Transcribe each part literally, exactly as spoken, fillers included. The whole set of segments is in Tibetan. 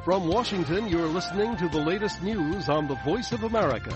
From Washington, you're listening to the latest news on the Voice of America.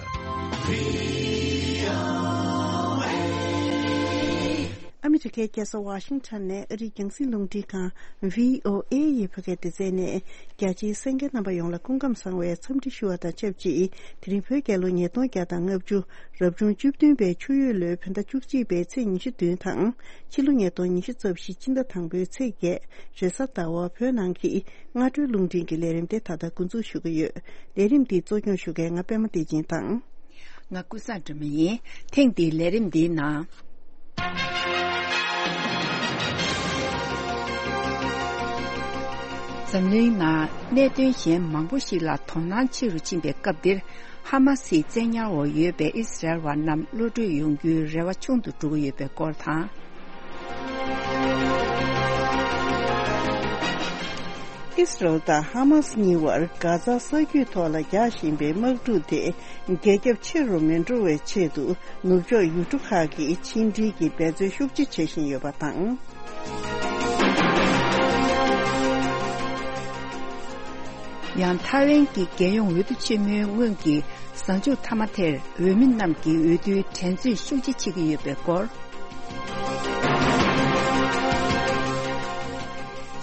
ཨ་མི་རི་ཀའི་རྒྱལ་ས་ཝ་ཤིང་ཊོན་ནས་ཨ་རིའི་རྒྱང་སྲིང་རླུང་འཕྲིན་ཁང་བྷི་ཨོ་ཨེ་ཡི་བོད་སྐད་སྡེ་ཚན་ནས། རྒྱ་ཆེའི་གསན་མཁན་རྣམ་པ་ཡོངས་ལ་སྐུ་ཁམས་བཟང་བའི་འཚམས་འདྲི་ཞུ་བ་དང་ཆབས་ཅིག་དེ་རིང་བོད་རྒྱལ་ལོ་ཉིས་སྟོང་བརྒྱ་དང་ལྔ་བཅུ། རབ་བྱུང་བཅུ་བདུན་པའི་ཆུ་ཡོས་ལོའི་བོད་ཟླ་བཅུ་གཅིག་པའི་ཚེས་ཉི་ཤུ་བདུན་དང་། ཕྱི་ལོ་ཉིས་སྟོང་ཉི་ཤུ་རྩ་བཞི་སྤྱི་ཟླ་དང་པོའི་ཚེས་བརྒྱད། རེས་གཟའ་ཟླ་བ། བོད་ནང་གི་སྔ་དྲོའི་རླུང་འཕྲིན་གྱི་ལས་རིམ་དེ་ད་ལྟ་འགོ་འཛུགས་ཞུ་གི་ཡོད། ལས་རིམ་འདི་གཙོ་སྐྱོང་ཞུ་མཁན་ང་པད་མ་བདེ་ཆེན་དང་། ང་ཀུན་བཟང་སྒྲོལ་མ་ཡིན། ཐེངས་འདིའི་ལས་རིམ་འདིའི་ནང་། འཛམ་གླིང་ནང་གནད་དོན་གཞན་མང་པོ་ཞིག་ལ་དོ་སྣང་ཆེ་རུ་ཕྱིན་པའི་སྐབས་འདིར། ཧ་མ་སིའི་བཙན་ཉར་འོག་ཡོད་པའི་ཨི་སི་རལ་བ་རྣམས་གློད་གྲོལ་ཡོང་རྒྱུའི་རེ་བ་ཆུང་དུ་འགྲོ་གི་ཡོད་པའི་སྐོར་དང་། ཨི་སི་རལ་དང་ཧ་མ་སི་གཉིས་བར་གྷ་ཛ་ས་རྒྱུད་ཐོག་ལ་རྒྱག་བཞིན་པའི་དམག་འཁྲུག་དེ་རྒྱ་ཁྱབ་ཆེ་རུ་མི་འགྲོ་བའི་ཆེད་དུ། ནུབ་ཕྱོགས་ཡུལ་གྲུ་ཁག་གིས་ཕྱི་འབྲེལ་གྱི་འབད་རྩོལ་ཤུགས་ཆེ་བྱེད་བཞིན་ཡོད་པ་དང་། ཡང་ཐའེ་ཝན་གྱི་རྒྱལ་ཡོངས་འོས་བསྡུ་ཆེན་མོའི་སྔོན་གྱི་གཟའ་མཇུག་མཐའ་མ་དེར་འོས་མི་རྣམས་ཀྱིས་འོས་བསྡུའི་འགྲན་རྩོད་ཤུགས་ཆེ་བྱེད་ཀྱི་ཡོད་པའི་སྐོར།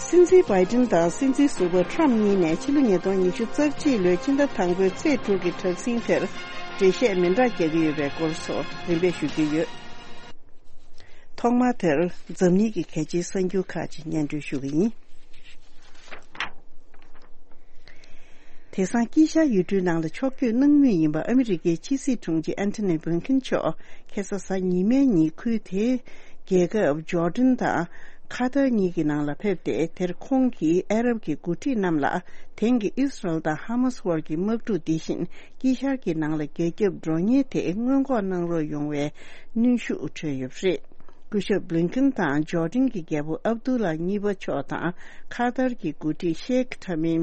སྲིད་འཛིན་བྷའི་ཏིན་དང་སྲིད་འཛིན་ཟུར་པ་ཁྲམ་གཉིས་ནས་ཕྱི་ལོ་ཉིས་སྟོང་ཉི་ཤུ་རྩ་གཅིག་ལོའི་ཕྱི་ཟླ་དང་པོའི་ཚེས་དྲུག་གི་དྲག་ཟིང་དེར་འགྲེལ་བཤད་མི་འདྲ་རྒྱག་གི་ཡོད་པའི་སྐོར་སོགས་རིམ་པས་ཞུ་རྒྱུ་ཡོད། ཐོག་མར་དེར་འཛམ་གླིང་གི་གལ་ཆེའི་གསར་འགྱུར་ཁག་ཅིག་སྙན་སྒྲོན་ཞུ་གི་ཡིན། དེང་སང་དཀྱིལ་ཤར་ཡུལ་གྲུའི་ནང་ལ་ཕྱོགས་བསྐྱོད་གནང་མུས་ཡིན་པ་ཨ་མི་རི་ཀའི་ཕྱི་སྲིད་དྲུང་ཆེ་ཨན་ཐོ་ནི་བྷིལ་ཁིན་མཆོག་ཁ་སང་གཟའ་ཉི་མའི་ཉིན་ཁུལ་དེའི་རྒྱལ་ཁབ་ཇོར་ཌན་དང་ཁ་ཐར་གཉིས་ཀྱི་ནང་ལ་ཕེབས་ཏེ། དེར་ཁོང་གིས་ཨ་རབ་ཀྱི་འགོ་ཁྲིད་རྣམས་ལ་དེང་གི་ཨི་སི་རལ་དང་ཧ་མ་སི་དབར་གྱི་དམག་འཁྲུག་འདི་བཞིན་དཀྱིལ་ཤར་གྱི་ནང་ལ་རྒྱ་ཁྱབ་འགྲོ་ཉེན་དེ་སྔོན་འགོག་གནང་རོགས་ཡོང་བའི་གནོན་ཤུགས་འཕྲོད་ཡོད་པ་རེད། སྐུ་ཞབས་བྷི་ལིན་ཁིན་དང་ཇོར་ཌན་གྱི་རྒྱལ་པོ་ཨབ་དུ་ལ་གཉིས་པ་མཆོག་དང་ཁ་ཐར་གྱི་འགོ་ཁྲིད་ཤེག་ཐ་མིམ་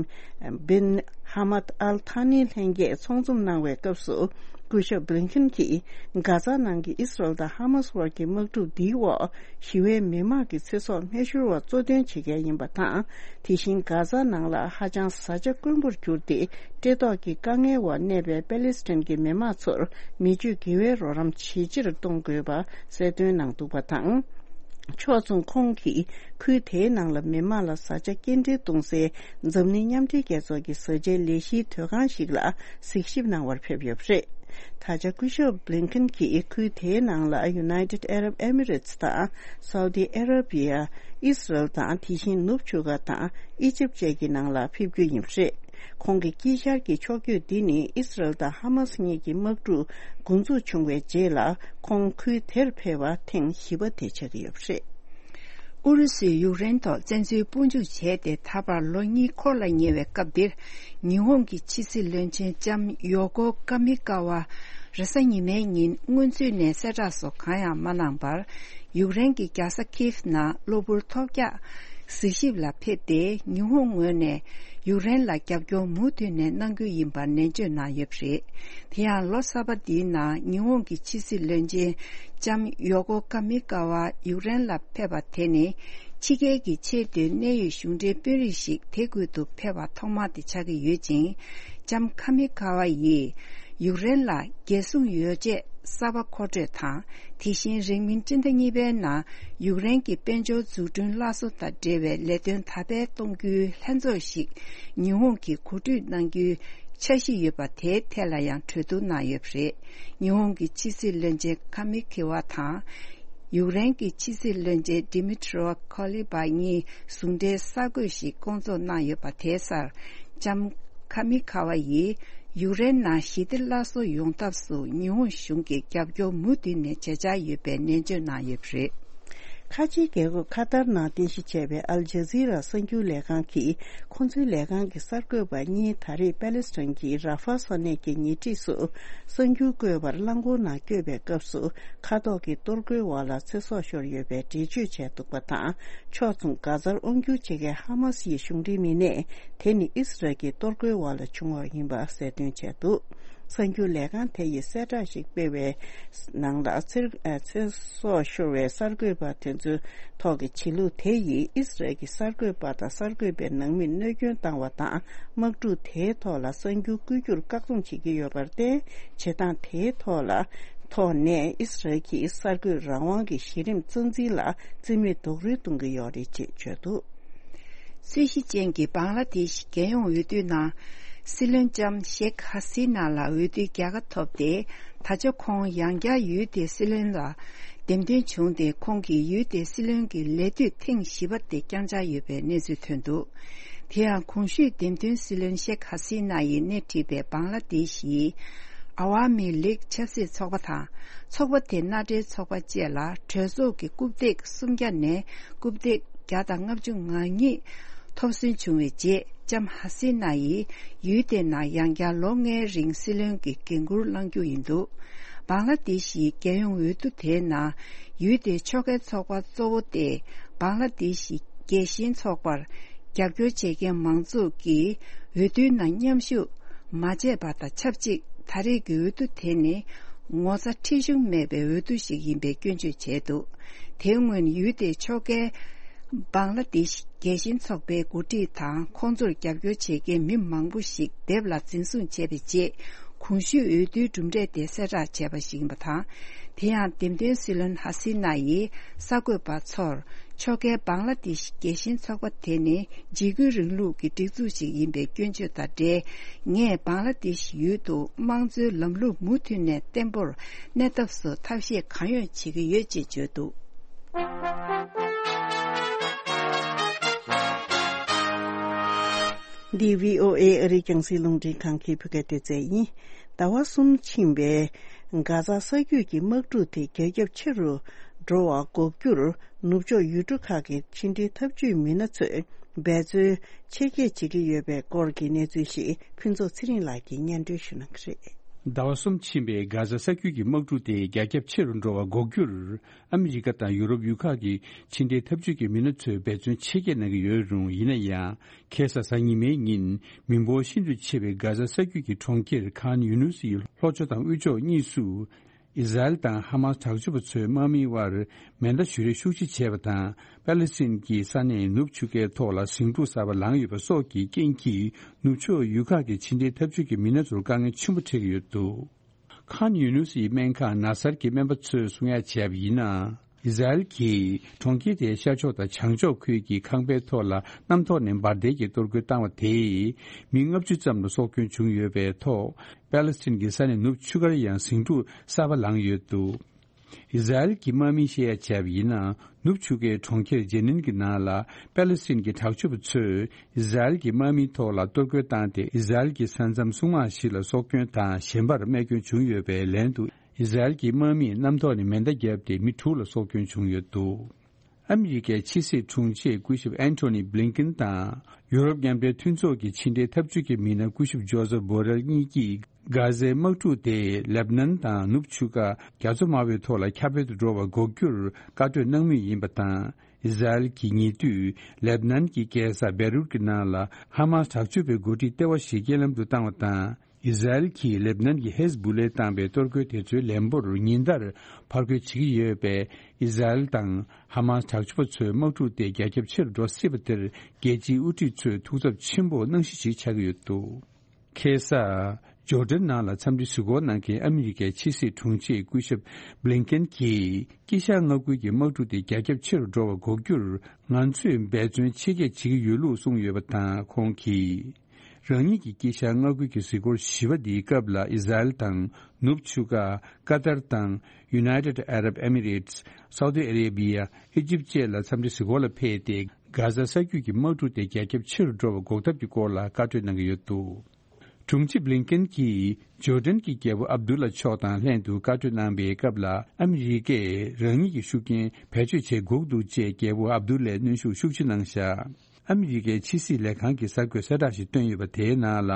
བིན་ཧ་མད་ཨལ་ཐ་ནི་ལྷན་རྒྱས་ཚོགས་འཛོམས་གནང་བའི་སྐབས་སུ། སྐུ་ཞབས་བྷི་ལིན་ཁིན་གྱིས་གྷ་ཛ་ནང་གི་ཨི་སི་རལ་དང་ཧ་མ་སི་དབར་གྱི་དམག་འཁྲུག་འདིའི་འོག་ཞི་བའི་མི་མང་གི་ཚེ་སྲོག་སྨན་ཤོར་བ་གཙོ་འདོན་བྱེད་མཁན་ཡིན་པ་དང་། དེ་བཞིན་གྷ་ཛ་ནང་ལ་ཧ་ཅང་བཟའ་བཅའ་དཀོན་པོར་གྱུར་ཏེ། བཀྲེས་ལྟོགས་ཀྱི་དཀའ་ངལ་འོག་གནས་པའི་པེ་ལེ་སི་ཐན་གྱི་མི་མང་ཚོར་མི་སྤྱོད་དགེ་བའི་རོགས་རམ་ཇེ་ཆེར་གཏོང་དགོས་པ་གསལ་སྟོན་གནང་འདུག་པ་དང་། ཕྱོགས་མཚུངས་ཁོང་གིས་ཁུལ་དེའི་ནང་ལ་མི་མང་ལ་བཟའ་བཅའ་སྐྱེལ་འདྲེན་གཏོང་སའི་འཛམ་གླིང་མཉམ་འབྲེལ་རྒྱལ་ཚོགས་ཀྱི་བཟའ་བཅའི་ལས་གཞིའི་སྡོད་ཁང་ཞིག་ལ་གཟིགས་ཞིབ་གནང་བར་ཕེབས་ཡོད་པ་རེད། ད་ཆ་སྐུ་ཞབས་བྷི་ལིན་ཁིན་གྱིས་ཁུལ་དེའི་ནང་ལ་United Arab Emirates དང་སའུ་ཏི་ཨ་ར་བི་ཡ། ཨི་སི་རལ་དང་དེ་བཞིན་ནུབ་ཕྱོགས་ཁ་དང་ཨི་ཇིབ་བཅས་ཀྱི་ནང་ལ་ཕེབས་རྒྱུ་ཡིན་པ་རེད། ཁོང་གི་དཀྱིལ་ཤར་གྱི་ཕྱོགས་བསྐྱོད་འདི་ནི་ཨི་སི་རལ་དང་ཧ་མ་སི་གཉིས་ཀྱི་དམག་འཁྲུག་འགོ་འཛུགས་བྱུང་བའི་རྗེས་ལ་ཁོང་ཁུལ་དེར་ཕེབས་པ་ཐེངས་བཞི་པ་དེ་ཆགས་ཀྱི་ཡོད་པ་རེད། ཨུ་རུ་སུས་ཡུཀ་རེན་ཐོག་བཙན་འཛུལ་དཔུང་འཇུག་བྱས་ཏེ་ད་བར་ལོ་གཉིས་འཁོར་ལ་ཉེ་བའི་སྐབས་འདིར། ཉི་ཧོང་གི་ཕྱི་སྲིད་བློན་ཆེན་ལྕམ་ཡོ་ཀོ་ཀ་མི་ཀ་ཝ་རེས་གཟའ་ཉི་མའི་ཉིན་སྔོན་ཚུད་ནས་གསལ་བསྒྲགས་སོགས་གང་ཡང་མ་གནང་བར། ཡུཀ་རེན་གྱི་རྒྱལ་ས་ཁིབ་ནང་གློ་བུར་ཐོལ་རྒྱག་གཟིགས་ཞིབ་ལ་ཕེབས་ཏེ། ཉི་ཧོང་ངོས་ནས་ཡུཀ་རེན་ལ་རྒྱབ་སྐྱོར་མུ་མཐུད་ནས་གནང་རྒྱུ་ཡིན་པར་ནན་བརྗོད་གནང་ཡོད་པ་རེད། དེ་ཡང་ལོ་གསར་པ་འདིའི་ནང་ཉི་ཧོང་གི་ཕྱི་སྲིད་བློན་ཆེན་ལྕམ་ཡོ་ཀོ་ཀ་མི་ཀ་ཝ་ཡུཀ་རེན་ལ་ཕེབས་པ་དེ་ནི། ཕྱི་རྒྱལ་གྱི་ཆེས་མཐོའི་གནད་ཡོད་གཞུང་འབྲེལ་དཔོན་རིགས་ཤིག་དེ་ཁུལ་དུ་ཕེབས་པ་ཐོག་མ་དེ་ཆགས་ཀྱི་ཡོད་ཅིང་། ལྕམ་ཁ་མི་ཁ་ཝ་ཡིས་ཡུཀ་རེན་ལ་རྒྱལ་སྲུང་ཡོ་བྱད་གསར་པ་མཁོ་སྤྲོད་དང་། དེ་བཞིན་རིང་མིན་སྤྱི་ཟླ་གཉིས་པའི་ནང་ཡུཀ་རེན་གྱི་དཔལ་འབྱོར་འཛུགས་སྐྲུན་སླར་གསོ་དང་འབྲེལ་བའི་ལས་དོན་དར་སྤེལ་གཏོང་རྒྱུའི་ལྷན་ཚོགས་ཤིག་ཉི་ཧོང་གིས་གོ་སྒྲིག་གནང་རྒྱུའི་འཆར་གཞི་ཡོད་པ་དེའི་ཐད་ལ་ཡང་གྲོས་བསྡུར་གནང་ཡོད་པ་རེད། ཉི་ཧོང་གི་ཕྱི་སྲིད་བློན་ཆེན་ཁ་མི་ཁི་ཝ་དང་། ཡུཀ་རེན་གྱི་ཕྱི་སྲིད་བློན་ཆེན་ཌི་མི་ཊི་རོ་ཁོ་ལི་པ་གཉིས་ཟུང་འབྲེལ་གསར་འགོད་ཞིག་བསྐོང་ཚོགས་གནང་ཡོད་པ་དེའི་སར། ལྕམ་ཁ་མི་ཁ་ཝ་ཡིས་ཡུཀ་རེན་ནང་ཞི་བདེ་སླར་གསོ་ཡོང་ཐབས་སུ་ཉི་ཧོང་གཞུང་གིས་རྒྱབ་སྐྱོར་མུ་མཐུད་ནས་བྱེད་འཆར་ཡོད་པའི་ནན་བརྗོད་གནང་ཡོད་པ་རེད། ཁ་ཆེའི་རྒྱལ་ཁབ་ཁ་ཏར་ནང་རྟེན་གཞི་བྱས་པའི་ཨལ་ཇ་ཛི་ར་གསར་འགྱུར་ལས་ཁང་གིས། ཁོང་ཚོའི་ལས་ཁང་གི་གསར་འགོད་པ་གཉིས་ད་རེས་པེ་ལེ་སི་ཐན་གྱི་ར་ཧྥ་ས་གནས་ཀྱི་ཉེ་འཁྲིས་སུ་གསར་འགྱུར་བཀོད་པར་རླངས་འཁོར་ནང་བསྐྱོད་པའི་སྐབས་སུ། མཁའ་ཐོག་གི་གཏོར་རྒོལ་འོག་ལ་ཚེ་སྲོག་ཤོར་ཡོད་པའི་འགྲེལ་བརྗོད་བྱས་འདུག་པ་དང་། ཕྱོགས་མཚུངས་གྷ་ཛར་དབང་སྒྱུར་བྱེད་མཁན་ཧ་མ་སི་ཡི་གཞུང་འབྲེལ་མི་སྣས། དེ་ནི་ཨི་སི་རལ་གྱི་གཏོར་རྒོལ་འོག་ལ་བྱུང་བ་ཡིན་པ་གསལ་སྟོན་བྱས་འདུག་གསར་འགྱུར་ལས་ཁང་དེ་ཡིས་གསལ་བསྒྲགས་ཤིག་སྤེལ་བའི་ནང་ལ། ཚེ་ཚེ་སྲོག་ཤོར་བའི་གསར་འགོད་པ་དེ་ཚོའི་ཐོག་གི་བྱེད་ལུགས་དེ་ཡིས་ཨི་སི་རལ་གྱི་གསར་འགོད་པ་དང་གསར་འགོད་པའི་ནང་མིར་གནོད་སྐྱོན་བཏང་བ་དང་། དམག་འཁྲུག་དེའི་ཐོག་ལ་གསར་འགྱུར་བཀོད་རྒྱུར་བཀག་སྡོམ་བྱེད་ཀྱི་ཡོད་པར་བརྟེན། བྱེད་སྟངས་དེའི་ཐོག་ལ་ཐོག་ནས་ཨི་སི་རལ་གྱིས་གསར་འགོད་རང་དབང་གི་གཞི་རིམ་རྩ་འཛིན་ལ་རྩིས་མེད་རྡོག་རོལ་གཏོང་གི་ཡོད་རེད་ཅེས་བརྗོད་འདུག། རྩོད་གཞི་ཅན་གྱི་བང་ལ་དེ་ཤི་རྒྱལ་ཡོངས་འོས་བསྡུའི་ནང་། སྲིད་བློན་ལྕམ་ཤེག་ཧ་སི་ན་ལགས་འོས་བསྡུའི་རྒྱལ་ཁ་ཐོབ་སྟེ། ད་ཆ་ཁོང་ཡང་བསྐྱར་ཡུལ་དེའི་སྲིད་བློན་ལ་འདེམས་ཐོན་བྱུང་སྟེ། ཁོང་གིས་ཡུལ་དེའི་སྲིད་བློན་གྱི་ལས་དུས་ཐེངས་བཞི་པ་དེ་བསྐྱངས་འཆར་ཡོད་པའི་གནས་ཚུལ་ཐོན་འདུག། དེ་ཡང་གོང་ཞུས་འདེམས་ཐོན་སྲིད་བློན་ཤེག་ཧ་སི་ན་ཡིས་སྣེ་ཁྲིད་པའི་བང་ལ་དེ་ཤི་ཡི་ཨ་ཝ་མི་ལིག་ཆབ་སྲིད་ཚོགས་པ་དང་། ཚོགས་པ་དེ་མནའ་འབྲེལ་ཚོགས་པ་བཅས་ལ་གྲོས་ཚོགས་ཀྱི་རྐུབ་སྟེགས་སུམ་བརྒྱ་ནས་རྐུབ་སྟེགས་བརྒྱ་དང་ལྔ་བཅུ་ང་གཉིས་ཐོབ་ཟིན་བྱུང་བའི་རྗེས། ལྕམ་ཧ་སི་ན་ཡིས་ཡུལ་དེའི་ནང་ཡང་བསྐྱར་ལོ་ལྔའི་རིང་སྲིད་བློན་གྱི་འགན་འཁུར་བླང་རྒྱུ་ཡིན་འདུག། བང་ལ་དེ་ཤི་ཡི་རྒྱལ་ཡོངས་འོས་བསྡུ་དེའི་ནང་ཡུལ་དེའི་ཕྱོགས་འགལ་ཚོགས་པ་གཙོ་བོ་སྟེ། བང་ལ་དེ་ཤི་རྒྱལ་ཞེན་ཚོགས་པར་རྒྱབ་སྐྱོར་བྱེད་མཁན་མང་ཚོགས་ཀྱིས་འོས་བསྡུའི་ནང་མཉམ་ཞུགས་མ་བྱས་པ་དང་ཆབས་ཅིག། ད་རེས་ཀྱི་འོས་བསྡུ་དེ་ནི་ངོ་ཚ་ཁྲེལ་གཞུང་མེད་པའི་འོས་བསྡུ་ཞིག་ཡིན་པའི་སྐྱོན་བརྗོད་བྱས་འདུག། དེའི་སྔོན་ཡུལ་དེའི་ཕྱོགས་འགལ་བང་ལ་དེ་ཤི་རྒྱལ་ཞེན་ཚོགས་པའི་འགོ་ཁྲིད་དང་ཁོང་ཚོར་རྒྱབ་སྐྱོར་བྱེད་མཁན་མི་མང་པོ་ཞིག་སྡེབ་ལ་འཛིན་བཟུང་བྱས་པའི་རྗེས། གོང་ཞུས་འོས་བསྡུའི་གྲུབ་འབྲས་དེ་གསལ་བསྒྲགས་བྱས་པ་ཞིག་ཡིན་པ་དང་། དེ་ཡང་འདེམས་ཐོན་སྲིད་བློན་ཧ་སི་ན་ཡིས་གསར་འགོད་པ་ཚོར། ཕྱོགས་འགལ་བང་ལ་དེ་ཤི་རྒྱལ་ཞེན་ཚོགས་པ་དེ་ནི་འཇིགས་སྐུལ་རིང་ལུགས་ཀྱི་སྒྲིག་འཛུགས་ཤིག་ཡིན་པའི་སྐྱོན་བརྗོད་དང་འབྲེལ། ངས་བང་ལ་དེ་ཤི་ཡུལ་དུ་དམངས་གཙོའི་ལམ་ལུགས་མུ་མཐུད་ནས་བརྟན་པོར་གནས་ཐབས་སུ་ཐབས་ཤེས་གང་ཡོད་བྱེད་ཀྱི་ཡོད་ཅེས་བརྗོད་འདུག། འདི་བྷི་ཨོ་ཨེ་ཨ་རིའི་རྒྱང་སྲིང་རླུང་འཕྲིན་ཁང་གི་བོད་སྐད་སྡེ་ཚན་ཡིན། ཟླ་བ་གསུམ་ཕྱིན་པའི་གྷ་ཛ་ས་རྒྱུད་ཀྱི་དམག་འཁྲུག་དེ་རྒྱ་ཁྱབ་ཆེ་རུ་འགྲོ་བ་འགོག་རྒྱུར། ནུབ་ཕྱོགས་ཡུལ་གྲུ་ཁག་གི་ཕྱི་འབྲེལ་འཐབ་ཇུས་མི་སྣ་ཚོས་འབད་བརྩོན་ཆེ་བསྐྱེད་བྱེད་ཀྱི་ཡོད་པའི་སྐོར་གྱི་གནས་ཚུལ་ཞིག་ཕུན་ཚོགས་ཚེ་རིང་ལགས་ཀྱིས་སྙན་སྒྲོན་ཞུ་གནང་གི་རེད། ཟླ་བ་གསུམ་ཕྱིན་པའི་གྷ་ཛ་ས་རྒྱུད་ཀྱི་དམག་འཁྲུག་དེ་རྒྱ་ཁྱབ་ཆེ་རུ་འགྲོ་བ་འགོག་རྒྱུར། ཨ་མི་རི་ཀ་དང་ཡུ་རོབ་ཡུལ་ཁག་གི་ཕྱི་འབྲེལ་འཐབ་ཇུས་ཀྱི་མི་སྣ་ཚོས་འབད་བརྩོན་ཆེ་བསྐྱེད་གནང་གི་ཡོད་རུང་། ཡིན་ན་ཡང་། ཁ་སང་གཟའ་ཉི་མའི་ཉིན། མི་འབོར་ཤིན་ཏུ་ཆེ་བའི་གྷ་ཛ་ས་རྒྱུད་ཀྱི་གྲོང་ཁྱེར་ཁཱན་ཡུ་ནུས་ཡི་ལྷོ་ཕྱོགས་དང་དབུས་ཕྱོགས་གཉིས་སུ། ཨི་ཟ་རེལ་དང་ཧ་མཱས་དྲག་སྤྱོད་པ་ཚོའི་དམག་མིའི་དབར་མེ་མདའ་གཞུ་རེས་ཤུགས་ཆེ་བྱས་པ་དང་། པ་ལི་སི་ཐན་གྱི་ས་གནས་ནུབ་ཆུ་ཁའི་ཐོག་ལ་ཟིང་འཁྲུག་གསར་པ་ལངས་ཡོད་པ་སོགས་ཀྱི་རྐྱེན་གྱིས། ནུབ་ཕྱོགས་ཡུལ་ཁག་གི་ཕྱི་འབྲེལ་འཐབ་ཇུས་ཀྱི་མི་སྣ་ཚོར་དཀའ་ངལ་ཆེན་པོ་འཕྲད་ཀྱི་ཡོད་འདུག། ཁཱན་ཡུ་ནུས་ཡི་སྨན་ཁང་ན་སར་གྱི་སྨན་པ་ཚོས་གསུང་ཡ་བྱས་པ་ཡིན་ན། ཨི་ཟ་རེལ་གྱིས་གྲོང་ཁྱེར་དེའི་ཤར་ཕྱོགས་དང་བྱང་ཕྱོགས་ཁུལ་གྱི་ཁང་པའི་ཐོག་ལ་གནམ་ཐོག་ནས་འབར་མདེལ་གྱིས་གཏོར་རྒོལ་བཏང་བ་དེས། མི་ལྔ་བཅུ་ཙམ་ལ་སྲོག་སྐྱོན་བྱུང་ཡོད་པའི་ཐོག། པ་ལི་སི་ཐན་གྱི་ས་གནས་ནུབ་ཆུ་ཁར་ཡང་ཟིང་འཁྲུག་གསར་པ་ལངས་ཡོད་འདུག། ཨི་ཟ་རེལ་གྱི་དམག་མིས་བཤད་ཡ་བྱས་པ་ཡིན་ན། ནུབ་ཆུ་ཁའི་གྲོང་ཁྱེར་ཇེ་ནིན་གྱི་ནང་ལ། པ་ལི་སི་ཐན་གྱི་དྲག་སྤྱོད་པ་ཚོས་ཨི་ཟ་རེལ་གྱི་དམག་མིའི་ཐོག་ལ་གཏོར་རྒོལ་བཏང་སྟེ། ཨི་ཟ་རེལ་གྱི་ས་མཚམས་སྲུང་དམག་ཞིག་ལ་སྲོག་སྐྱོན་དང་། གཞན་པར་རྨས་སྐྱོན་བྱུང་ཡོད་པའི་ལན་དུ། ཨི་ཟ་རེལ་གྱི་དམག་མིས་གནམ་ཐོག་ནས་མེ་མདའ་བརྒྱབ་སྟེ། མི་དྲུག་ལ་སྲོག་སྐྱོན་བྱུང་ཡོད་འདུག། ཨ་མི་རི་ཀའི་ཕྱི་སྲིད་དྲུང་ཆེ་སྐུ་ཞབས་ཨན་ཐོ་ནི་བྷི་ལིན་ཀིན་དང་། ཡུ་རོབ་མཉམ་འབྲེལ་མཐུན་ཚོགས་ཀྱི་ཕྱི་འབྲེལ་འཐབ་ཇུས་ཀྱི་མི་སྣ་སྐུ་ཞབས་ཇོ་ཟེབ་བྷོ་རེལ་གཉིས་ཀྱིས། གྷ་ཟའི་དམག་འཁྲུག་དེ་ལེབ་ནན་དང་ནུབ་ཆུ་ཁ་རྒྱ་མཚོ་དམར་པོའི་ཐོག་ལ་ཁྱབ་སྤེལ་དུ་འགྲོ་བ་འགོག་རྒྱུར་བཀའ་གྲོས་གནང་མུས་ཡིན་པ་དང་། ཨི་ཟ་རེལ་གྱིས་ཉེ་དུས་ལེབ་ནན་གྱི་རྒྱལ་ས་བེ་རུད་ཀྱི་ནང་ལ་ཧ་མཱས་དྲག་སྤྱོད་པའི་འགོ་ཁྲིད་ལྟེ་བ་ཞིག་རྐྱེན་ལམ་དུ་བཏང་བ་དང་། ཨི་ཟ་རེལ་གྱིས་ལེབ་ནན་གྱི་ཧེ་ཟ་བུ་ལའི་བཏང་པའི་གཏོར་རྒོལ་དེ་ཚོའི་ལན་འབོར་ཉིན་ལྟར་ཕར་རྒོལ་བྱེད་ཀྱི་ཡོད་པས། ཨི་ཟ་རེལ་དང་ཧ་མཱས་དྲག་སྤྱོད་པ་ཚོའི་དམག་འཁྲུག་དེ་རྒྱ་ཁྱབ་ཆེ་རུ་འགྲོ་སྲིད་པ་དེར་རྒྱལ་སྤྱིའི་དབུ་ཁྲིད་ཚོས་ཐུགས་འཚབ་ཆེན་པོ་གནང་གཞི་ཞིག་ཆགས་ཀྱི་ཡོད་འདུག། ཁ་སང་ཇོར་ཌན་ནང་ལ་འཚམས་འདྲི་གཟིགས་སྐོར་གནང་མཁན་ཨ་མི་རི་ཀའི་ཕྱི་སྲིད་དྲུང་ཆེ་སྐུ་ཞབས་བྷི་ལིན་ཀིན་གྱིས། དཀྱིལ་ཤར་མངའ་ཁུལ་གྱི་དམག་འཁྲུག་དེ་རྒྱ་ཁྱབ་ཆེ་རུ་འགྲོ་བ་འགོག་རྒྱུར། ང་ཚོས་འབད་བརྩོན་ཆེ་བསྐྱེད་བྱེད་ཀྱི་ཡོད་ལུགས་གསུངས་ཡོད་པ་དང་། ཁོང་གིས། རང་ཉིད་ཀྱི་དཀྱིལ་ཤར་མངའ་ཁུལ་གྱི་གཟིགས་སྐོར་བཞི་པ་འདིའི་སྐབས་ལ། ཨི་ཟ་རེལ་དང་། ནུབ་ཆུ་ཁ། ཀ་ཏར་དང་། United Arab Emirates། Saudi Arabia། ཨི་ཇིབ་བཅས་ལ་འཚམས་འདྲི་གཟིགས་སྐོར་ལ་ཕེབས་ཏེ། གྷ་ཟ་ས་རྒྱུད་ཀྱི་དམག་འཁྲུག་དེ་རྒྱ་ཁྱབ་ཆེ་རུ་འགྲོ་བ་འགོག་ཐབས་ཀྱི་སྐོར་ལ་བཀའ་གྲོས་གནང་གི་ཡོད་འདུག། དྲུང་ཆེ་བྷི་ལིན་ཀིན་གྱིས་ཇོར་ཌན་གྱི་རྒྱལ་པོ་ཨབ་དུ་ལ་མཆོག་དང་ལྷན་དུ་བཀའ་གྲོས་གནང་པའི་སྐབས་ལ། ཨ་མི་རི་ཀས་རང་ཉིད་ཀྱི་ཤུགས་རྐྱེན་བེད་སྤྱོད་བྱེད་དགོས་འདུག་ཅེས་རྒྱལ་པོ་ཨབ་དུ་ལའི་གནོན་ཤུགས་ཤུགས་ཆེ་གནང་བཞག། ཨ་མི་རི་ཀའི་ཕྱི་སྲིད་ལས་ཁང་གི་གསར་འགོད་གསལ་བསྒྲགས་ཤིག་བཏོན་ཡོད་པ། དེའི་ནང་ལ།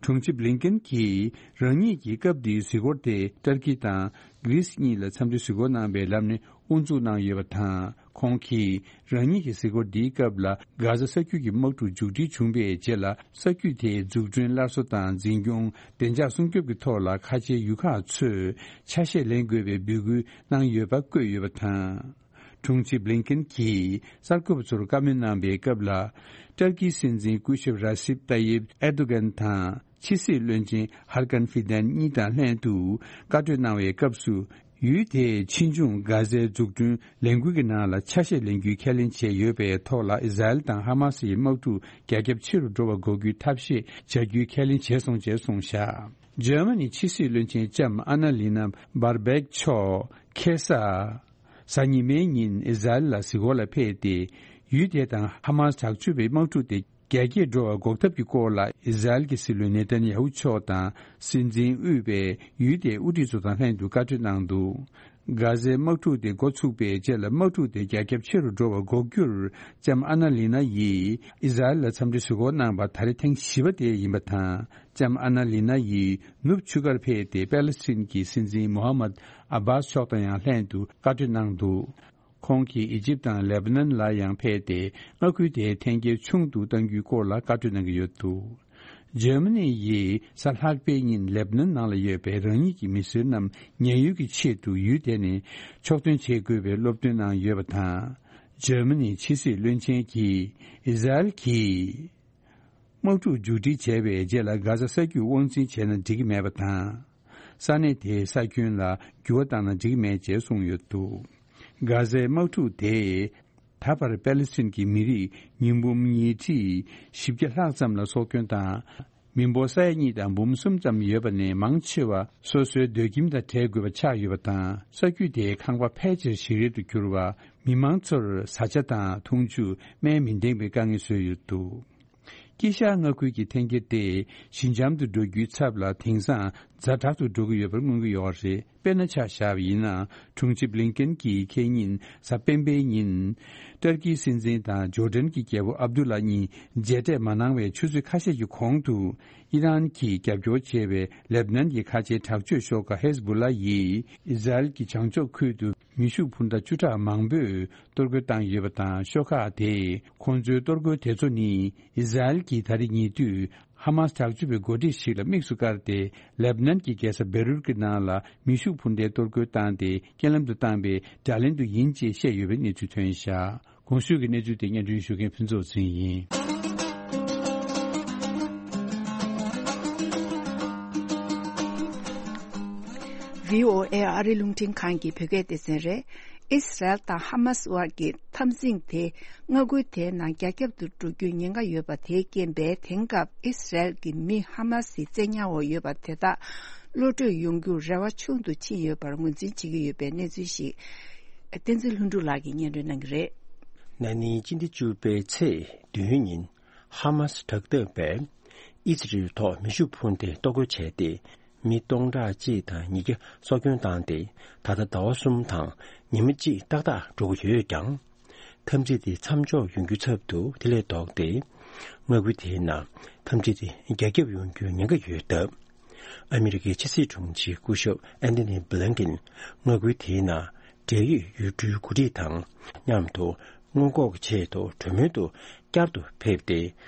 དྲུང་ཆེ་བྷི་ལིན་ཀེན་གྱིས་རང་ཉིད་ཀྱི་སྐབས་འདིའི་གཟིགས་སྐོར་དེ་ཏར་ཀི་དང་གྷི་རིས་གཉིས་ལ་འཚམས་འདྲི་གཟིགས་སྐོར་གནང་བའི་ལམ་ནས་དབུ་འཛུགས་གནང་ཡོད་པ་དང་། ཁོང་གིས་རང་ཉིད་ཀྱི་གཟིགས་སྐོར་འདིའི་སྐབས་ལ། གྷ་ཟ་ས་རྒྱུད་ཀྱི་དམག་འཁྲུག་མཇུག་སྒྲིལ་བྱུང་བའི་རྗེས་ལ། ས་རྒྱུད་དེའི་འཛུགས་སྐྲུན། སླར་གསོ་དང་འཛིན་སྐྱོང་། བདེ་འཇགས་སྲུང་སྐྱོབ་ཀྱི་ཐོག་ལ་ཁ་ཆེའི་ཡུལ་ཁག་ཚོས་ཆ་ཤས་ལེན་དགོས་པའི་འབོད་སྐུལ་གནང་ཡོད་པ་བཀོད་ཡོད་པ་དང་། དྲུང་ཆེ་བྷི་ལིན་ཀེན་གྱིས་གསར་འགོད་པ་ཚོར་བཀའ་མོལ་གནང་བའི་སྐབས་ལ། ཏར་ཀིའི་སྲིད་འཛིན་སྐུ་ཞབས་ར་སིབ་ཏཱ་ཡིབ་ཨེར་དོ་གན་དང་། ཕྱི་སྲིད་བློན་ཆེན་ཧར་ཀན་ཧྥི་དན་གཉིས་དང་ལྷན་དུ་བཀའ་གྲོས་གནང་བའི་སྐབས་སུ། ཡུལ་དེའི་ཕྱིས་འབྱུང་གྷ་ཟའི་འཛུགས་སྐྲུན་ལས་འགུལ་གྱི་ནང་ལ་ཆ་ཤས་ལེན་རྒྱུའི་ཁས་ལེན་བྱས་ཡོད་པའི་ཐོག་ལ། ཨི་ཟ་རེལ་དང་ཧ་མ་སི་ཡི་དམག་འཁྲུག་རྒྱ་ཁྱབ་ཆེ་རུ་འགྲོ་བ་འགོག་རྒྱུའི་ཐབས་ཤེས་བྱ་རྒྱུའི་ཁས་ལེན་བྱས་སོང་ཞེས་གསུངས་བཞག་འཇར་མ་ནིའི་ཕྱི་སྲིད་བློན་ཆེན་ལྕམ་ཨ་ན་ལི་ན་བྷར་བེག་མཆོག་ཁ་སང་གཟའ་ཉི་མའི་ཉིན་ཨི་ཟ་རེལ་ལ་གཟིགས་སྐོར་ལ་ཕེབས་ཏེ། ཡུལ་དེ་དང་ཧ་མ་སི་དྲག་སྤྱོད་པའི་དམག་འཁྲུག་དེ་རྒྱ་སྐྱེད་འགྲོ་བ་འགོག་ཐབས་ཀྱི་སྐོར་ལ། ཨི་ཟ་རེལ་གྱི་སྲིད་བློན་ནེ་ཐན་ཡ་ཧུ་མཆོག་དང་། སྲིད་འཛིན་དབུས་པའི་ཡུལ་དེའི་དབུ་ཁྲིད་ཚོ་དང་ལྷན་དུ་བཀའ་གྲོས་གནང་འདུག་གྷ་ཟའི་དམག་འཁྲུག་དེ་འགོ་ཚུགས་པའི་རྗེས་ལ། དམག་འཁྲུག་དེ་རྒྱ་ཁྱབ་ཆེ་རུ་འགྲོ་བ་འགོག་རྒྱུར། ལྕམ་ཨ་ན་ལི་ན་ཡིས་ཨི་ཟ་རེལ་ལ་འཚམས་འདྲི་གཟིགས་སྐོར་གནང་བ་ད་རེས་ཐེངས་བཞི་པ་དེ་ཡིན་པ་དང་། ལྕམ་ཨ་ན་ལི་ན་ཡིས་ནུབ་ཆུ་ཁར་ཕེབས་ཏེ། པེ་ལེ་སི་ཐན་གྱི་སྲིད་འཛིན་མོ་ཧ་མད་ཨ་བྷཱས་མཆོག་དང་ཡང་ལྷན་དུ་བཀའ་གྲོས་གནང་འདུག་ཁོང་གིས་ཨི་ཇིབ་དང་ལེ་བྷ་ནན་ལ་ཡང་ཕེབས་ཏེ། མངའ་ཁུལ་དེའི་འཐེན་འཁྱེར་ཆུང་དུ་གཏང་རྒྱུའི་སྐོར་ལ་བཀའ་གྲོས་གནང་གི་ཡོད་འདུག་འཇར་མ་ནི་ཡིས་གཟའ་ལྷག་པའི་ཉིན་ལེ་བྷ་ནན་ནང་ལ་ཡོད་པའི་རང་ཉིད་ཀྱི་མི་སེར་རྣམས་ཉེན་གཡོལ་གྱི་ཆེད་དུ་ཡུལ་དེ་ནས་ཕྱོགས་ཐོན་བྱེད་དགོས་པའི་སློབ་སྟོན་གནང་ཡོད་པ་དང་། འཇར་མ་ནིའི་ཕྱི་སྲིད་བློན་ཆེན་གྱིས་ཨི་ཟ་རེལ་གྱིས་དམག་འཁྲུག་མཇུག་སྒྲིལ་བྱས་པའི་རྗེས་ལ། གྷ་ཟ་ས་རྒྱུད་དབང་འཛིན་བྱས་ན་འགྲིག་གི་མེད་པ་དང་། ས་གནས་དེའི་ས་ཁྱོན་ལ་འགྱུར་བ་བཏང་ན་འགྲིག་གི་མེད་ཅེས་གསུངས་ཡོད་འདུག་གྷ་ཟའི་དམག་འཁྲུག་དེས་ད་བར་པེ་ལེ་སི་ཐན་གྱི་མི་རིགས་ཉིས་འབུམ་ཉིས་ཁྲི་བཞི་བརྒྱ་ལྷག་ཙམ་ལ་སྲོག་སྐྱོན་དང་། མི་འབོར་ས་ཡ་གཉིས་དང་འབུམ་གསུམ་ཙམ་ཡོད་པ་ནས། མང་ཆེ་བ་སོ་སོའི་སྡོད་ཁྱིམ་དང་བྲལ་དགོས་པ་ཆགས་ཡོད་པ་དང་། ས་རྒྱུད་དེའི་ཁང་པ་ཕལ་ཆེར་ཞིག་རལ་དུ་གྱུར་བ། མི་མང་ཚོར་བཟའ་བཅའ་དང་འཐུང་ཆུ། སྨན་མི་འདེང་བའི་དཀའ་ངལ་བཟོས་ཡོད་འདུག་དཀྱིལ་ཤར་མངའ་ཁུལ་གྱི་འཐེན་འཁྱེར་དེ་ཞི་འཇམ་དུ་འགྲོ་རྒྱུའི་ཚབ་ལ། དེང་སང་ཛ་དྲག་ཏུ་འགྲོ་གི་ཡོད་པར་མངོན་གྱི་ཡོད་རེད། དཔེར་ན་ཆ་བཞག་པ་ཡིན་ན། དྲུང་ཆེ་བྷི་ལིན་ཀེན་གྱིས་ཁེ་ཉིན་གཟའ་སྤེན་པའི་ཉིན། ཏུར་ཀིའི་སྲིད་འཛིན་དང་ཇོར་ཌན་གྱི་རྒྱལ་པོ་ཨབ་དུ་ལ་གཉིས་མཇལ་འཕྲད་མ་གནང་བའི་ཆུ་ཚོད་ཁ་ཤས་ཀྱི་གོང་དུ། ཨི་རན་གྱིས་རྒྱབ་སྐྱོར་བྱས་པའི་ལེབ་ནན་གྱི་ཁ་ཆེའི་དྲག་སྤྱོད་ཤོག་ཁག་ཧེ་ཟ་བུ་ལ་ཡིས་ཨི་ཟ་རེལ་གྱི་བྱང་ཕྱོགས་ཁུལ་དུ་མེ་ཤུགས་འཕུར་མདའ་བཅུ་ཕྲག་མང་པོས་གཏོར་རྒོལ་བཏང་ཡོད་པ་དང་། ཤོག་ཁག་དེས་ཁོང་ཚོའི་གཏོར་རྒོལ་དེ་ཚོ་ནི། ཨི་ཟ་རེལ་གྱིས་ད་རེས་ཉེ་དུས་ཧ་མ་སི་དྲག་སྤྱོད་པའི་འགོ་ཁྲིད་ཞིག་ལ་དམིགས་སུ་བཀར་ཏེ། ལེབ་ནན་གྱི་རྒྱལ་ས་བེ་རུད་ཀྱི་ནང་ལ་མེ་ཤུགས་འཕུར་མདའི་གཏོར་རྒོལ་བཏང་སྟེ། རྐྱེན་ལམ་དུ་བཏང་བའི་དགྲ་ལན་དུ་ཡིན་ཅེས་བཤད་ཡོད་པའི་གནས་ཚུལ་ཐོན་བཞག་གོང་ཞུས་ཀྱི་གནས་ཚུལ་དེ་སྙན་སྒྲོན་ཞུ་མཁན་ཕུན་ཚོགས་ཚེ་རིང་ཡིན། བྷི་ཨོ་ཨེ་ཨ་རི་རླུང་འཕྲིན་ཁང་གི་བོད་སྐད་སྡེ་ཚན་རེད། ཨིས་རལ་དང་ཧ་མ་སི་དབར་གྱི་འཐབ་འཛིང་དེ་མངའ་ཁུལ་དེའི་ནང་རྒྱ་ཁྱབ་ཏུ་འགྲོ་རྒྱུའི་ཉེན་ཁ་ཡོད་པ་དེའི་རྐྱེན་པས། དེང་སྐབས་ཨིས་རལ་གྱི་མི་ཧ་མ་སིའི་བཙན་ཉར་འོག་ཡོད་པ་དེ་དག་གློད་གྲོལ་ཡོང་རྒྱུར་རེ་བ་ཆུང་དུ་ཕྱིན་ཡོད་པར་ངོས་འཛིན་བྱེད་ཀྱི་ཡོད་པའི་གནས་ཚུལ་ཞིག་བསྟན་འཛིན་ལྷུན་གྲུབ་ལགས་ཀྱིས་སྙན་སྒྲོན་གནང་གི་རེད། ན་ནིང་སྤྱི་ཟླ་བཅུ་པའི་ཚེས་བདུན་ཉིན། ཧ་མ་སི་དྲག་འཐབ་པས་ཨི་ཟི་རེལ་ཐོག་མེ་ཤུགས་འཕུར་མདའི་གཏོར་རྒོལ་བྱས་ཏེ། མི་སྟོང་ཕྲག་གཅིག་དང་ཉིས་བརྒྱ་སྲོག་སྐྱོན་བཏང་སྟེ། ད་ལྟ་ཟླ་བ་གསུམ་དང་ཉི་མ་གཅིག་ཏག་ཏག་འགྲོ་གི་ཡོད་ཀྱང་། འཐབ་འཛིང་དེ་མཚམས་འཇོག་ཡོང་རྒྱུའི་ཚབ་ཏུ་དེ་ལས་ལྡོག་སྟེ། མངའ་ཁུལ་དེའི་ནང་འཐབ་འཛིང་དེ་རྒྱ་ཁྱབ་ཡོང་རྒྱུའི་ཉེན་ཁ་ཡོད་སྟབས། ཨ་མི་རི་ཀའི་ཕྱི་སྲིད་དྲུང་ཆེ་སྐུ་ཞབས་ཨན་ཐོ་ནི་བྷི་ལིན་ཀིན་མངའ་ཁུལ་དེའི་ནང་འབྲེལ་ཡོད་ཡུལ་གྲུའི་འགོ་ཁྲིད་དང་མཉམ་དུ་སྔོན་འགོག་གི་ཆེད་དུ་གྲོས་མོལ་དུ་བསྐྱར་དུ་ཕེབས་ཏེ།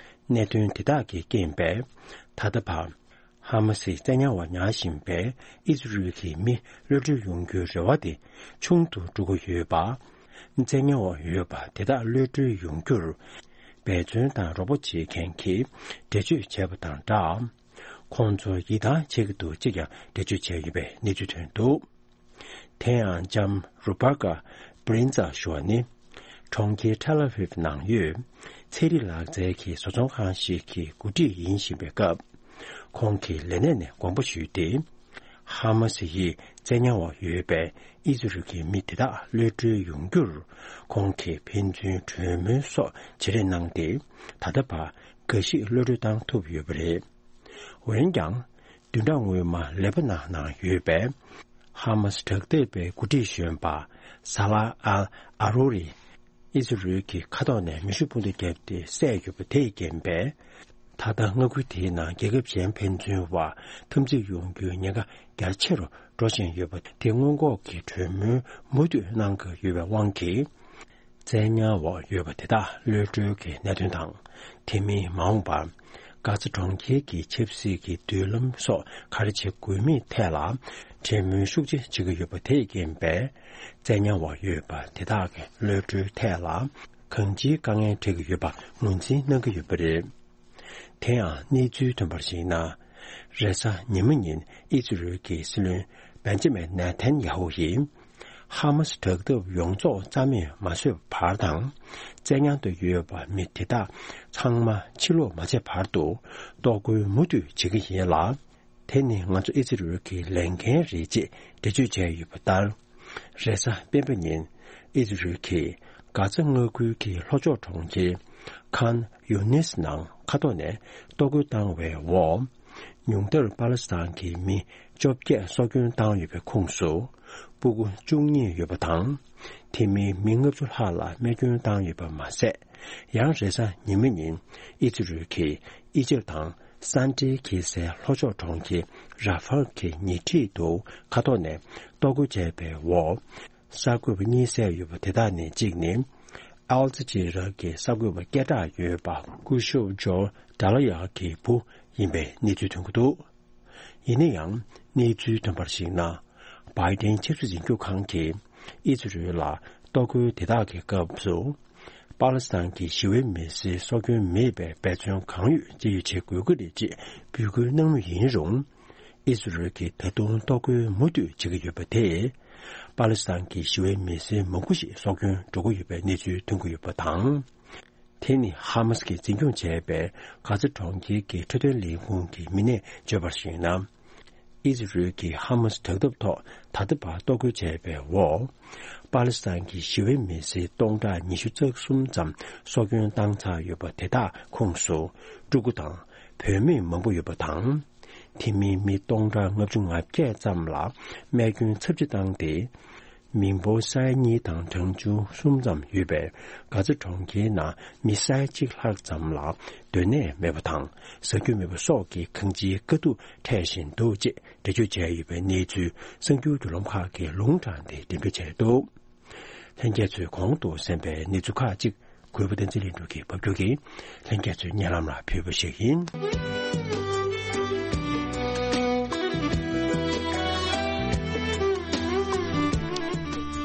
གནད་དོན་དེ་དག་གི་རྐྱེན་པས་ད་ལྟ་བར་ཧ་མ་སིའི་བཙན་ཉར་བ་ཉར་བཞིན་པའི་ཨི་ཟི་རེལ་གྱི་མི་གློད་གྲོལ་ཡོང་རྒྱུའི་རེ་བ་དེ་ཆུང་དུ་འགྲོ་གི་ཡོད་པ། བཙན་ཉར་འོག་ཡོད་པ་དེ་དག་གློད་གྲོལ་ཡོང་རྒྱུར་འབད་བརྩོན་དང་རོགས་པ་བྱེད་མཁན་གྱིས་འགྲེལ་བརྗོད་བྱས་པ་དང་སྦྲགས། ཁོང་ཚོར་ཡིད་ཐང་ཆད་ཀྱི་འདུག་ཅེས་ཀྱང་འགྲེལ་བརྗོད་བྱས་ཡོད་པའི་གནས་ཚུལ་ཐོན་འདུག་དེ་ཡང་ལྕམ་རུ་པ་ཀ་པྲིན་ཙ་ཞུ་བ་ནི། གྲོང་ཁྱེར་ཐེལ་ཨ་ཝིབ་ནང་ཡོད་ཚན་རིག་ལག་རྩལ་གྱི་བཟོ་ཚོང་ཁང་ཞིག་གི་འགོ་ཁྲིད་ཡིན་བཞིན་པའི་སྐབས། ཁོང་གིས་ལས་གནས་ནས་དགོངས་པ་ཞུས་ཏེ། ཧ་མ་སི་ཡིས་བཙན་ཉར་འོག་ཡོད་པའི་ཨི་ཟི་རེལ་གྱི་མི་དེ་དག་གློད་གྲོལ་ཡོང་རྒྱུར། ཁོང་གིས་ཕན་ཚུན་གྲོས་མོལ་སོགས་བརྗེ་རེས་གནང་སྟེ། ད་ལྟ་བར་འགའ་ཞིག་གློད་གྲོལ་བཏང་ཐུབ་ཡོད་པ་རེད། འོན་ཀྱང་། བདུན་ཕྲག་སྔོན་མ་ལེ་པ་ནན་ནང་ཡོད་པའི་ཧ་མ་སི་དྲག་འཐབ་པའི་འགོ་ཁྲིད་གཞོན་པ་ས་ལ་ཨལ་ཨ་རུ་རི། ཨི་ཛི་རལ་གྱི་མཁའ་ཐོག་ནས་མེ་ཤུགས་འཕུར་མདའ་བརྒྱབ་སྟེ་བསད་ཡོད་པ་དེས་རྐྱེན་པས། ད་ལྟ་མངའ་ཁུལ་དེའི་ནང་རྒྱལ་ཁབ་གཞན་ཕན་ཚུན་བར་འཐབ་འཛིང་ཡོང་རྒྱུའི་ཉེན་ཁ་རྒྱ་ཆེ་རུ་འགྲོ་བཞིན་ཡོད་པ་དེ་སྔོན་འགོག་གི་གྲོས་མོལ་མུ་མཐུད་གནང་དགོས་ཡོད་པའི་དབང་གིས། བཙན་ཉར་འོག་ཡོད་པ་དེ་དག་གློད་གྲོལ་གྱི་གནད་དོན་དང་། དེ་མིན་མ་འོངས་པར་གྷ་ཛ་གྲོང་ཁྱེར་གྱི་ཆབ་སྲིད་ཀྱི་མདུན་ལམ་སོགས་ག་རེ་བྱེད་དགོས་མིན་ཐད་ལ་གྲོས་མོལ་ཤུགས་ཆེ་བྱེད་ཀྱི་ཡོད་པ་དེས་རྐྱེན་པས། བཙན་ཉར་འོག་ཡོད་པ་དེ་དག་གི་གློད་གྲོལ་ཐད་ལ་གང་ཅིའི་དཀའ་ངལ་འཕྲད་ཀྱི་ཡོད་པ་ངོས་འཛིན་གནང་གི་ཡོད་པ་རེད། དེ་ཡང་གནས་ཚུལ་ཐོན་པར་གཞིགས་ན། རེས་གཟའ་ཉི་མ་ཉིན་ཨི་ཛི་རལ་གྱི་སྲིད་བློན་བེན་ཇ་མིན་ནེ་ཐན་ཡ་ཧུ་ཡིས། ཧ་མ་སི་དྲག་འཐབ་ཡོངས་རྫོགས་རྩ་མེད་མ་བཟོས་བར་དང་། བཙན་ཉར་དུ་ཡོད་པ་མི་དེ་དག་ཚང་མ་ཕྱིར་ལོག་མ་བྱས་བར་དུ་གཏོར་རྒོལ་མུ་མཐུད་བྱེད་ཀྱི་ཡིན་ལ། དེ་ནི་ང་ཚོ་ཨི་ཛི་རལ་གྱི་ལས་འགན་རེད་ཅེས་འགྲེལ་བརྗོད་བྱས་ཡོད་པ་ལྟར། རེས་གཟའ་སྤེན་པ་ཉིན་ཨི་ཛི་རལ་གྱིས་གྷ་ཛ་མངའ་ཁུལ་གྱི་ལྷོ་ཕྱོགས་གྲོང་ཁྱེར་ཁཱན་ཡུ་ནིས་ནང་མཁའ་ཐོག་ནས་གཏོར་རྒོལ་བཏང་བའི་འོག་ཉུང་མཐར་པ་ལི་སི་ཐན་གྱི་མི་བཅོ་བརྒྱད་སྲོག་སྐྱོན་བཏང་ཡོད་པའི་ཁོངས་སུ། སྤུ་གུ་བཅུ་གཉིས་ཡོད་པ་དང་། དེ་མིན་མི་ལྔ་བཅུ་ལྷག་ལ་རྨས་སྐྱོན་བཏང་ཡོད་པ་མ་ཟད། ཡང་རེས་གཟའ་ཉི་མ་ཉིན་ཨི་ཛི་རལ་གྱིས་ཨི་ཇིབ་དང་སན་ཏྲའི་གེ་སའི་ལྷོ་ཕྱོགས་གྲོང་ཁྱེར་ར་ཧྥལ་གྱི་ཉེ་འཁྲིས་དུ་མཁའ་ཐོག་ནས་གཏོར་རྒོལ་བྱས་པའི་འོག་གསར་འགོད་པ་གཉིས་བསད་ཡོད་པ་དེ་དག་ནས་གཅིག་ནི། ཨལ་ཇི་ཇི་ར་གི་གསར་འགོད་པ་སྐད་གྲགས་ཡོད་པ་སྐུ་ཞབས་ཇོ་ཌ་ལ་ཡ་གི་བུ་ཡིན་པའི་གནས་ཚུལ་ཐོན་གྱི་འདུག་ཡིན་ན་ཡང་གནས་ཚུལ་ཐོན་པར་གཞིགས་ན། བྷའི་ཏན་ཆབ་སྲིད་འཛིན་སྐྱོང་ཁང་གིས་ཨི་ཛི་རལ་ལ་གཏོར་རྒོལ་དེ་དག་གི་སྐབས་སུ། པ་ལི་སི་ཐན་གྱི་ཞི་བའི་མི་སེར་སྲོག་སྐྱོན་མེད་པའི་འབད་བརྩོན་གང་ཡོད་དཔྱད་ཞིབ་བྱེད་དགོས་ཀྱི་རེད་ཅེས་འབོད་སྐུལ་གནང་མུས་ཡིན་རུང་། ཨི་ཛི་རལ་གྱིས་ད་དུང་གཏོར་རྒོལ་མུ་མཐུད་བྱེད་ཀྱི་ཡོད་པ་དེས། པ་ལི་སི་ཐན་གྱི་ཞི་བའི་མི་སེར་མང་པོ་ཞིག་སྲོག་སྐྱོན་འགྲོ་གི་ཡོད་པའི་གནས་ཚུལ་ཐོན་གྱི་ཡོད་པ་དང་། དེ་ནི་ཧ་མ་སི་གིས་འཛིན་སྐྱོང་བྱས་པའི་གྷ་ཛ་གྲོང་ཁྱེར་གྱི་འཕྲོད་བསྟེན་ལས་ཁུངས་ཀྱི་མི་སྣས་བརྗོད་པར་གཞིགས་ན། ཨི་ཛི་རལ་གྱིས་ཧ་མ་སི་དྲག་འཐབ་ཐོག་ད་ལྟ་བར་གཏོར་རྒོལ་བྱས་པའི་འོག་པ་ལི་སི་ཐན་གྱི་ཞི་བའི་མི་སེར་སྟོང་ཕྲག་ཉི་ཤུ་རྩ་གསུམ་ཙམ་སྲོག་སྐྱོན་བཏང་ཚར་ཡོད་པ་དེ་དག་ཁོངས་སུ་ཕྲུ་གུ་དང་བུད་མེད་མང་པོ་ཡོད་པ་དང་། དེ་མིན་མི་སྟོང་ཕྲག་ལྔ་བཅུ་ང་བརྒྱད་ཙམ་ལ་རྨས་སྐྱོན་ཚབས་ཆེ་བཏང་སྟེ། མི་འབོར་ས་ཡ་གཉིས་དང་གྲངས་ཆུང་གསུམ་ཙམ་ཡོད་པའི་གྷ་ཛ་གྲོང་ཁྱེར་ནང་མི་ས་ཡ་གཅིག་ལྷག་ཙམ་ལ་སྡོད་གནས་མེད་པ་དང་ཟ་རྒྱུ་མེད་པ་སོགས་ཀྱི་གང་ཅིའི་དཀའ་སྡུག་འཕྲད་བཞིན་འདུག་ཅེས་འགྲེལ་བརྗོད་བྱས་ཡོད་པའི་གནས་ཚུལ་གསར་འགྱུར་བརྒྱུད་ལམ་ཁག་གིས་ལུང་དྲངས་ཏེ་འགྲེམས་སྤེལ་བྱས་འདུག་ལྷན་རྒྱས་ཚོས་གོང་དུ་གསན་པའི་གནས་ཚུལ་ཁག་ཅིག་གུས་པ་བསྟན་འཛིན་ལྷུན་གྲུབ་ཀྱིས་ཕབ་སྒྱུར་གྱིས་ལྷན་རྒྱས་ཚོའི་སྙན་ལམ་ལ་ཕུལ་བ་ཞིག་ཡིན།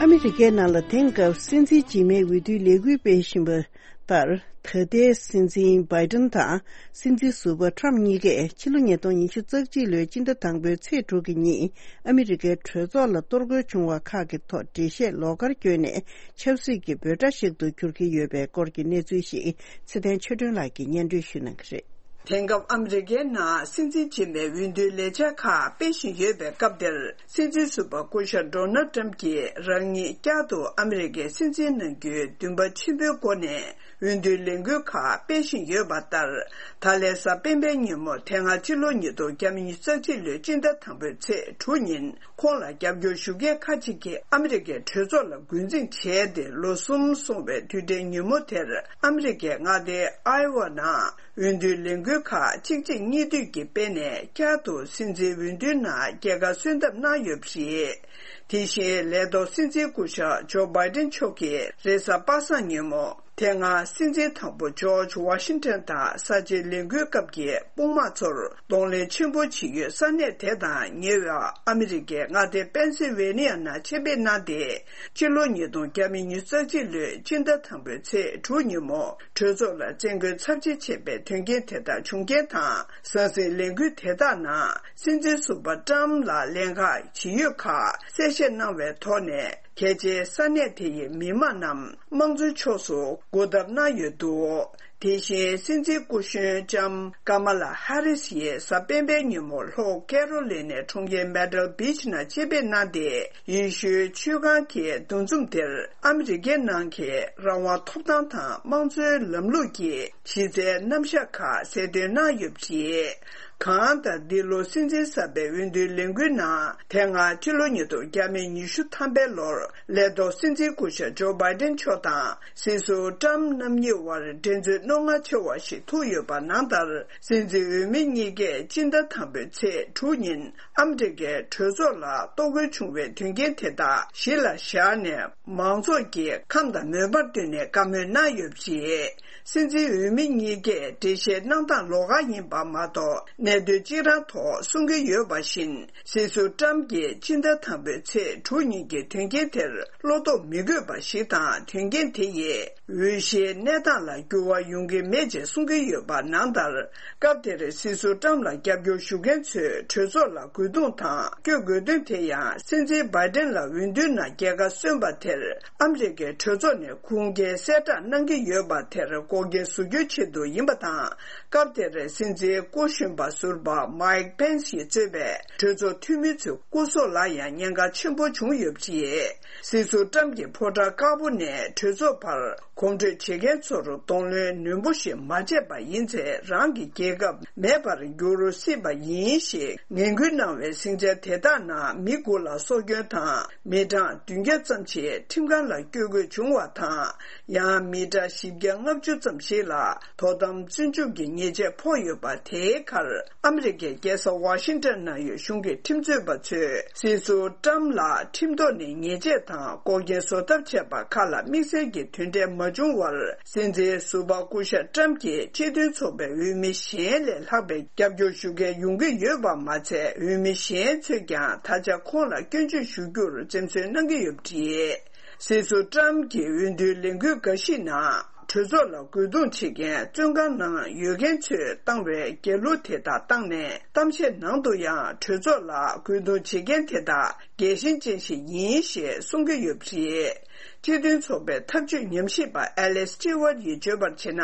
ཨ་མི་རི་ཀའི་ནང་ལ་དེང་སྐབས་སྲིད་འཛིན་རྗེས་མའི་འོས་བསྡུའི་ལས་འགུལ་སྤེལ་བཞིན་པ་ལྟར། ད་ལྟའི་སྲིད་འཛིན་བྷའི་ཏན་དང་སྲིད་འཛིན་ཟུར་པ་ཁྲམ་གཉིས་ཀས་ཕྱི་ལོ་ཉིས་སྟོང་ཉི་ཤུ་རྩ་གཅིག་ལོའི་སྤྱི་ཟླ་དང་པོའི་ཚེས་དྲུག་གི་ཉིན་ཨ་མི་རི་ཀའི་གྲོས་ཚོགས་ལ་གཏོར་རྒོལ་བྱུང་བ་ཁག་གི་ཐོག་འགྲེལ་བཤད་ལོགས་ཀར་བསྐྱོན་ནས་ཆབ་སྲིད་ཀྱི་འབོད་སྒྲ་ཞིག་ཏུ་འགྱུར་གྱི་ཡོད་པའི་སྐོར་གྱི་གནས་ཚུལ་ཞིག་ཚེ་བརྟན་ཆོས་སྒྲོན་ལགས་ཀྱིས་སྙན་སྒྲོན་ཞུ་གནང་གི་རེད། དེང་སྐབས་ཨ་མི་རི་ཀའི་ནང་སྲིད་འཛིན་རྗེས་མའི་འོས་བསྡུའི་ལས་འཆར་ཁག་སྤེལ་བཞིན་ཡོད་པའི་སྐབས་འདིར། སྲིད་འཛིན་ཟུར་པ་སྐུ་ཞབས་ཌོ་ནལ་ཏྲམ་གྱིས་རང་ཉིད་བསྐྱར་དུ་ཨ་མི་རི་ཀའི་སྲིད་འཛིན་གནང་རྒྱུའི་འདུན་པ་ཆེན་པོའི་སྒོ་ནས་འོས་བསྡུའི་ལས་འགུལ་ཁག་སྤེལ་བཞིན་ཡོད་པ་ལྟར། ད་ལན་གཟའ་སྤེན་པའི་ཉིན་མོ་དེ་སྔ་ཕྱི་ལོ་ཉིས་སྟོང་ཉི་ཤུ་རྩ་གཅིག་ལོའི་སྤྱི་ཟླ་དང་པོའི་ཚེས་དྲུག་ཉིན་ཁོང་ལ་རྒྱབ་སྐྱོར་ཞུ་མཁན་ཁག་ཅིག་གིས་ཨ་མི་རི་ཀའི་གྲོས་ཚོགས་ལ་འགོ་འཛིང་བྱས་ཏེ་ལོ་གསུམ་སོང་བའི་དུས་དྲན་ཉིན་མོ་དེར་ཨ་མི་རི་ཀའི་མངའ་སྡེ་ཨའི་ཝ་ནང་། འོས་བསྡུའི་ལས་འགུལ་ཁག་གཅིག་རྗེས་གཉིས་མཐུད་ཀྱིས་སྤེལ་ནས་བསྐྱར་དུ་སྲིད་འཛིན་འོས་བསྡུའི་ནང་རྒྱལ་ཁ་སོན་ཐབས་གནང་ཡོད་པ་རེད། དེ་བཞིན་ལས་ཐོག་སྲིད་འཛིན་སྐུ་ཞབས་ཇོ་བྷའི་ཏན་མཆོག་གིས་རེས་གཟའ་པ་སངས་ཉིན་མོ་དེ་སྔ་སྲིད་འཛིན་དང་པོ་ཇོརྗ་ཝ་ཤིང་ཏན་དང་ས་ཆའི་ལས་འགུལ་སྐབས་ཀྱི་དཔུང་དམག་ཚོར་གདོང་ལེན་ཆེན་པོ་བྱེད་ཡུལ་ས་གནས་དེ་དང་ཉེ་བའི་ཨ་མི་རི་ཀའི་མངའ་སྡེ་པེན་སིལ་ཝེ་ནི་ཡ་ནང་ཆེད་ཕེབས་གནང་སྟེ། སྤྱི་ལོ་ཉིས་སྟོང་ཉི་ཤུ་རྩ་གཅིག་ལོའི་སྤྱི་ཟླ་དང་པོའི་ཚེས་དྲུག་ཉིན་མོ། གྲོས་ཚོགས་ལ་བཙན་རྒོལ་ཚབས་ཆེ་བྱས་པའི་དོན་རྐྱེན་དེ་ལྟར་བྱུང་རྐྱེན་དང་། ཟང་ཟིང་ལས་འགུལ་དེ་དག་ནང་སྲིད་འཛིན་ཟུར་པ་ཀྲམ་ལ་ལན་ཁག་ཇི་ཡོད་ཁག་གསལ་བཤད་གནང་བའི་ཐོག་ནས། གལ་ཆེའི་ས་གནས་དེ་ཡི་མི་མང་རྣམས་དམངས་གཙོའི་ཕྱོགས་སུ་སྒུག་ཐབས་གནང་ཡོད་འདུག་དེ་བཞིན་སྲིད་འཛིན་སྐུ་གཞོན་ལྕམ་ཀ་མ་ལ་ཧ་རིས་ཡིས་གཟའ་སྤེན་པའི་ཉིན་མོ་ལྷོ་ཀེ་རོ་ལི་ནའི་གྲོང་ཁྱེར་མེ་ཏལ་བྷིཆ་ནང་ཆེད་ཕེབས་གནང་སྟེ། ཡེ་ཤུའི་ཆོས་ཁང་གི་འདུ་འཛོམས་དེར་ཨ་མི་རི་ཀའི་ནང་གི་རང་དབང་ཐོབ་ཐང་དང་དམངས་གཙོའི་ལམ་ལུགས་ཀྱི་གཞི་རྩའི་རྣམ་གཞག་ཁག་གསལ་སྟོན་གནང་ཡོད་པ་རེད། གང་ལྟར་འདི་ལོ་སྲིད་འཛིན་གསར་པའི་འོས་བསྡུའི་ལས་འགུལ་ནང་། དེ་སྔ་ཕྱི་ལོ་ཉིས་སྟོང་ཉི་ཤུ་ཐམ་པའི་ལོར་ལས་ཐོག་སྲིད་འཛིན་སྐུ་ཞབས་ཇོ་བྷའི་ཏན་མཆོག་དང་སྲིད་ཟུར་ཏྲམ་རྣམ་གཉིས་དབར་འགྲན་རྩོད་རྣོ་ངར་ཆེ་བ་ཞིག་ཐུག་ཡོད་པ་ནང་ལྟར། སྲིད་འཛིན་འོས་མི་གཉིས་ཀས་སྤྱི་ཟླ་དང་པོའི་ཚེས་དྲུག་ཉིན་ཨ་མི་རི་ཀའི་གྲོས་ཚོགས་ལ་གཏོར་རྒོལ་བྱུང་བའི་དོན་རྐྱེན་དེ་དག་གཞི་ལ་བཞག་ནས། མང་ཚོགས་ཀྱིས་ཁམས་དང་མོས་པར་བསྟུན་ནས་བཀའ་མོལ་གནང་ཡོད་པ་རེད། སྲིད་འཛིན་འོས་མི་གཉིས་ཀས་འགྲེལ་བཤད་གནང་སྟངས་ལོགས་ཀ་ཡིན་པ་མ་གཏོགས། གནད་དོན་གཅིག་རང་ཐོག་གསུང་གི་ཡོད་པ་བཞིན། སྲིད་ཟུར་ཏྲམ་གྱིས་སྤྱི་ཟླ་དང་པོའི་ཚེས་དྲུག་ཉིན་གྱི་དོན་རྐྱེན་དེར་བློ་དོགས་མི་དགོས་པ་ཞིག་དང་། དོན་རྐྱེན་དེ་ཡིས་འོས་གཞིའི་གནས་སྟངས་ལ་འགྱུར་བ་ཡོང་གི་མེད་ཅེས་གསུང་གི་ཡོད་པ་ནང་ལྟར། སྐབས་དེར་སྲིད་ཟུར་ཏྲམ་ལ་རྒྱབ་སྐྱོར་ཞུ་མཁན་ཚོས་གྲོས་ཚོགས་ལ་རྒོལ་རྡུང་དང་སྐྱོད་དགོས་དོན་དེ་ཡང་། སྲིད་འཛིན་བྷའི་ཏན་ལ་འོས་བསྡུའི་ནང་རྒྱལ་ཁ་སོན་པ་དེར། ཨ་མི་རི་ཀའི་གྲོས་ཚོགས་ནས་ཁུངས་སྐྱེལ་གསལ་བསྒྲགས་གནང་གི་ཡོད་པ་དེར་འགོག་རྐྱེན་བཟོ་རྒྱུའི་ཆེད་དུ་ཡིན་པ་དང་། སྐབས་དེར་སྲིད་འཛིན་སྐུ་གཞོན་པ་ཟུར་པ་མའིག་པེན་སི་ཡིས་གཙོས་པའི་གྲོས་ཚོགས་འཐུས་མི་ཚོའི་སྐུ་སྲོག་ལ་ཡང་ཉེན་ཁ་ཆེན་པོ་བྱུང་ཡོད་པ་རེད། སྲིད་ཟུར་ཏྲམ་གྱི་ཕོ་བྲང་དཀར་པོ་ནས་གྲོས་ཚོགས་བར་གོམ་བགྲོད་བྱེད་མཁན་ཚོར་གདོང་ལེན་ནན་པོ་ཞིག་མ་བྱས་པ་ཡིན་ཚེ། རང་གི་རྒྱལ་ཁབ་མེད་པར་འགྱུར་སྲིད་པ་ཡིན་ཞེས་ངན་སྐུལ་གནང་བའི་ཟིང་ཆ་དེ་དག་ནང་མི་དགུ་ལ་སྲོག་སྐྱོན་དང་། མི་གྲངས་བདུན་བརྒྱ་ཙམ་ཞིག་ཁྲིམས་ཁང་ལ་སྐྱོད་དགོས་བྱུང་བ་དང་། ཡང་མི་གྲངས་བཞི་བརྒྱ་ལྔ་བཅུ་ཙམ་ཞིག་ལ་དོ་དམ་བཙོན་འཇུག་གི་ཉེས་ཆད་ཕོག་ཡོད་པ། དེའི་ཁར་ཨ་མི་རི་ཀའི་རྒྱལ་ས་ཝ་ཤིང་ཊོན་ནང་ཡོད་གཞུང་གི་ཁྲིམས་རྩོད་པ་ཚོས་སྲིད་ཟུར་ཏྲམ་ལ་ཁྲིམས་ཐོག་ནས་ཉེས་ཆད་དང་འགོག་རྐྱེན་བཟོ་ཐབས་བྱས་པ་ཁག་ལ་དམིགས་བསལ་གྱི་དོན་འབྲས་མ་བྱུང་བར། སྲིད་འཛིན་ཟུར་པ་སྐུ་ཞབས་ཏྲམ་གྱིས་སྤྱི་མཐུན་ཚོགས་པའི་འོས་མི་གཞན་ལས་ལྷག་པའི་རྒྱབ་སྐྱོར་ཞུ་མཁན་ཡོང་གི་ཡོད་པ་མ་ཚད། འོས་མི་གཞན་ཚོས་ཀྱང་ད་ཆ་ཁོང་ལ་སྐྱོན་བརྗོད་ཞུ་རྒྱུར་འཛེམ་ཟོན་གནང་གི་ཡོད་པ་རེད། སྲིད་ཟུར་ཏྲམ་གྱི་འོས་བསྡུའི་ལས་འགུལ་འགའ་ཞིག་ནང་། གྲོས་ཚོགས་ལ་རྒོལ་རྡུང་བྱེད་མཁན་བཙོན་ཁང་ནང་ཡོད་མཁན་ཚོས་བཏང་བའི་རྒྱལ་གླུ་དེ་དག་བཏང་ནས། གཏམ་བཤད་ནང་དུ་ཡང་། གྲོས་ཚོགས་ལ་རྒོལ་རྡུང་བྱེད་མཁན་དེ་དག་རྒྱལ་ཞེན་ཅན་ཞིག་ཡིན་ཞེས་གསུང་གི་ཡོད་པ་རེད། སྤྱི་མཐུན་ཚོགས་པའི་ཐབས་ཇུས་ཉམས་ཞིབ་པ་ཨེ་ལེ་སི་ཊི་ཝར་ཡིས་བརྗོད་པར་བྱས་ན།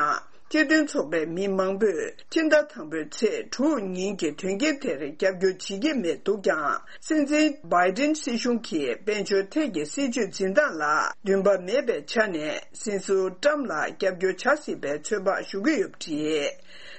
སྤྱི་མཐུན་ཚོགས་པའི་མི་མང་པོས་སྤྱི་ཟླ་དང་པོའི་ཚེས་དྲུག་ཉིན་གྱི་དོན་རྐྱེན་དེར་རྒྱབ་སྐྱོར་བྱེད་ཀྱི་མེད་འདུག་ཀྱང་། སྲིད་འཛིན་བྷའི་ཏིན་སྲིད་གཞུང་གིས་དཔལ་འབྱོར་ཐད་ཀྱི་སྲིད་ཇུས་འཛིན་སྟངས་ལ་འདུན་པ་མེད་པའི་ཆ་ནས། སྲིད་ཟུར་ཏྲམ་ལ་རྒྱབ་སྐྱོར་བྱ་སྲིད་པའི་ཚོད་དཔག་ཞུ་གི་ཡོད་པ་རེད།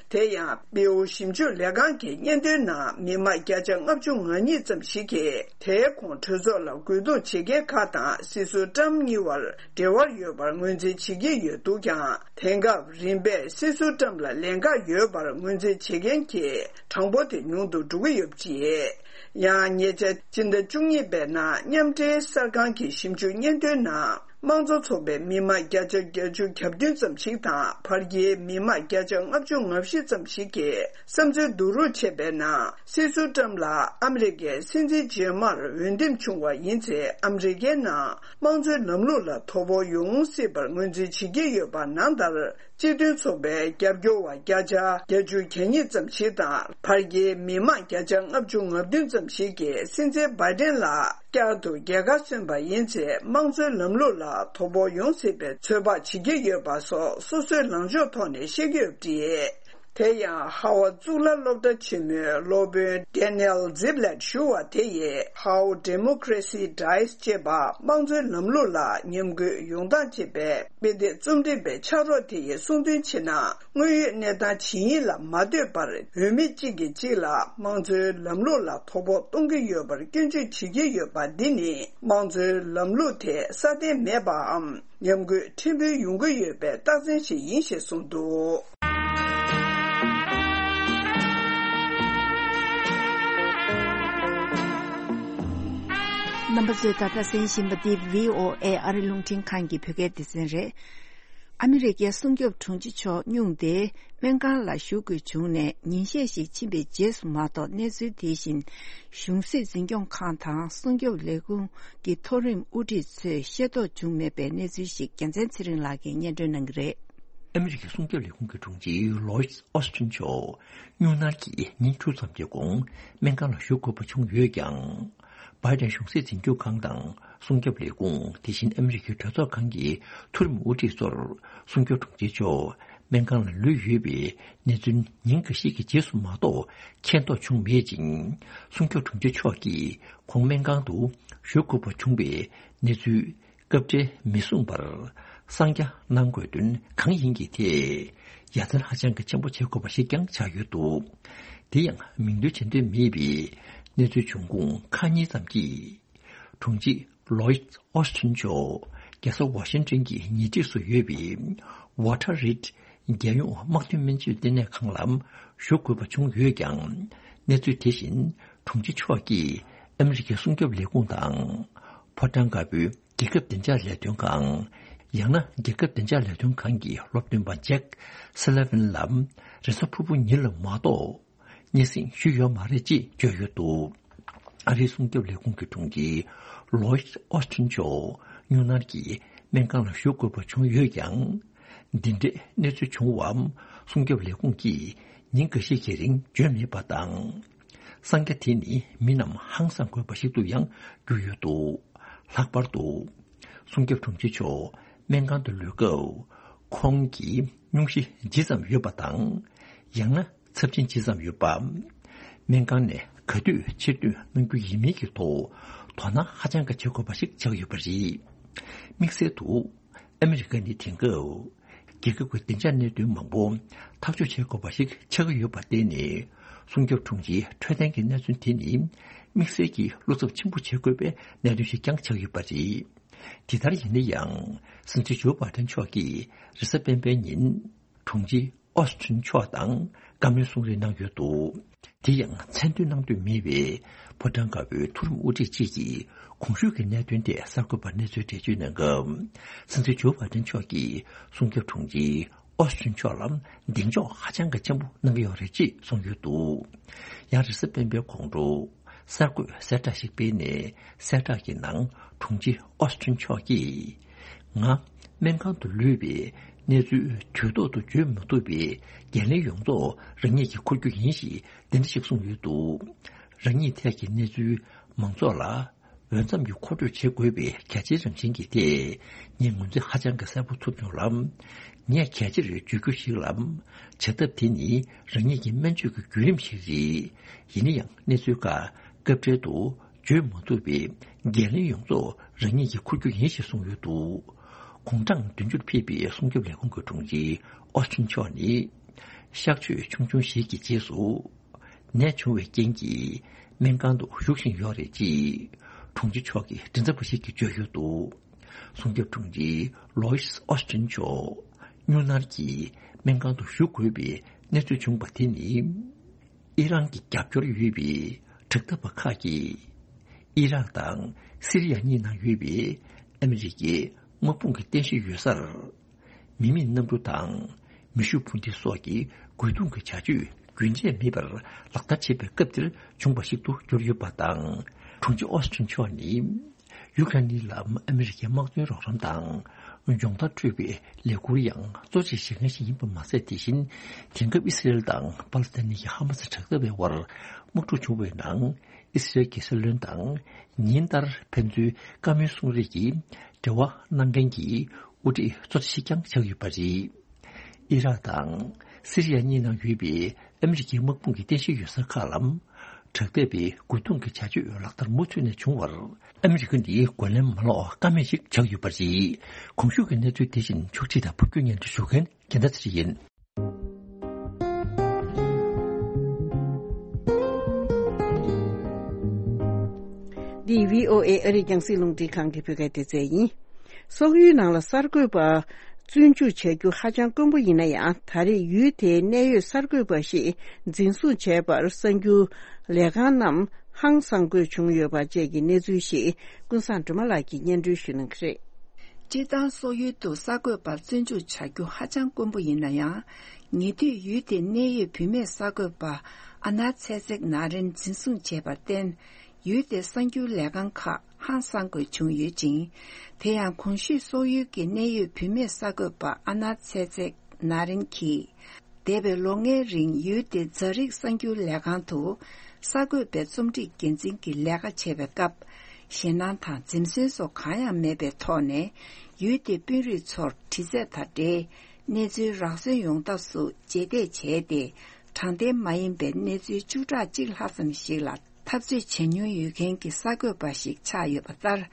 དེ་ཡང་། པེའུ་ཞིབ་འཇུག་ལས་ཁང་གི་སྙན་ཐོའི་ནང་། མི་མང་བརྒྱ་ཆ་ལྔ་བཅུ་ང་གཉིས་ཙམ་ཞིག་གིས། དེའི་གོང་གྲོས་ཚོགས་ལ་རྒོལ་རྡུང་བྱེད་མཁན་ཁག་དང་། སྲིད་ཟུར་ཏྲམ་གཉིས་བར་འབྲེལ་བ་ཡོད་པར་ངོས་འཛིན་བྱེད་ཀྱི་ཡོད་འདུག་ཀྱང་། དེང་སྐབས་རིམ་པས་སྲིད་ཟུར་ཏྲམ་ལ་ལན་འགག་ཡོད་པར་ངོས་འཛིན་བྱེད་མཁན་གྱི་གྲངས་འབོར་དེ་ཉུང་དུ་འགྲོ་གི་ཡོད་པ་རེད། ཡང་། ཉེ་ཆར་སྤྱི་ཟླ་བཅུ་གཉིས་པའི་ནང་། མཉམ་འབྲེལ་གསར་ཁང་གི་ཞིབ་འཇུག་སྙན་ཐོའི་ནང་། དམངས་གཙོ་ཚོགས་པའི་མི་མང་བརྒྱ་ཆ་བརྒྱད་ཅུ་གྱ་བདུན་ཙམ་ཞིག་དང་། བར་བརྒལ་མི་མང་བརྒྱ་ཆ་ལྔ་བཅུ་ང་བཞི་ཙམ་ཞིག་གིས་བསམ་ཚུལ་བསྡུ་རུབ་བྱས་པའི་ནང་། སྲིད་ཟུར་ཏྲམ་ལ་ཨ་མི་རི་ཀའི་སྲིད་འཛིན་རྗེས་མར་འོས་འདེམས་བྱུང་བ་ཡིན་ཚེ། ཨ་མི་རི་ཀའི་ནང་དམངས་གཙོའི་ལམ་ལུགས་ལ་དོ་ཕོག་ཡོང་སྲིད་པར་ངོས་འཛིན་བྱེད་ཀྱི་ཡོད་པ་ནང་ལྟར། སྤྱི་མཐུན་ཚོགས་པའི་རྒྱབ་སྐྱོར་བ་བརྒྱ་ཆ་བརྒྱད་ཅུ་གྱ་གཉིས་ཙམ་ཞིག་དང་། བར་བརྒལ་མི་མང་བརྒྱ་ཆ་ལྔ་བཅུ་ང་བདུན་ཙམ་ཞིག་གིས་སྲིད་འཛིན་བྷའི་ཏན་ལ་བསྐྱར་དུ་རྒྱལ་ཁ་སོན་པ་ཡིན་ཚེ། དམངས་གཙོའི་ལམ་ལུགས་ལ་དོ་ཕོག་ཡོང་སྲིད་པའི་ཚོད་དཔག་བྱེད་ཀྱི་ཡོད་པ་སོགས། སོ་སོའི་ལངས་ཕྱོགས་ཐོག་ནས་བཤད་ཀྱི་ཡོད་པ་རེད། དེ་ཡང་། ཧ་ཝར་གཙུག་ལག་སློབ་གྲྭ་ཆེན་མོའི་སློབ་དཔོན་Daniel Ziblatt ཞུ་བ་དེ་ཡིས། How Democracy Dies ཅེས་པ། དམངས་གཙོའི་ལམ་ལུགས་ལ་ཉམས་རྒུད་ཡོང་སྟངས་ཅེས་པའི་དཔེ་དེབ་རྩོམ་སྒྲིག་པའི་ཕྱག་རོགས་དེ་ཡིས་གསུངས་དོན་ཆེ་ན། དངོས་ཡོད་གནས་སྟངས་ཇི་ཡིན་ལ་མ་ལྟོས་པར། འོས་མི་གཅིག་གིས་གཅིག་ལ་དམངས་གཙོའི་ལམ་ལུགས་ལ་དོ་ཕོག་གཏོང་གི་ཡོད་པར་སྐྱོན་བརྗོད་བྱེད་ཀྱི་ཡོད་པ་འདི་ནི། དམངས་གཙོའི་ལམ་ལུགས་དེ་སྲ་བརྟན་མེད་པའམ། ཉམས་རྒུད་ཕྲན་བུ་ཡོང་གི་ཡོད་པའི་རྟགས་མཚན་ཞིག་ཡིན་ཞེས་གསུངས་འདུག། རྣམ་པ་ཚོས་ད་ལྟ་གསན་བཞིན་པ་འདི་བྷི་ཨོ་ཨེ་ཨ་རི་རླུང་འཕྲིན་ཁང་གི་བོད་སྐད་སྡེ་ཚན་རེད། ཨ་མི་རི་ཀའི་སྲུང་སྐྱོབ་དྲུང་ཆེ་མཆོག་སྙུང་སྟེ་སྨན་ཁང་ལ་བཞུགས་དགོས་བྱུང་ནས་ཉིན་ཤས་ཤིག་ཕྱིན་པའི་རྗེས་སུ་མ་གཏོགས། གནས་ཚུལ་དེ་བཞིན་གཞུང་སྲིད་འཛིན་སྐྱོང་ཁང་དང་སྲུང་སྐྱོབ་ལས་ཁུངས་ཀྱི་མཐོ་རིམ་དབུ་ཁྲིད་ཚོས་ཤེས་རྟོགས་བྱུང་མེད་པའི་གནས་ཚུལ་ཞིག་རྒྱལ་མཚན་ཚེ་རིང་ལགས་ཀྱིས་སྙན་སྒྲོན་གནང་གི་རེད། ཨ་མི་རི་ཀའི་སྲུང་སྐྱོབ་ལས་ཁུངས་ཀྱི་དྲུང་ཆེ་ལོའིད་ཨོ་སི་ཊིན་མཆོག་སྨྱུང་གནས་ཀྱིས་ཉིན་དྲུག་ཙམ་གྱི་གོང་སྨན་ཁང་ལ་བཞུགས་དགོས་པ་བྱུང་ཡོད་ཀྱང་། བྷའི་ཏན་གཞུང་སྲིད་འཛིན་སྐྱོང་ཁང་དང་སྲུང་སྐྱོབ་ལས་ཁུངས། དེ་བཞིན་ཨ་མི་རི་ཀའི་གྲོས་ཚོགས་ཁང་གི་མཐོ་རིམ་དབུ་ཁྲིད་ཚོར་སྲུང་སྐྱོབ་དྲུང་ཆེ་མཆོག་ སྨན་ཁང་ལ་ལུས་ཡོད་པའི་གནས་ཚུལ་ཉིན་འགའ་ཤས་ཀྱི་རྗེས་སུ་མ་གཏོགས་མཁྱེན་རྟོགས་བྱུང་མེད་ཅིང་། སྲུང་སྐྱོབ་དྲུང་ཆེ་མཆོག་གིས་ཁོང་སྨན་ཁང་དུ་བཞུགས་དགོས་པ་བྱུང་བའི་གནས་ཚུལ་སྐབས་འཕྲལ་མི་གསུངས་པར། གསང་རྒྱ་གནང་དགོས་དོན་གང་ཡིན་གྱི་ཐད་ཡ་མཚན་ཧ་ཅང་གི་ཆེན་པོ་བྱེད་དགོས་པ་ཞིག་ཀྱང་ཆགས་ཡོད་འདུག་དེ་ཡང་མིང་འདོན་བྱེད་འདོད་མེད་པའི་གནས་ཚུལ་བྱུང་ཁུངས་ཁག་གཉིས་ཙམ་གྱིས། དྲུང་ཆེ་Lloyd Austin མཆོག་རྒྱལ་ས་Washington གྱི་ཉེ་འཁྲིས་སུ་ཡོད་པའི་Walter Reed རྒྱལ་ཡོངས་དམག་དོན་སྨན་བཅོས་ལྟེ་གནས་ཁང་ལ་བཞུགས་དགོས་པ་བྱུང་ཡོད་ཀྱང་། གནས་ཚུལ་དེ་བཞིན་དྲུང་ཆེ་མཆོག་གིས་ཨ་མི་རི་ཀའི་སྲུང་སྐྱོབ་ལས་ཁུངས་དང་། ཕོ་བྲང་དཀར་པོའི་རྒྱལ་ཁབ་བདེ་འཇགས་ལས་དོན་ཁང་། ཡང་ན་རྒྱལ་ཁབ་བདེ་འཇགས་ལས་དོན་ཁང་གི་སློབ་སྟོན་པ་Jake Sullivan ལ་རེས་གཟའ་ཕུར་བུ་ཉིན་ལ་མ་གཏོགས། སྙན་སེང་ཞུས་ཡོད་མ་རེད་ཅེས་བརྗོད་ཡོད་འདུག་ཨ་རིའི་སྲུང་སྐྱོབ་ལས་ཁུངས་ཀྱི་དྲུང་ཆེ་Lloyd Austin མཆོག་ནིའུ་ཡོག་གི་སྨན་ཁང་ལ་བཞུགས་དགོས་པ་བྱུང་ཡོད་ཀྱང་། འདི་འདྲའི་གནས་ཚུལ་བྱུང་བའམ་སྲུང་སྐྱོབ་ལས་ཁུངས་ཀྱིས་ཉིན་འགའ་ཤས་ཀྱི་རིང་བརྗོད་མེད་པ་དང་། གསང་རྒྱ་དེ་ནི་མི་རྣམས་ཧང་སང་དགོས་པ་ཞིག་ཏུ་ཡང་གྱུར་ཡོད་འདུག་ལྷག་པར་དུ། སྲུང་སྐྱོབ་དྲུང་ཆེ་མཆོག་སྨན་ཁང་དུ་ལུས་སྐབས་ཁོང་གིས་སྙུང་གཞི་ཇི་ཙམ་ཡོད་པ་དང་། ཡང་ན་ཚབས་ཆེན་ཇི་ཙམ་ཡོད་པ། སྨན་ཁང་ནས་ག་དུས་ཕྱིར་འདོན་གནང་རྒྱུ་ཡིན་མིན་གྱི་ཐོག་དོ་སྣང་ཧ་ཅང་གི་བྱེད་དགོས་པ་ཞིག་ཆགས་ཡོད་པ་རེད། དམིགས་བསལ་དུ། ཨ་མི་རི་ཀ་ནི་དེང་སྐབས་རྒྱལ་ཁབ་ཀྱི་བདེ་འཇགས་གནད་དོན་མང་པོ་ཐག་གཅོད་བྱེད་དགོས་པ་ཞིག་ཆགས་ཀྱི་ཡོད་པར་བརྟེན་ནས། སྲུང་སྐྱོབ་དྲུང་ཆེའི་འཕྲོད་བསྟེན་གྱི་གནད་དོན་དེ་ནི་དམིགས་བསལ་གྱི་བློ་འཚབ་ཆེན་པོ་བྱེད་དགོས་པའི་གནད་དོན་ཞིག་ཀྱང་ཆགས་ཡོད་པ་རེད། དེ་ལྟར་ཡིན་ན་ཡང་། སྲིད་འཛིན་ཇོ་བྷའི་ཏན་མཆོག་གིས་རེས་གཟའ་སྤེན་པའི་ཉིན། དྲུང་ཆེ་ཨོ་སི་ཊིན་མཆོག་དང་བཀའ་མོལ་གསུང་རེས་གནང་ཡོད་འདུག་དེ་ཡང་མཚན་འདོན་གནང་འདོད་མེད་པའི་ཕོ་བྲང་དཀར་པོའི་མཐོ་རིམ་དབུ་ཁྲིད་ཅིག་གིས་གོང་ཞུས་ཀྱི་གནད་དོན་དེ་གསར་འགོད་པར་གནས་ཚུལ་འགྲེལ་བརྗོད་གནང་སྐབས། སྲིད་འཛིན་ཇོ་བྷའི་ཏན་མཆོག་གིས་སྲུང་སྐྱོབ་དྲུང་ཆེ་ཨོ་སི་ཊིན་མཆོག་ལ་གདེང་འཇོག་ཧ་ཅང་གི་ཆེན་པོ་གནང་གི་ཡོད་རེད་ཅེས་གསུངས་ཡོད་འདུག་ཡང་རེས་གཟའ་སྤེན་པའི་དགོང་དྲོ། གསར་འགོད་གསལ་བསྒྲགས་ཤིག་སྤེལ་ནས། གསལ་བསྒྲགས་ཀྱི་ནང་དྲུང་ཆེ་ཨོ་སི་ཊིན་མཆོག་གིས། ང་སྨན་ཁང་དུ་ལུས་པའི་གནས་ཚུལ་དུས་ཐོག་ཏུ་བརྗོད་མ་ཐུབ་པའི་འགན་ལེན་ཡོངས་རྫོགས་རང་ཉིད་ཀྱིས་འཁུར་རྒྱུ་ཡིན་ཞེས་འདི་འདྲ་ཞིག་གསུངས་ཡོད་འདུག་རང་ཉིད་ཐད་ཀྱི་གནས་ཚུལ་མང་ཚོགས་ལ་འོས་འཚམ་གྱིས་མཁོ་སྤྲོད་བྱེད་དགོས་པའི་གལ་ཆེའི་རང་བཞིན་གྱི་ཐད། ངས་ངོས་འཛིན་ཧ་ཅང་གི་གསལ་པོ་ཐུབ་བྱུང་ལ། ངས་གལ་ཆེར་བརྗོད་རྒྱུ་ཞིག་ལ། བྱ་ཐབས་དེ་ནི་རང་ཉིད་ཀྱི་སྨན་བཅོས་ཀྱི་བརྒྱུད་རིམ་ཞིག་རེད། ཡིན་ན་ཡང་གནས་ཚུལ་ཁག་སྐབས་འཕྲལ་དུ་བརྗོད་མ་ཐུབ་པའི་འགན་ལེན་ཡོངས་རྫོགས་རང་ཉིད་ཀྱིས་འཁུར་རྒྱུ་ཡིན་ཞེས་གསུངས་ཡོད་འདུག་དགུང་གྲངས་བདུན་ཅུར་ཕེབས་པའི་སྲུང་སྐྱོབ་ལས་ཁུངས་ཀྱི་དྲུང་ཆེ་ཨོ་སི་ཊིན་མཆོག་ནི། གཤག་བཅོས་ཆུང་ཆུང་ཞིག་གི་རྗེས་སུ། ནད་བྱུང་བའི་རྐྱེན་གྱིས་སྨན་ཁང་དུ་བཞུགས་བཞིན་ཡོད་རེད་ཅེས། དྲུང་ཆེ་མཆོག་གི་མགྲིན་ཚབ་པ་ཞིག་གིས་བརྗོད་ཡོད་འདུག་སྲུང་སྐྱོབ་དྲུང་ཆེ་ལོ་ཡིས་ཨོ་སི་ཊིན་མཆོག་ནིའུ་ཡོག་གི་སྨན་ཁང་དུ་བཞུགས་དགོས་པའི་གནས་ཚུལ་བྱུང་བ་དེ་ནི། ཨི་རན་གྱི་རྒྱབ་སྐྱོར་ཡོད་པའི་དྲག་འཐབ་པ་ཁག་གིས། ཨི་རག་དང་སི་རི་ཡ་གཉིས་ནང་ཡོད་པའི་ཨ་མི་རི་ཀའི་དམག་དཔུང་གི་རྟེན་གཞི་ཡོད་སར། མི་མེད་གནམ་གྲུ་དང་། མེ་ཤུགས་འཕུར་མདེལ་སོགས་ཀྱི་རྒོལ་རྡུང་གི་བྱ་སྤྱོད་རྒྱུན་ཆད་མེད་པར་ལག་བསྟར་བྱེད་པའི་སྐབས་དེར་བྱུང་བ་ཞིག་ཏུ་གྱུར་ཡོད་པ་དང་། དྲུང་ཆེ་ཨོ་སི་ཊིན་མཆོག་ནི། ཡུ་ཀེ་རེན་ལ་ཨ་མི་རི་ཀའི་དམག་དོན་རོགས་རམ་དང་། སྦྱོང་བརྡར་སྤྲོད་པའི་ལས་འཁུར་ཡང་གཙོ་ཆེ་བཞེས་མཁན་ཞིག་ཡིན་པ་མ་ཟད། དེ་བཞིན་དེང་སྐབས་ཨི་སི་རེལ་དང་པ་ལི་སི་ཐན་གྱི་ཧ་མ་སི་དྲག་འཐབ་པའི་དབར་དམག་འཁྲུག་བྱུང་བའི་ནང་། ཨི་སི་རེལ་གྱི་སྲིད་བློན་དང་ཉིན་ལྟར་ཕན་ཚུན་བཀའ་མོལ་གསུང་རེས་ཀྱི་འབྲེལ་བ་གནང་མཁན་གྱི་དབུ་ཁྲིད་གཙོ་ཆེ་ཞིག་ཀྱང་ཆགས་ཡོད་པ་རེད། ཨི་རག་དང་སི་རི་ཡ་གཉིས་ནང་ཡོད་པའི་ཨ་མི་རི་ཀའི་དམག་དཔུང་གི་རྟེན་གཞི་ཡོད་ས་ཁག་ལ་དྲག་འཐབ་པའི་རྒོལ་རྡུང་གི་བྱ་སྤྱོད་ལག་བསྟར་མུ་མཐུད་ནས་བྱུང་བར། ཨ་མི་རི་ཀ་ནི་རྒོལ་ལན་མ་སློག་ཀ་མེད་ཅིག་ཆགས་ཡོད་པ་རེད། གོང་ཞུས་ཀྱི་གནས་ཚུལ་དེ་བཞིན་ཕྱོགས་སྒྲིག་དང་ཕབ་སྒྱུར་སྙན་སྒྲོན་ཞུ་མཁན་རྒྱལ་མཐའ་ཚེ་རིང་ཡིན། འདི་བྷི་ཨོ་ཨེ་ཨ་རིའི་རྒྱང་སྲིང་རླུང་འཕྲིན་ཁང་གི་བོད་སྐད་སྡེ་ཚན་ཡིན། སོག་ཡུལ་ནང་ལ་གསར་འགོད་པ་བཙོན་འཇུག་བྱ་རྒྱུ་ཧ་ཅང་དཀོན་པོ་ཡིན་ན་ཡང་། ད་རེས་ཡུལ་དེའི་གནད་ཡོད་གསར་འགོད་པ་ཞིག་འཛིན་བཟུང་བྱས་པར་གསར་འགྱུར་ལས་ཁང་རྣམས་ཧང་སང་དགོས་བྱུང་ཡོད་པ་བཅས་ཀྱི་གནས་ཚུལ་ཞིག་ཀུན་བཟང་སྒྲོལ་མ་ལགས་ཀྱིས་སྙན་སྒྲོན་ཞུ་གནང་གི་རེད། སྤྱིར་བཏང་སོག་ཡུལ་དུ་གསར་འགོད་པ་བཙོན་འཇུག་བྱ་རྒྱུ་ཧ་ཅང་དཀོན་པོ་ཡིན་ན་ཡང་། ཉེ་དུས་ཡུལ་དེའི་གནད་ཡོད་བུད་མེད་གསར་འགོད་པ་ཨ་ན་ཚེ་ཚེག་ན་རིན་འཛིན་བཟུང་བྱས་པར་བརྟེན། ཡུལ་དེའི་གསར་འགྱུར་ལས་ཁང་ཁག་ཧང་སང་དགོས་བྱུང་ཡོད་ཅིང་། དེ་ཡང་གོང་ཞུས་སོག་ཡུལ་གྱི་གནད་ཡོད་བུད་མེད་གསར་འགོད་པ་ཨ་ན་ཚེ་ཚེག་ན་རིན་གྱིས། འདས་པའི་ལོ་ལྔའི་རིང་ཡུལ་དེའི་རྫ་རིགས་གསར་འགྱུར་ལས་ཁང་དུ་གསར་འགོད་པའི་རྩོམ་སྒྲིག་འགན་འཛིན་གྱི་ལས་ཀ་བྱེད་པའི་སྐབས། ཞེད་སྣང་དང་འཛེམ་ཟོན་སོགས་གང་ཡང་མེད་པའི་ཐོག་ནས། ཡུལ་དེའི་དཔོན་རིགས་ཚོར་དྲི་རྩད་དང་འབྲེལ། གནས་ཚུལ་རག་སོན་ཡོང་ཐབས་སུ་རྗེས་འདེད་བྱས་ཏེ། དྲང་བདེན་མ་ཡིན་པའི་གནས་ཚུལ་བཅུ་ཕྲག་གཅིག་ལྷག་ཙམ་ཞིག་ལ་འཐབ་རྩོད་བྱེད་མྱོང་ཡོད་མཁན་གྱི་གསར་འགོད་པ་ཞིག་ཆགས་ཡོད་པ་ལྟར།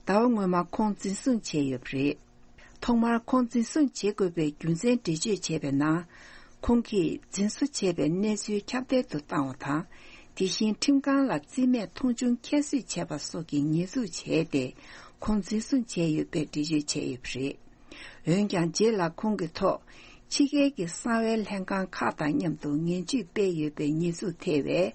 ཟླ་བ་སྔོན་མ་ཁོང་འཛིན་བཟུང་བྱས་ཡོད་པ་རེད། ཐོག་མར་ཁོང་འཛིན་བཟུང་བྱེད་དགོས་པའི་རྒྱུ་མཚན་འགྲེལ་བརྗོད་བྱས་པའི་ནང་། ཁོང་གིས་འཛིན་བཟུང་བྱས་པའི་གནས་ཚུལ་ཁྱབ་གདལ་དུ་བཏང་བ་དང་། དེ་བཞིན་ཁྲིམས་ཁང་ལ་རྩིས་མེད་མཐོང་ཆུང་ཁྱད་གསོད་བྱས་པ་སོགས་ཀྱི་ཉེས་འཛུགས་བྱས་ཏེ། ཁོང་འཛིན་བཟུང་བྱས་ཡོད་པའི་འགྲེལ་བརྗོད་བྱས་ཡོད་པ་རེད། འོན་ཀྱང་། རྗེས་ལ་ཁོང་གི་ཐོག་ཕྱི་རྒྱལ་གྱི་གསང་བའི་ལྷན་ཁང་ཁག་དང་མཉམ་དུ་ངན་ཇུས་སྤེལ་ཡོད་པའི་ཉེས་འཛུགས་ཐེ་བས།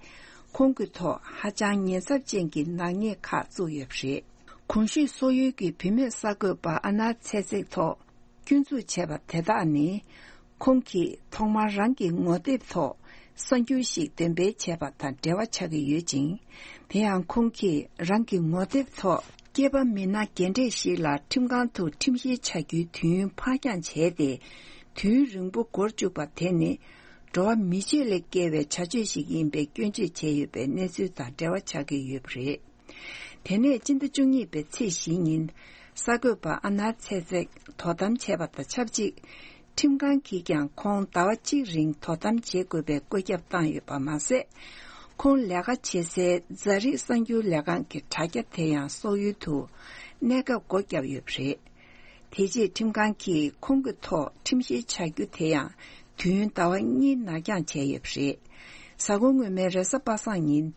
ཁོང་གི་ཐོག་ཧ་ཅང་ཉེན་ཚབས་ཅན་གྱི་ནག་ཉེས་ཁག་བཙུགས་ཡོད་པ་རེད། གོང་ཞུས་སོག་ཡུལ་གྱི་བུད་མེད་གསར་འགོད་པ་ཨ་ནར་ཚེ་ཚེག་ཐོག་སྐྱོན་འཛུགས་བྱས་པ་དེ་དག་ནི། ཁོང་གིས་ཐོག་མར་རང་གི་ངོ་དེབ་ཐོག་གསར་འགྱུར་ཞིག་འདོན་སྤེལ་བྱས་པ་དང་འབྲེལ་བ་ཆགས་ཀྱི་ཡོད་ཅིང་། དེ་ཡང་ཁོང་གིས་རང་གི་ངོ་དེབ་ཐོག་སྐྱེས་པ་མི་སྣ་རྒན་གྲས་ཤིག་ལ་ཁྲིམས་ཁང་དུ་ཁྲིམས་བཤེར་བྱ་རྒྱུའི་དུས་ཡུན་ཕར་འགྱངས་བྱས་ཏེ། དུས་ཡུན་རིང་པོ་འགོར་བཅུག་པ་དེ་ནི། འགྲོ་བ་མི་ཆོས་ལས་བརྒལ་བའི་བྱ་སྤྱོད་ཞིག་ཡིན་པའི་སྐྱོན་བརྗོད་བྱས་ཡོད་པའི་གནས་ཚུལ་དང་འབྲེལ་བ་ཆགས་ཀྱི་ཡོད་པ་རེད། དེ་ནས་སྤྱི་ཟླ་བཅུ་གཉིས་པའི་ཚེས་བཞི་ཉིན། གསར་འགོད་པ་ཨ་ནར་ཚེ་ཚེག་དོ་དམ་བྱས་པ་དང་ཆབས་ཅིག་ཁྲིམས་ཁང་གིས་ཀྱང་ཁོང་ཟླ་བ་གཅིག་རིང་དོ་དམ་བྱེད་དགོས་པའི་བཀོད་ཁྱབ་བཏང་ཡོད་པ་མ་ཟད། ཁོང་ལས་ཀ་བྱེད་སའི་རྫ་རིགས་གསར་འགྱུར་ལས་ཁང་གི་དྲ་རྒྱ་དེ་ཡང་སོག་ཡུལ་དུ་གནས་སྐབས་སྒོ་བརྒྱབ་ཡོད་པ་རེད། དེ་རྗེས་ཁྲིམས་ཁང་གིས་ཁོང་གི་ཐོག་ཁྲིམས་བཤེར་བྱ་རྒྱུ་དེ་ཡང་དུས་ཡུན་ཟླ་བ་གཉིས་ནར་འགྱངས་བྱས་ཡོད་པ་རེད། གཟའ་འཁོར་སྔོན་མའི་རེས་གཟའ་པ་སངས་ཉིན།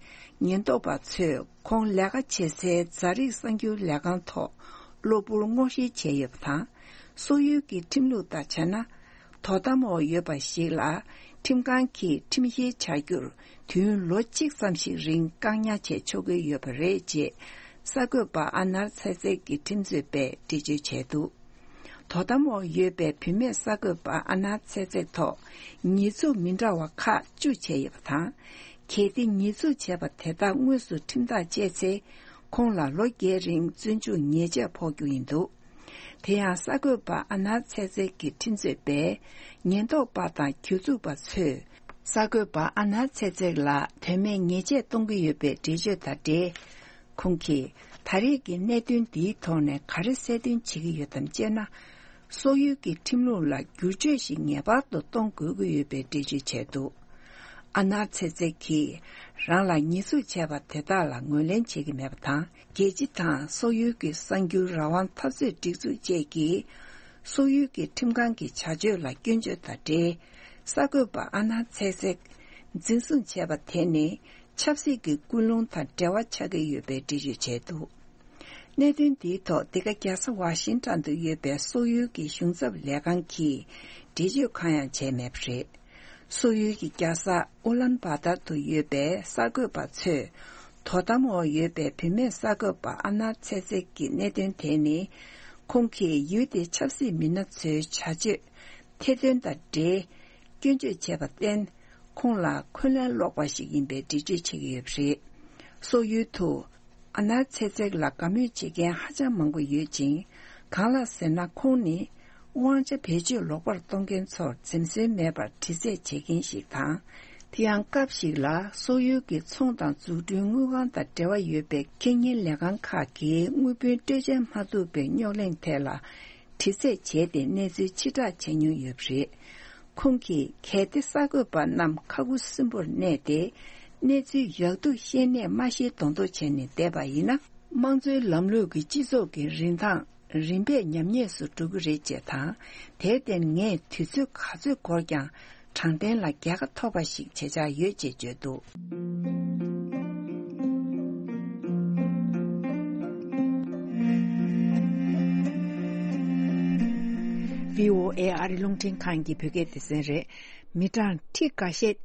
ཉེན་རྟོག་པ་ཚོས་ཁོང་ལས་ཀ་བྱེད་སའི་རྫ་རིགས་གསར་འགྱུར་ལས་ཁང་ཐོག་གློ་བུར་སྔོག་བཤེར་བྱས་ཡོད་པ་དང་། སོག་ཡུལ་གྱི་ཁྲིམས་ལུགས་དང་བྱས་ན། དོ་དམ་འོག་ཡོད་པ་ཞིག་ལ་ཁྲིམས་ཁང་གིས་ཁྲིམས་བཤེར་བྱ་རྒྱུར་དུས་ཡུན་ལོ་གཅིག་ཙམ་ཞིག་རིང་བཀག་ཉར་བྱེད་ཆོག་གི་ཡོད་པ་རེད་ཅེས་གསར་འགོད་པ་ཨ་ནར་ཚེ་ཚེག་གི་ཁྲིམས་རྩོད་པས་འགྲེལ་བརྗོད་བྱས་འདུག་དོ་དམ་འོག་ཡོད་པའི་བུད་མེད་གསར་འགོད་པ་ཨ་ནར་ཚེ་ཚེག་ཐོག་ཉེས་འཛུགས་མི་འདྲ་བ་ཁག་བཅུ་བྱས་ཡོད་པ་དང་། གལ་ཏེ་ཉེས་འཛུགས་བྱས་པ་དེ་དག་དངོས་སུ་ཁྲིམས་ཐག་བཅད་ཚེ། ཁོང་ལ་ལོ་བརྒྱད་རིང་བཙོན་འཇུག་ཉེས་ཆད་ཕོག་རྒྱུ་ཡིན་འདུག་དེ་ཡང་གསར་འགོད་པ་ཨ་ནར་ཚེ་ཚེག་གི་ཁྲིམས་རྩོད་པས་ཉེན་རྟོག་པ་དང་གྱོད་འཛུགས་པ་ཚོས་གསར་འགོད་པ་ཨ་ནར་ཚེ་ཚེག་ལ་དོན་མེད་ཉེས་ཆད་གཏོང་གི་ཡོད་པའི་འགྲེལ་བརྗོད་དང་འབྲེལ། ཁོང་གིས་ད་རེས་ཀྱི་གནད་དོན་འདིའི་ཐོག་ནས་ག་རེ་གསལ་སྟོན་བྱེད་ཀྱི་ཡོད་དམ་ཅེ་ན། སོག་ཡུལ་གྱི་ཁྲིམས་ལུགས་ལ་བསྒྱུར་བཅོས་ཤིག་ངེས་པར་དུ་གཏོང་དགོས་ཀྱི་ཡོད་པའི་འགྲེལ་བརྗོད་བྱས་འདུག་ཨ་ནར་ཚེ་ཚེག་གིས་རང་ལ་ཉེས་འཛུགས་བྱས་པ་དེ་དག་ལ་ངོས་ལེན་བྱེད་ཀྱི་མེད་པ་དང་། རྒྱལ་སྤྱི་དང་སོག་ཡུལ་གྱི་གསར་འགྱུར་རང་དབང་འཐབ་རྩོད་སྒྲིག་འཛུགས་བཅས་ཀྱིས། སོག་ཡུལ་གྱི་ཁྲིམས་ཁང་གི་བྱ་སྤྱོད་ལ་སྐྱོན་བརྗོད་དང་འབྲེལ། གསར་འགོད་པ་ཨ་ནར་ཚེ་ཚེག་འཛིན་བཟུང་བྱས་པ་དེ་ནི། ཆབ་སྲིད་ཀྱི་ཀུན་སློང་དང་འབྲེལ་བ་ཆགས་ཀྱི་ཡོད་པའི་འགྲེལ་བརྗོད་བྱས་འདུག་གནད་དོན་འདིའི་ཐོག་འདི་ག་རྒྱལ་ས་ཝ་ཤིང་ཊོན་དུ་ཡོད་པའི་སོག་ཡུལ་གྱི་གཞུང་ཚབ་ལས་ཁང་གིས་འགྲེལ་བརྗོད་གང་ཡང་བྱས་མེད་པ་རེད། སོག་ཡུལ་གྱི་རྒྱལ་ས་ཨུ་ལན་བྷ་ཏར་དུ་ཡོད་པའི་གསར་འགོད་པ་ཚོས། དོ་དམ་འོག་ཡོད་པའི་བུད་མེད་གསར་འགོད་པ་ཨ་ནར་ཚེ་ཚེག་གི་གནད་དོན་དེ་ནི། ཁོང་གིས་ཡུལ་དེའི་ཆབ་སྲིད་མི་སྣ་ཚོའི་བྱ་སྤྱོད་ཐེར་འདོན་དང་འབྲེལ། སྐྱོན་བརྗོད་བྱས་པར་བརྟེན། ཁོང་ལ་འཁོན་ལན་སློག་པ་ཞིག་ཡིན་པའི་འགྲེལ་བརྗོད་བྱེད་ཀྱི་ཡོད་པ་རེད། སོག་ཡུལ་དུ་ཨ་ནར་ཚེ་ཚེག་ལ་དགའ་མོས་བྱེད་མཁན་ཧ་ཅང་མང་པོ་ཡོད་ཅིང་། གང་ལགས་ཟེར་ན། ཁོང་ནི་དབང་ཆ་བེད་སྤྱོད་ལོག་པར་གཏོང་མཁན་ཚོར་འཛེམ་ཟོན་མེད་པར་དྲི་རྩད་བྱེད་མཁན་ཞིག་དང་། དེ་ཡང་སྐབས་ཤིག་ལ་སོག་ཡུལ་གྱི་ཚོང་དང་འཛུགས་སྐྲུན་དངུལ་ཁང་དང་འབྲེལ་བ་ཡོད་པའི་ཁེ་གཉེར་ལས་ཁང་ཁག་གིས་དངུལ་བུན་སྤྲོད་འཇལ་མ་ཐུབ་པའི་རྙོག་གླེང་ཐད་ལ། དྲི་རྩད་བྱས་ཏེ་གནས་ཚུལ་ཕྱིར་བསྒྲགས་བྱས་མྱོང་ཡོད་པ་རེད། ཁོང་གིས་གལ་ཏེ་གསར་འགོད་པ་རྣམས་ཁ་ཁུ་སིམ་པོར་གནས་ཏེ། གནས་ཚུལ་ཡག་སྡུག་ཤེས་ནས་མ་ཤེས་མདོག་མདོག་བྱས་ནས་བསྡད་པ་ཡིན་ན། དམངས་གཙོའི་ལམ་ལུགས་ཀྱི་སྤྱི་ཚོགས་ཀྱི་རིན་ཐང་རིམ་པས་ཉམས་ཉེས་སུ་འགྲོ་གི་རེད་ཅེས་དང་། དེར་བརྟེན་ངས་དུས་ཚོད་ག་ཚོད་འགོར་ཀྱང་། དྲང་བདེན་ལ་རྒྱལ་ཁ་ཐོབ་པ་ཞིག་བྱེད་འཆར་ཡོད་ཅེས་བརྗོད་འདུག་བྷི་ཨོ་ཨེ་ཨ་རི་རླུང་འཕྲིན་ཁང་གི་བོད་སྐད་སྡེ་ཚན་རེད། མི་གྲངས་ཁྲི་འགའ་ཤས་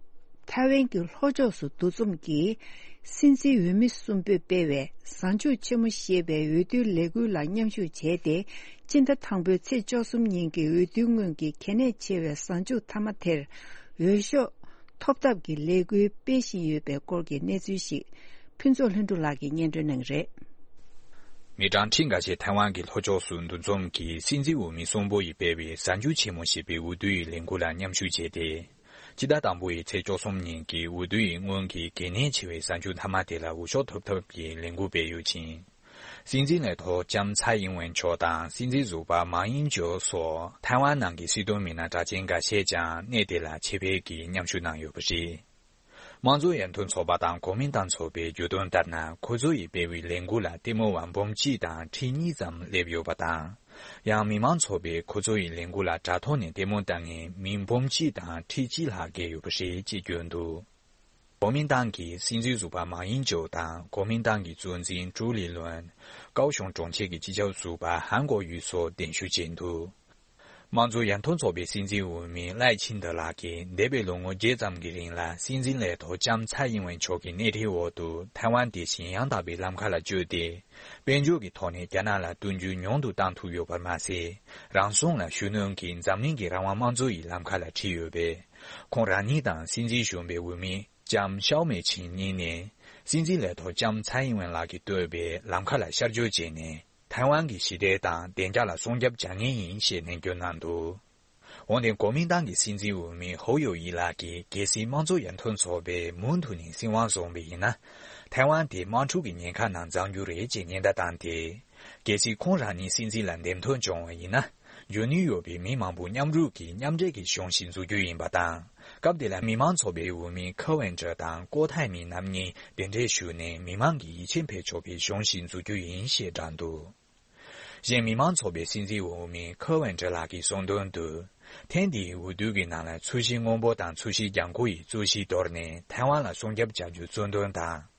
ཐའེ་ཝན་གྱི་ལྷོ་ཕྱོགས་སུ་འདུ་འཛོམས་ཀྱིས་སྲིད་འཛིན་འོས་མི་གསུམ་པོས་སྤེལ་བའི་གཟའ་མཇུག་ཆེན་མོ་ཞེས་པའི་འོས་བསྡུའི་ལས་འགུལ་ལ་མཉམ་ཞུགས་བྱས་ཏེ། སྤྱི་ཟླ་དང་པོའི་ཚེས་བཅུ་གསུམ་ཉིན་གྱི་འོས་བསྡུའི་སྔོན་གྱི་གལ་གནད་ཆེ་བའི་གཟའ་མཇུག་མཐའ་མ་དེར་འོས་ཤོག་ཐོབ་ཐབས་ཀྱི་ལས་འགུལ་སྤེལ་བཞིན་ཡོད་པའི་སྐོར་གྱི་གནས་ཚུལ་ཞིག་ཕུན་ཚོགས་ལྷུན་གྲུབ་ལགས་ཀྱིས་སྙན་སྒྲོན་གནང་གི་རེད། མི་གྲངས་ཁྲི་འགའ་ཤས་ཐའེ་ཝན་གྱི་ལྷོ་ཕྱོགས་སུ་འདུ་འཛོམས་ཀྱིས་སྲིད་འཛིན་འོས་མི་གསུམ་པོ་ཡིས་སྤེལ་བའི་གཟའ་མཇུག་ཆེན་མོ་ཞེས་པའི་འོས་བསྡུ་ཡི་ལས་འགུལ་ལ་མཉམ་ཞུགས་བྱས་ཏེ། སྤྱི་ཟླ་དང་པོ་ཡི་ཚེས་བཅུ་གསུམ་ཉིན་གྱི་འོས་བསྡུ་ཡི་སྔོན་གྱི་གལ་གནད་ཆེ་བའི་གཟའ་མཇུག་མཐའ་མ་དེ་ལ་འོས་ཤོག་ཐོབ་ཐབས་ཀྱི་ལས་འགུལ་སྤེལ་ཡོད་ཅིང་། སྲིད་འཛིན་ལས་ཐོག་ལྕམ་ཚའེ་ཨིན་ཝེན་མཆོག་དང་སྲིད་འཛིན་ཟུར་པ་མཱ་ཨིན་ཅོ་སོགས་ཐའེ་ཝན་ནང་གི་སྲིད་དོན་མི་སྣ་གྲགས་ཅན་འགའ་ཤས་ཀྱང་གནས་དེ་ལ་ཆེད་ཕེབས་ཀྱིས་མཉམ་ཞུགས་གནང་ཡོད་པ་རེད། དམངས་གཙོ་ཡར་ཐོན་ཚོགས་པ་དང་གོ་མིན་ཏང་ཚོགས་པའི་བརྗོད་དོན་ལྟར་ན། ཁོ་ཚོ་ཡི་སྤེལ་བའི་ལས་འགུལ་ལ་ལྟད་མོ་བ་འབུམ་གཅིག་དང་ཁྲི་གཉིས་ཙམ་སླེབས་ཡོད་པ་དང་། ཡང་མི་མང་ཚོགས་པས་ཁོ་ཚོ་ཡི་ལས་འགུལ་ལ་དྲ་ཐོག་ནས་ལྟད་མོ་ལྟ་མཁན་མི་འབུམ་གཅིག་དང་ཁྲི་གཅིག་ལྷག་བརྒལ་ཡོད་པ་རེད་ཅེས་བརྗོད་འདུག་གོ་མིན་ཏང་གི་སྲིད་འཛིན་ཟུར་པ་མཱ་ཡིན་ཅོ་དང་གོ་མིན་ཏང་གི་གཙོ་འཛིན་ཀྲུའུ་ལི་ལོན། ཀའོ་ཤོང་གྲོང་ཁྱེར་གྱི་སྤྱི་ཁྱབ་ཟུར་པ་ཧན་གོ་ཡུས་སོགས་གདན་ཞུ་བྱས་འདུག་དམངས་གཙོ་ཡར་ཐོན་ཚོགས་པའི་སྲིད་འཛིན་འོས་མི་ལའེ་ཆིང་ཏེ་ལགས་ཀྱིས་འདས་པའི་ལོ་ངོ་བརྒྱད་ཙམ་གྱི་རིང་ལ་སྲིད་འཛིན་ལས་ཐོག་ལྕམ་ཚའེ་ཨིན་ཝེན་མཆོག་གི་སྣེ་ཁྲིད་འོག་ཏུ་ཐའེ་ཝན་དེ་བཞིན་ཡང་དག་པའི་ལམ་ཁ་ལ་བསྐྱོད་དེ། དཔལ་འབྱོར་གྱི་ཐོག་ནས་རྒྱ་ནག་ལ་བསྟུན་རྒྱུ་ཉུང་དུ་བཏང་ཐུབ་ཡོད་པར་མ་ཟད། རང་སྲུང་ལ་ཤུགས་སྣོན་གྱིས་འཛམ་གླིང་གི་རང་དབང་དམངས་གཙོ་ཡི་ལམ་ཁ་ལ་ཁྲིད་ཡོད་པས། ཁོང་རང་ཉིད་དང་སྲིད་འཛིན་གཞོན་པའི་འོས་མི་ལྕམ་ཤའོ་མེ་ཆིང་གཉིས་ནས། སྲིད་འཛིན་ལས་ཐོག་ལྕམ་ཚའེ་ཨིན་ཝེན་ལགས་ཀྱིས་བཏོད་པའི་ལམ་ཁ་ལ་ཤར་བསྐྱོད་བྱས་ནས། ཐའེ་ཝན་གྱི་ཞི་བདེ་དང་བདེ་འཇགས་ལ་སྲུང་སྐྱོབ་བྱ་ངེས་ཡིན་ཞེས་ནན་བརྗོད་གནང་འདུག་འོན་ཏེ་གོ་མིན་ཏང་གི་སྲིད་འཛིན་འོས་མི་ཧོ་ཡོ་ཡི་ལགས་ཀྱིས། གལ་སྲིད་དམངས་གཙོ་ཡར་ཐོན་ཚོགས་པས་མུ་མཐུད་ནས་སྲིད་དབང་བཟུང་བ་ཡིན་ན། ཐའེ་ཝན་དེ་དམག་འཁྲུག་གི་ཉེན་ཁ་ནང་འཛུལ་རྒྱུ་རེད་ཅེས་ཉེན་བརྡ་བཏང་སྟེ། གལ་སྲིད་ཁོང་རང་ཉིད་སྲིད་འཛིན་ལ་འདེམས་ཐོན་བྱུང་བ་ཡིན་ན། འབྱོར་ནུས་ཡོད་པའི་མི་མང་པོ་མཉམ་རུབ་ཀྱིས་མཉམ་འབྲེལ་གྱི་གཞུང་ཞིག་འཛུགས་རྒྱུ་ཡིན་པ་དང་། སྐབས་དེ་ལ་མི་མང་ཚོགས་པའི་འོས་མི་ཁེ་ཝེན་ཀྲི་དང་ཀོ་ཐའེ་མི་རྣམ་གཉིས་གདན་འདྲེན་ཞུས་ནས་མི་མང་གི་ཡིད་ཆེས་འཕེར་ཆོག་པའི་གཞུང་ཞིག་འཛུགས་རྒྱུ་ཡིན་ཞེས་བསྒྲགས་འདུག་གཞན་མི་མང་ཚོགས་པའི་སྲིད་འཛིན་འོས་མི་ཁེ་ཝེན་ཀྲི་ལགས་ཀྱིས་གསུངས་དོན་དུ། ཐེངས་འདིའི་འོས་བསྡུ་གི་ནང་ལ་ཚོས་གཞི་སྔོན་པོ་དང་ཚོས་གཞི་ལྗང་ཁུ་ཡི་རྩོད་གཞི་དོར་ནས་ཐའེ་ཝན་ལ་སྲུང་སྐྱོབ་བྱ་རྒྱུ་གཙོ་འདོན་དང་།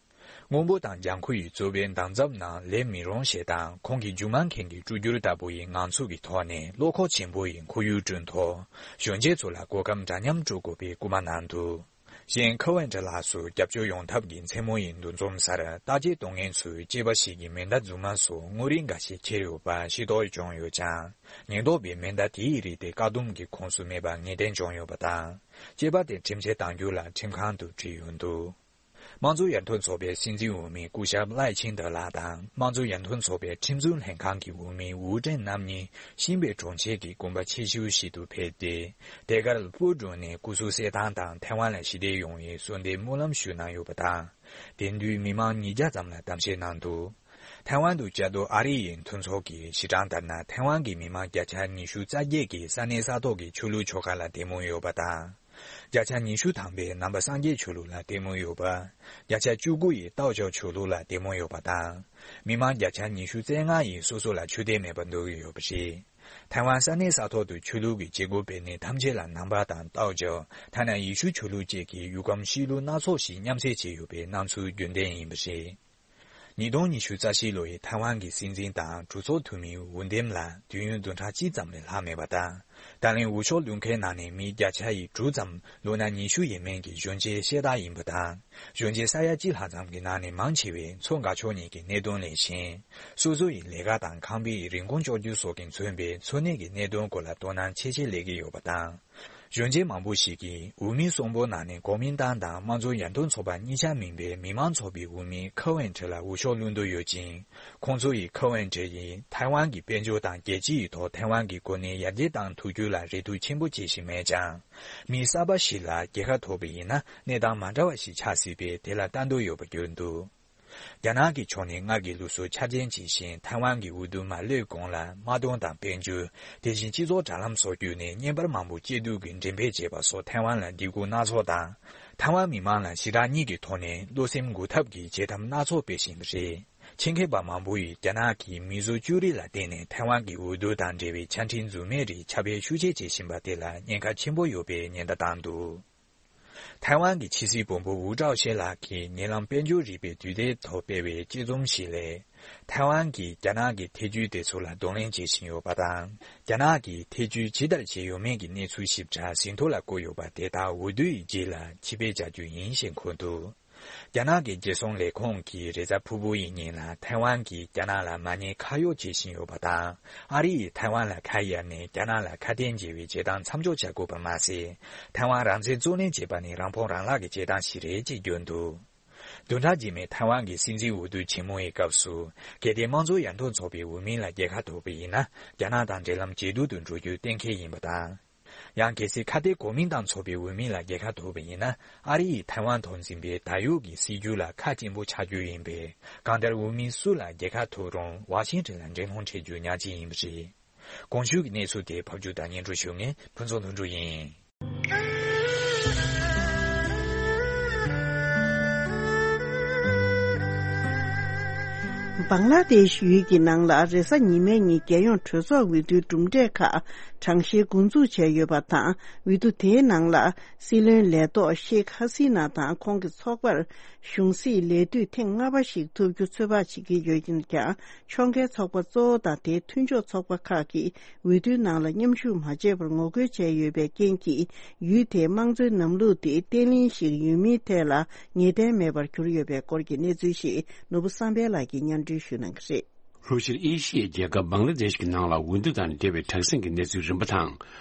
སྔོན་པོ་དང་ལྗང་ཁུ་ཡི་རྩོད་པའི་འདང་ཚབ་ནང་སླེབས་མི་རུང་ཞེས་དང་། ཁོང་གི་རྒྱུ་མ་མཁན་གྱི་སྤྲུལ་སྒྱུར་ལྟ་བུ་ཡི་ངང་ཚུལ་གྱི་ཐོག་ནས་བློ་ཁོག་ཆེན་པོ་ཡི་ཁོར་ཡུག་བསྐྲུན་ཐོག་གཞོན་སྐྱེས་ཚོ་ལ་གོ་སྐབས་འདྲ་མཉམ་སྤྲོད་དགོས་པའི་སྐུལ་མ་གནང་འདུག་གཞན་ཁེ་ཝེན་ཀྲི་ལགས་སུ་རྒྱབ་སྐྱོར་ཡོང་ཐབས་ཀྱི་མཚན་མོ་ཡི་འདུ་འཛོམས་སར་བརྟག་དཔྱད་གཏོང་མཁན་ཚོས་སྐྱེས་པ་ཞིག་གི་མེ་མདའ་རྫུན་མ་སོགས་དངོས་རིགས་འགའ་ཤས་ཁྱེར་ཡོད་པ་ཤེས་རྟོགས་བྱུང་ཡོད་ཀྱང་། ཉེན་རྟོག་པས་མེ་མདའ་དེའི་རིགས་དེ་བཀག་སྡོམ་གྱི་ཁོངས་སུ་མེད་པ་ངེས་གཏན་བྱུང་ཡོད་པ་དང་། སྐྱེས་པ་དེ་ཁྲིམས་ཆད་གཏང་རྒྱུ་ལ་ཁྲིམས་ཁང་དུ་ཁྲིད་ཡོད་འདུག་དམངས་གཙོ་ཡར་ཐོན་ཚོགས་པའི་སྲིད་འཛིན་འོས་མི་སྐུ་ཞབས་ལའེ་ཆིང་ཏེ་ལགས་དང་། དམངས་གཙོ་ཡར་ཐོན་ཚོགས་པའི་ཁྲིམས་འཛིན་ལྷན་ཁང་གི་འོས་མི་ཝུའུ་ཀྲེང་རྣམ་གཉིས་ཤིན་པེ་གྲོང་ཁྱེར་གྱི་དགོན་པ་ཆེ་ཤོས་ཤིག་ཏུ་ཕེབས་ཏེ། དེ་གར་སྤོ་བསྒྲོན་ནས་སྐུ་གཟུགས་གསལ་ཐང་དང་ཐའེ་ཝན་ལ་ཞི་བདེ་ཡོང་བའི་གསོལ་འདེབས་སྨོན་ལམ་ཞུས་གནང་ཡོད་པ་དང་། དེ་དུས་མི་མང་ཉིས་བརྒྱ་ཙམ་ལ་གཏམ་བཤད་གནང་འདུག་ཐའེ་ཝན་དུ་བཅའ་སྡོད་ཨ་རི་ཡི་མཐུན་ཚོགས་ཀྱི་གཞི་གྲངས་ལྟར་ན། ཐའེ་ཝན་གྱི་མི་མང་བརྒྱ་ཆ་ཉི་ཤུ་རྩ་བརྒྱད་ཀྱིས་ས་གནས་ས་ཐོག་གི་ཆོས་ལུགས་ཆོ་ག་ལ་དད་མོས་ཡོད་པ་དང་། བརྒྱ་ཆ་ཉི་ཤུ་ཐམ་པས་ནང་པ་སངས་རྒྱས་ཆོས་ལུགས་ལ་དད་མོས་ཡོད་པ། བརྒྱ་ཆ་བཅུ་དགུ་ཡིས་ཏའོ་ཅའོ་ཆོས་ལུགས་ལ་དད་མོས་ཡོད་པ་དང་། མི་མང་བརྒྱ་ཆ་ཉི་ཤུ་རྩ་ལྔ་ཡིས་སོ་སོ་ལ་ཆོས་དད་མེད་པར་འདོད་ཀྱི་ཡོད་པ་རེད། ཐའེ་ཝན་ས་གནས་ས་ཐོག་ཏུ་ཆོས་ལུགས་ཀྱི་བྱེད་སྒོ་སྤེལ་གནས་ཐམས་ཅད་ལ་ནང་པ་དང་ཏའོ་ཅའོ། ཐ་ན་ཡེ་ཤུ་ཆོས་ལུགས་བཅས་ཀྱི་ཡུལ་ཁམས་གཤིས་ལུགས་སྣ་ཚོགས་ཤིག་མཉམ་བསྲེས་བྱས་ཡོད་པའི་སྣང་ཚུལ་རྒྱུན་ལྡན་ཡིན་པ་རེད། ཉིས་སྟོང་ཉི་ཤུ་རྩ་བཞི་ལོ་ཡི་ཐའེ་ཝན་གྱི་སྲིད་འཛིན་དང་གྲོས་ཚོགས་འཐུས་མིའི་འོས་འདེམས་ལ་དུས་ཡུན་བདུན་ཕྲག་གཅིག་ཙམ་ལས་ལྷག་མེད་པ་དང་། ད་ལན་འོས་ཤོག་བླུག་མཁན་ནང་ནས་མི་བརྒྱ་ཆ་ཡི་དྲུག་ཙམ་ལོ་ན་ཉི་ཤུ་ཡས་མས་ཀྱི་གཞོན་སྐྱེས་ཤ་སྟག་ཡིན་པ་དང་། གཞོན་སྐྱེས་ས་ཡ་གཅིག་ལྷག་ཙམ་གྱི་ནང་ནས་མང་ཆེ་བས་མཚོ་འགག་ཕྱོགས་གཉིས་ཀྱི་གནད་དོན་ལས་གཞན། སོ་སོ་ཡི་ལས་ཀ་དང་ཁང་པའི་རིན་གོང་གཅོག་རྒྱུ་སོགས་ཀྱིས་མཚོན་པའི་འཚོ་གནས་ཀྱི་གནད་དོན་སྐོར་ལ་དོ་སྣང་ཆེ་ཆེ་སླེབས་ཀྱི་ཡོད་པ་དང་། གཞོན་སྐྱེས་མང་པོ་ཞིག་གིས་འོས་མི་གསོན་པོ་ནང་ནས་གོ་མིན་ཏང་དང་དམངས་གཙོ་ཡར་ཐོན་ཚོགས་པ་གཉིས་ཆ་མིན་པའི་མི་མང་ཚོགས་པའི་འོས་མི་ཁེ་ཝེན་ཁྲི་ལ་འོས་ཤོག་བླུགས་འདོད་ཡོད་ཅིང་། ཁོང་ཚོ་ཡིས་ཁེ་ཝེན་ཁྲི་ཡིས་ཐའེ་ཝན་གྱི་དཔལ་འབྱོར་དང་རྒྱལ་སྤྱི་ཡི་ཐོག་ཐའེ་ཝན་གྱི་གོ་གནས་ཡར་རྒྱས་གཏང་ཐུབ་རྒྱུ་ལ་རེ་ལྟོས་ཆེན་པོ་བྱེད་བཞིན་མེད་ཀྱང་། མི་གསར་པ་ཞིག་ལ་རྒྱལ་ཁ་ཐོབ་པ་ཡིན་ན་གནས་སྟངས་མ་འདྲ་བ་ཞིག་ཆགས་སྲིད་པས་དེ་ལ་ལྟ་འདོད་ཡོད་པ་བརྗོད་འདུག་རྒྱ་ནག་གི་ཕྱོགས་ནས་སྔར་གྱི་ལུགས་སྲོལ་འཆར་ཅན་ཇི་བཞིན་ཐའེ་ཝན་གྱི་འོས་བསྡུ་མ་སླེབས་གོང་ལ་དམག་དོན་དང་དཔལ་འབྱོར། དེ་བཞིན་སྤྱི་ཚོགས་དྲ་ལམ་སོགས་བརྒྱུད་ནས་བརྙན་པར་མང་པོ་སྐྱེལ་འདོད་ཀྱི་འགྲེམས་སྤེལ་བྱས་པ་སོགས་ཐའེ་ཝན་ལ་སྡིགས་སྐུལ་སྣ་ཚོགས་དང་། ཐའེ་ཝན་མི་མང་ལ་ཞི་དྲག་གཉིས་ཀྱི་ཐོག་ནས་བློ་སེམས་འགུག་ཐབས་ཀྱི་བྱེད་ཐབས་སྣ་ཚོགས་སྤེལ་བཞིན་པ་རེད། ཆེད་མཁས་པ་མང་པོ་ཡིས་རྒྱ་ནག་གིས་མིས་བཟོ་བཅོས་རིག་ལ་བརྟེན་ནས་ཐའེ་ཝན་གྱི་འོས་བསྡུ་དང་འབྲེལ་བའི་ཆ་འཕྲིན་རྫུན་མའི་རིགས་ཁྱབ་སྤེལ་ཤུགས་ཆེ་བྱེད་བཞིན་པ་དེ་ལ་ཉེན་ཁ་ཆེན་པོ་ཡོད་པའི་ཉེན་བརྡ་བཏང་འདུག་ཐའེ་ཝན་གྱི་ཕྱི་སྲིད་བློན་པོ་ཝུའུ་ཀྲའོ་ཤེ་ལགས་ཀྱིས་ཉེ་ལམ་དཔལ་འབྱོར་རིག་པའི་དུས་དེབ་ཐོག་སྤེལ་བའི་དཔྱད་རྩོམ་ཞིག་ལས། ཐའེ་ཝན་གྱིས་རྒྱ་ནག་གི་ཐེ་ཇུས་དེ་ཚོ་ལ་གདོང་ལེན་བྱེད་བཞིན་ཡོད་པ་དང་། རྒྱ་ནག་གིས་ཐེ་ཇུས་ཇི་ལྟར་བྱས་ཡོད་མེད་ཀྱི་གནས་ཚུལ་ཞིབ་ཕྲ་ཟིན་ཐོ་ལ་བཀོད་ཡོད་པ་དེ་དག་འོས་བསྡུ་ཡི་རྗེས་ལ་ཕྱིར་སྤེལ་བྱ་རྒྱུ་ཡིན་ཞེས་འཁོད་འདུག་རྒྱ་ནག་གི་རྒྱལ་སྲུང་ལས་ཁུངས་ཀྱིས་རེས་གཟའ་ཕུར་བུ་ཡི་ཉིན་ལ་ཐའེ་ཝན་གྱིས་རྒྱ་ནག་ལ་མ་ཉེས་ཁ་གཡོགས་བྱེད་བཞིན་ཡོད་པ་དང་། ཨ་རི་ཡིས་ཐའེ་ཝན་ལ་ཁ་གཡར་ནས་རྒྱ་ནག་ལ་ཁ་གཏད་འཇལ་བའི་བྱེད་སྟངས་མཚམས་འཇོག་བྱ་དགོས་པ་མ་ཟད། ཐའེ་ཝན་རང་བཙན་གཙོ་གནོན་བྱེད་པ་ནི་རང་ཕོངས་རང་བརླག་གི་བྱེད་སྟངས་ཤིག་རེད་ཅེས་བརྗོད་འདུག་བདུན་ཕྲག་རྗེས་མའི་ཐའེ་ཝན་གྱི་སྲིད་འཛིན་འོས་བསྡུ་ཆེན་མོ་ཡི་སྐབས་སུ། གལ་ཏེ་དམངས་གཙོ་ཡར་ཐོན་ཚོགས་པའི་འོས་མི་ལ་རྒྱལ་ཁ་ཐོབ་པ་ཡིན་ན། རྒྱ་ནག་དང་འབྲེལ་ལམ་ཇེ་སྡུག་ཏུ་འགྲོ་རྒྱུ་གཏན་འཁེལ་ཡིན་པ་དང་། ཡང་གལ་སྲིད་ཁ་གཏད་གོ་མིན་ཏང་ཚོགས་པའི་འོས་མི་ལ་རྒྱལ་ཁ་ཐོབ་པ་ཡིན་ན། ཨ་རི་ཡིས་ཐའེ་ཝན་ཐོག་འཛིན་པའི་ད་ཡོད་ཀྱི་སྲིད་ཇུས་ལ་ཁ་སྐྱེངས་པོ་ཆགས་རྒྱུ་ཡིན་པས། གང་ལྟར་འོས་མི་སུ་ལ་རྒྱལ་ཁ་ཐོབ་རུང་ཝ་ཤིང་ཊོན་ལ་འགྲན་སློང་འཕྲད་རྒྱུ་ཉག་གཅིག་ཡིན་པ་རེད། གོང་ཞུས་ཀྱི་གནས་ཚུལ་དེ་ཕབ་སྒྱུར་དང་སྙན་སྒྲོན་ཞུ་མཁན་ཕུན་ཚོགས་ལྷུན་གྲུབ་ཡིན། བང་ལ་དེཤ་ཡུལ་གྱི་ནང་ལ་རེས་གཟའ་ཉི་མའི་ཉིན་རྒྱལ་ཡོངས་གྲོས་ཚོགས་འོས་བསྡུའི་གྲུབ་འབྲས་ཁག་གྲངས་བཤེར་འགོ་འཛུགས་བྱས་ཡོད་པ་དང་། འོས་བསྡུ་དེའི་ནང་ལ་སྲིད་བློན་ལས་ཐོག་ཤེག་ཧ་སི་ན་དང་ཁོང་གི་ཚོགས་པར་གཞུང་སྲིད་ལས་དུས་ཐེངས་ལྔ་པ་ཞིག་ཐོབ་རྒྱུ་ཚོད་དཔག་བྱེད་ཀྱི་ཡོད་ཀྱང་། ཕྱོགས་འགལ་ཚོགས་པ་གཙོ་བོ་དང་དེའི་མཐུན་ཕྱོགས་ཚོགས་པ་ཁག་གིས་འོས་བསྡུའི་ནང་ལ་མཉམ་ཞུགས་མ་བྱས་པར་ངོ་རྒོལ་བྱས་ཡོད་པའི་རྐྱེན་གྱིས། ཡུལ་དེའི་དམངས་གཙོའི་ལམ་ལུགས་དེ་བརྟན་བརླིང་ཞིག་ཡོད་མིན་ཐད་ལ་ངེས་གཏན་མེད་པར་གྱུར་ཡོད་པའི་སྐོར་གྱི་གནས་ཚུལ་ཞིག་ནོར་བུ་བསམ་འཕེལ་ལགས་ཀྱིས་སྙན་སྒྲོན་ཞུ་གནང་གི་རེད། ལྷོ་ཤར་ཨེ་ཤི་ཡའི་རྒྱལ་ཁབ་བང་ལ་དེཤ་གི་ནང་ལ་འོས་བསྡུ་དང་འབྲེལ་བའི་དྲག་ཟིང་གི་གནས་ཚུལ་རིམ་པ་དང་།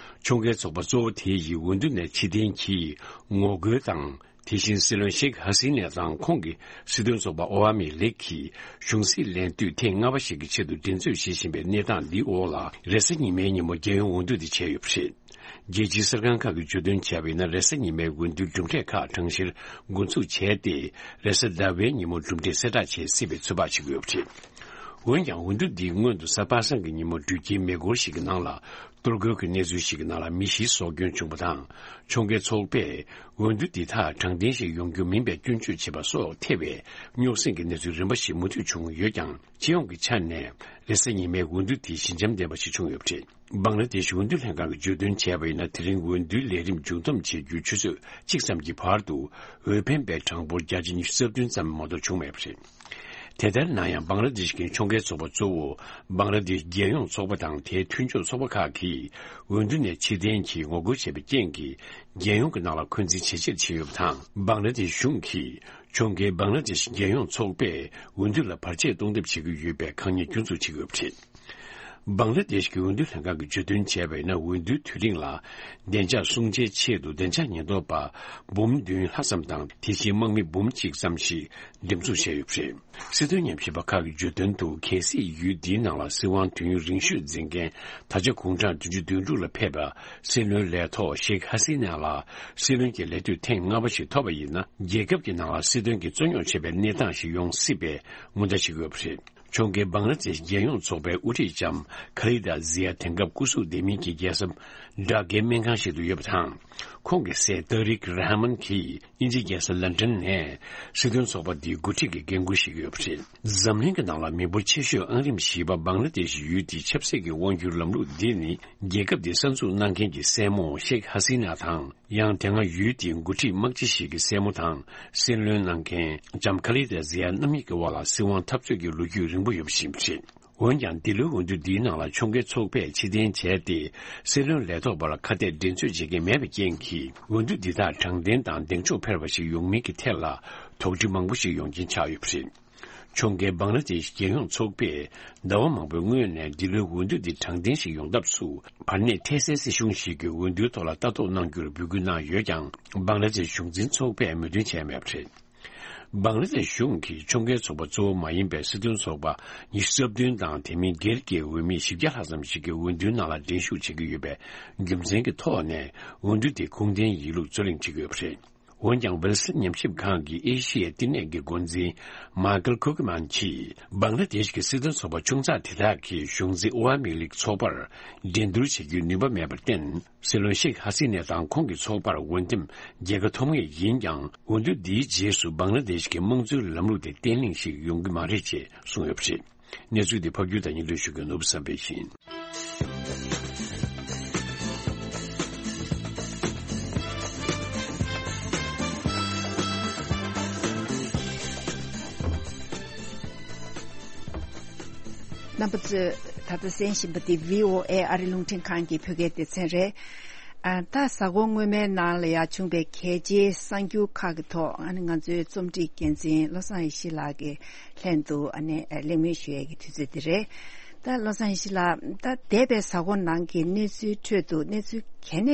ཕྱོགས་འགལ་ཚོགས་པ་གཙོ་བོ་དེ་ཡིས་འོས་བསྡུ་ནས་ཕྱིར་འཐེན་གྱིས་ངོ་རྒོལ་དང་། དེ་བཞིན་སྲིད་བློན་ཤེག་ཧ་སི་ནས་དང་ཁོང་གི་སྲིད་དོན་ཚོགས་པ་ཨོ་ཝ་མི་ལིག་གིས་གཞུང་སྲིད་ལེན་དུས་ཐེངས་ལྔ་པ་ཞིག་གི་ཆེད་དུ་འགྲན་རྩོད་བྱེད་བཞིན་པའི་གནས་སྟངས་འདིའི་འོག་ལ། རེས་གཟའ་ཉི་མའི་ཉིན་མོ་རྒྱལ་ཡོངས་འོས་བསྡུ་དེ་བྱས་ཡོད་པ་རེད། རྒྱལ་སྤྱིའི་གསར་ཁང་ཁག་གིས་བརྗོད་དོན་བྱས་པ་ཡིན་ན། རེས་གཟའ་ཉི་མའི་འོས་བསྡུའི་གྲུབ་འབྲས་ཁག་གྲངས་བཤེར་འགོ་འཛུགས་བྱས་ཏེ། རེས་གཟའ་ཟླ་བའི་ཉིན་མོ་གྲུབ་འབྲས་གསལ་བསྒྲགས་བྱེད་སྲིད་པའི་ཚོད་དཔག་བྱེད་ཀྱི་ཡོད་པ་རེད། འོན་ཀྱང་། འོས་བསྡུ་འདིའི་སྔོན་དུ་གཟའ་པ་སངས་ཀྱི་ཉིན་མོ་འགྲུལ་སྐྱེལ་མེ་འཁོར་ཞིག་གི་ནང་ལ། གཏོར་རྒོལ་གྱི་གནས་ཚུལ་ཞིག་གི་ནང་ལ་མི་བཞི་སྲོག་སྐྱོན་བྱུང་བ་དང་། ཕྱོགས་འགལ་ཚོགས་པས་འོས་བསྡུ་འདི་དག་དྲང་བདེན་ཞིག་ཡོང་རྒྱུ་མིན་པའི་སྐྱོན་བརྗོད་བྱས་པ་སོགས་ཐེ་བའི་རྙོག་ཟིང་གི་གནས་ཚུལ་རིམ་པ་ཞིག་མུ་མཐུད་བྱུང་ཡོད་ཀྱང་། སྤྱི་ཡོངས་ཀྱི་ཆ་ནས་རེས་གཟའ་ཉི་མའི་འོས་བསྡུ་དེ་ཞི་འཇམ་ལྡན་པ་ཞིག་བྱུང་ཡོད་པ་རེད། བང་ལ་དེཤ་འོས་བསྡུ་ལྷན་ཁང་གིས་བརྗོད་དོན་བྱས་པ་ཡིན་ན། དེ་རིང་འོས་བསྡུའི་ལས་རིམ་མཇུག་བསྡོམས་བྱེད་རྒྱུའི་ཆུ་ཚོད་གཅིག་ཙམ་གྱི་བར་དུ་འོས་འཕེན་པའི་གྲངས་འབོར་བརྒྱ་ཆ་ཉི་ཤུ་རྩ་བདུན་ཙམ་མ་གཏོགས་བྱུང་མེད་པ་རེད། དེ་ལྟར་ན་ཡང་། བང་ལ་དེཤ་གི་ཕྱོགས་འགལ་ཚོགས་པ་གཙོ་བོ་བང་ལ་དེཤ་རྒྱལ་ཡོངས་ཚོགས་པ་དང་དེའི་མཐུན་ཕྱོགས་ཚོགས་པ་ཁག་གིས་འོས་བསྡུ་ནས་ཕྱིར་འཐེན་གྱིས་ངོ་རྒོལ་བྱས་པའི་རྐྱེན་གྱིས། རྒྱལ་ཡོངས་ཀྱི་ནང་ལ་འཁོན་འཛིན་ཇེ་ཆེར་ཕྱིན་ཡོད་པ་དང་། བང་ལ་དེཤ་གཞུང་གིས་ཕྱོགས་འགལ་བང་ལ་དེཤ་རྒྱལ་ཡོངས་ཚོགས་པས་འོས་བསྡུ་ལ་བར་ཆད་གཏོང་ཐབས་བྱེད་ཀྱི་ཡོད་པའི་དཀའ་ངལ་སྐྱོན་འཛུགས་བྱེད་ཀྱི་ཡོད་པ་རེད། བང་ལ་དེཤ་གི་འོས་བསྡུ་ལྷན་ཁང་གིས་བརྗོད་དོན་བྱས་པ་ཡིན་ན། འོས་བསྡུའི་དུས་རིང་ལ་བདེ་འཇགས་སྲུང་བྱའི་ཆེད་དུ་བདེ་འཇགས་ཉེན་རྟོག་པ་འབུམ་བདུན་ལྷག་ཙམ་དང་། དེ་བཞིན་དམག་མི་འབུམ་གཅིག་ཙམ་ཞིག་འགྲེམས་འཛུགས་བྱས་ཡོད་པ་རེད། སྲིད་དོན་ཉམས་ཞིབ་པ་ཁག་གིས་བརྗོད་དོན་དུ། གལ་སྲིད་ཡུལ་འདིའི་ནང་ལ་སྲིད་དབང་དུས་ཡུན་རིང་ཤོས་འཛིན་མཁན་ད་ཆ་དགུང་གྲངས་བདུན་ཅུ་དོན་དྲུག་ལ་ཕེབས་པ་སྲིད་བློན་ལས་ཐོག་ཤེག་ཧ་སི་ན་ལ་སྲིད་བློན་གྱི་ལས་དུས་ཐེངས་ལྔ་པ་ཞིག་ཐོབ་པ་ཡིན་ན། རྒྱལ་ཁབ་ཀྱི་ནང་ལ་སྲིད་དོན་གྱི་རྩོད་རྙོག་ཆེ་བའི་གནས་སྟངས་ཤིག་ཡོང་སྲིད་པའི་སྔོན་བརྡ་བྱེད་ཀྱི་ཡོད་པ་རེད། ཕྱོགས་འགལ་བང་ལ་དེཤ་རྒྱལ་ཡོངས་ཚོགས་པའི་དབུ་ཁྲིད་ལྕམ་ཁ་ལི་ད་ཛི་ཡ་དེང་སྐབས་སྐུ་གཟུགས་བདེ་མིན་གྱི་རྒྱལ་ས་སྦྲག་སྐྱེལ་སྨན་ཁང་ཞིག་ཏུ་ཡོད་པ་དང་། ཁོང་གི་སྲས་ཏཱ་རིག་ར་ཧ་མན་གྱིས་དབྱིན་ཇིའི་རྒྱལ་ས་ལན་ཀྲན་ནས་སྲིད་དོན་ཚོགས་པ་འདིའི་འགོ་ཁྲིད་ཀྱི་འགན་འཁུར་བཞེས་ཀྱི་ཡོད་པ་རེད། འཛམ་གླིང་གི་ནང་ལ་མི་འབོར་ཆེ་ཤོས་ཨང་རིམ་བཞི་པ་བང་ལ་དེཤ་ཡུལ་དེའི་ཆབ་སྲིད་ཀྱི་དབང་སྒྱུར་ལམ་ལུགས་འདི་ནི། རྒྱལ་ཁབ་འདི་གསར་འཛུགས་གནང་མཁན་གྱི་སྲས་མོ་ཤེག་ཧ་སི་ན་དང་། ཡང་དེ་སྔ་ཡུལ་དེའི་འགོ་ཁྲིད་དམག་སྤྱི་ཞིག་གི་སྲས་མོ་དང་སྲིད་བློན་གནང་མཁན་ལྕམ་ཁ་ལི་ད་ཛི་ཡ་རྣམ་གཉིས་ཀྱི་དབར་ལ་སྲིད་དབང་འཐབ་རྩོད་ཀྱི་ལོ་རྒྱུས་རིང་པོ་ཡོད་པ་ཞིག་ཡིན་པ་རེད། འོན་ཀྱང་། འདི་ལོའི་འོས་བསྡུ་འདིའི་ནང་ལ་ཕྱོགས་འགལ་ཚོགས་པས་ཕྱིར་འཐེན་བྱས་ཏེ། སྲིད་བློན་ལས་ཐོག་བར་ཁ་གཏད་འགྲན་རྩོད་བྱེད་མཁན་མེད་པའི་རྐྱེན་གྱིས། འོས་བསྡུ་འདི་དག་དྲང་བདེན་དང་གདེང་འཇོག་འཕེར་བ་ཞིག་ཡོང་མིན་གྱི་ཐད་ལ་དོགས་འདྲི་མང་པོ་ཞིག་ཡོང་རྐྱེན་ཆགས་ཡོད་པ་རེད། ཕྱོགས་འགལ་བང་ལ་དེཤ་རྒྱལ་ཡོངས་ཚོགས་པས་ཟླ་བ་མང་པོའི་སྔོན་ནས་འདི་ལོའི་འོས་བསྡུ་འདི་དྲང་བདེན་ཞིག་ཡོང་ཐབས་སུ། བར་གནས་འཕྲལ་སེལ་སྲིད་གཞུང་ཞིག་གིས་འོས་བསྡུའི་ཐོག་ལ་ལྟ་རྟོག་གནང་རྒྱུར་འབོད་སྐུལ་གནང་ཡོད་ཀྱང་། བང་ལ་དེཤ་གཞུང་འཛིན་ཚོགས་པས་མོས་མཐུན་བྱས་མེད་པ་རེད། བང་ལ་དེཤ་གཞུང་གིས་ཕྱོགས་འགལ་ཚོགས་པ་གཙོ་བོ་མ་ཡིན་པའི་སྲིད་དོན་ཚོགས་པ་ཉི་ཤུ་རྩ་བདུན་དང་། དེ་མིན་སྒེར་གྱི་འོས་མི་བཞི་བརྒྱ་ལྷག་ཙམ་ཞིག་གིས་འོས་བསྡུའི་ནང་ལ་འགྲན་ཞུགས་བྱེད་ཀྱི་ཡོད་པའི་རྒྱུ་མཚན་གྱི་ཐོག་ནས། འོས་བསྡུ་དེ་ཁུངས་ལྡན་ཡིན་ལུགས་རྩོད་གླེང་བྱེད་ཀྱི་ཡོད་པ་རེད། འོན་ཀྱང་། ཝེལ་སི་ཉམས་ཞིབ་ཁང་གི་ཨེ་ཤི་ཡའི་བསྟི་གནས་ཀྱི་འགོ་འཛིན་མཱི་ཀལ་ཁུ་ཀི་མན་གྱིས། བང་ལ་དེཤ་གི་སྲིད་དོན་ཚོགས་པ་ཆུང་ཙག་དེ་དག་གིས་གཞུང་འཛིན་ཨོ་ཝ་མི་ལིག་ཚོགས་པར་འགྲན་བསྡུར་བྱེད་རྒྱུའི་ནུས་པ་མེད་པར་བརྟེན། སྲིད་བློན་ཤེག་ཧ་སི་ནེ་དང་ཁོང་གི་ཚོགས་པར་འོས་འདེམས་རྒྱལ་ཁ་ཐོབ་ངེས་ཡིན་ཀྱང་། འོས་བསྡུ་འདིའི་རྗེས་སུ་བང་ལ་དེཤ་གི་དམངས་གཙོའི་ལམ་ལུགས་དེ་བརྟན་ལྷིང་ཞིག་ཡོང་གི་མ་རེད་ཅེས་གསུངས་ཡོད་པ་རེད། གནས་ཚུལ་འདི་ཕབ་སྒྱུར་དང་སྙན་སྒྲོན་ཞུ་མཁན་ནོར་བུ་བསམ་འཕེལ་ཡིན། རྣམ་པ་ཚོས་ད་ལྟ་གསན་བཞིན་པ་འདི་བྷི་ཨོ་ཨེ་ཨ་རི་རླུང་འཕྲིན་ཁང་གི་བོད་སྐད་སྡེ་ཚན་རེད། ཨ། ད་གཟའ་འཁོར་སྔོན་མའི་ནང་ལ་ཡང་བྱུང་པའི་གལ་ཆེའི་གསར་འགྱུར་ཁག་གི་ཐོག་ཨ་ནི་ང་ཚོའི་རྩོམ་སྒྲིག་འགན་འཛིན་བློ་བཟང་ཡེ་ཤེས་ལགས་ཀྱིས་ལྷན་དུ་ཨ་ནི་གླེང་མོལ་ཞུ་ཡས་ཀྱི་དུས་ཚོད་འདི་རེད། ད་བློ་བཟང་ཡེ་ཤེས་ལགས། ད་འདས་པའི་གཟའ་འཁོར་ནང་གི་གནས་ཚུལ་ཁྲོད་དུ་གནས་ཚུལ་གལ་གནད་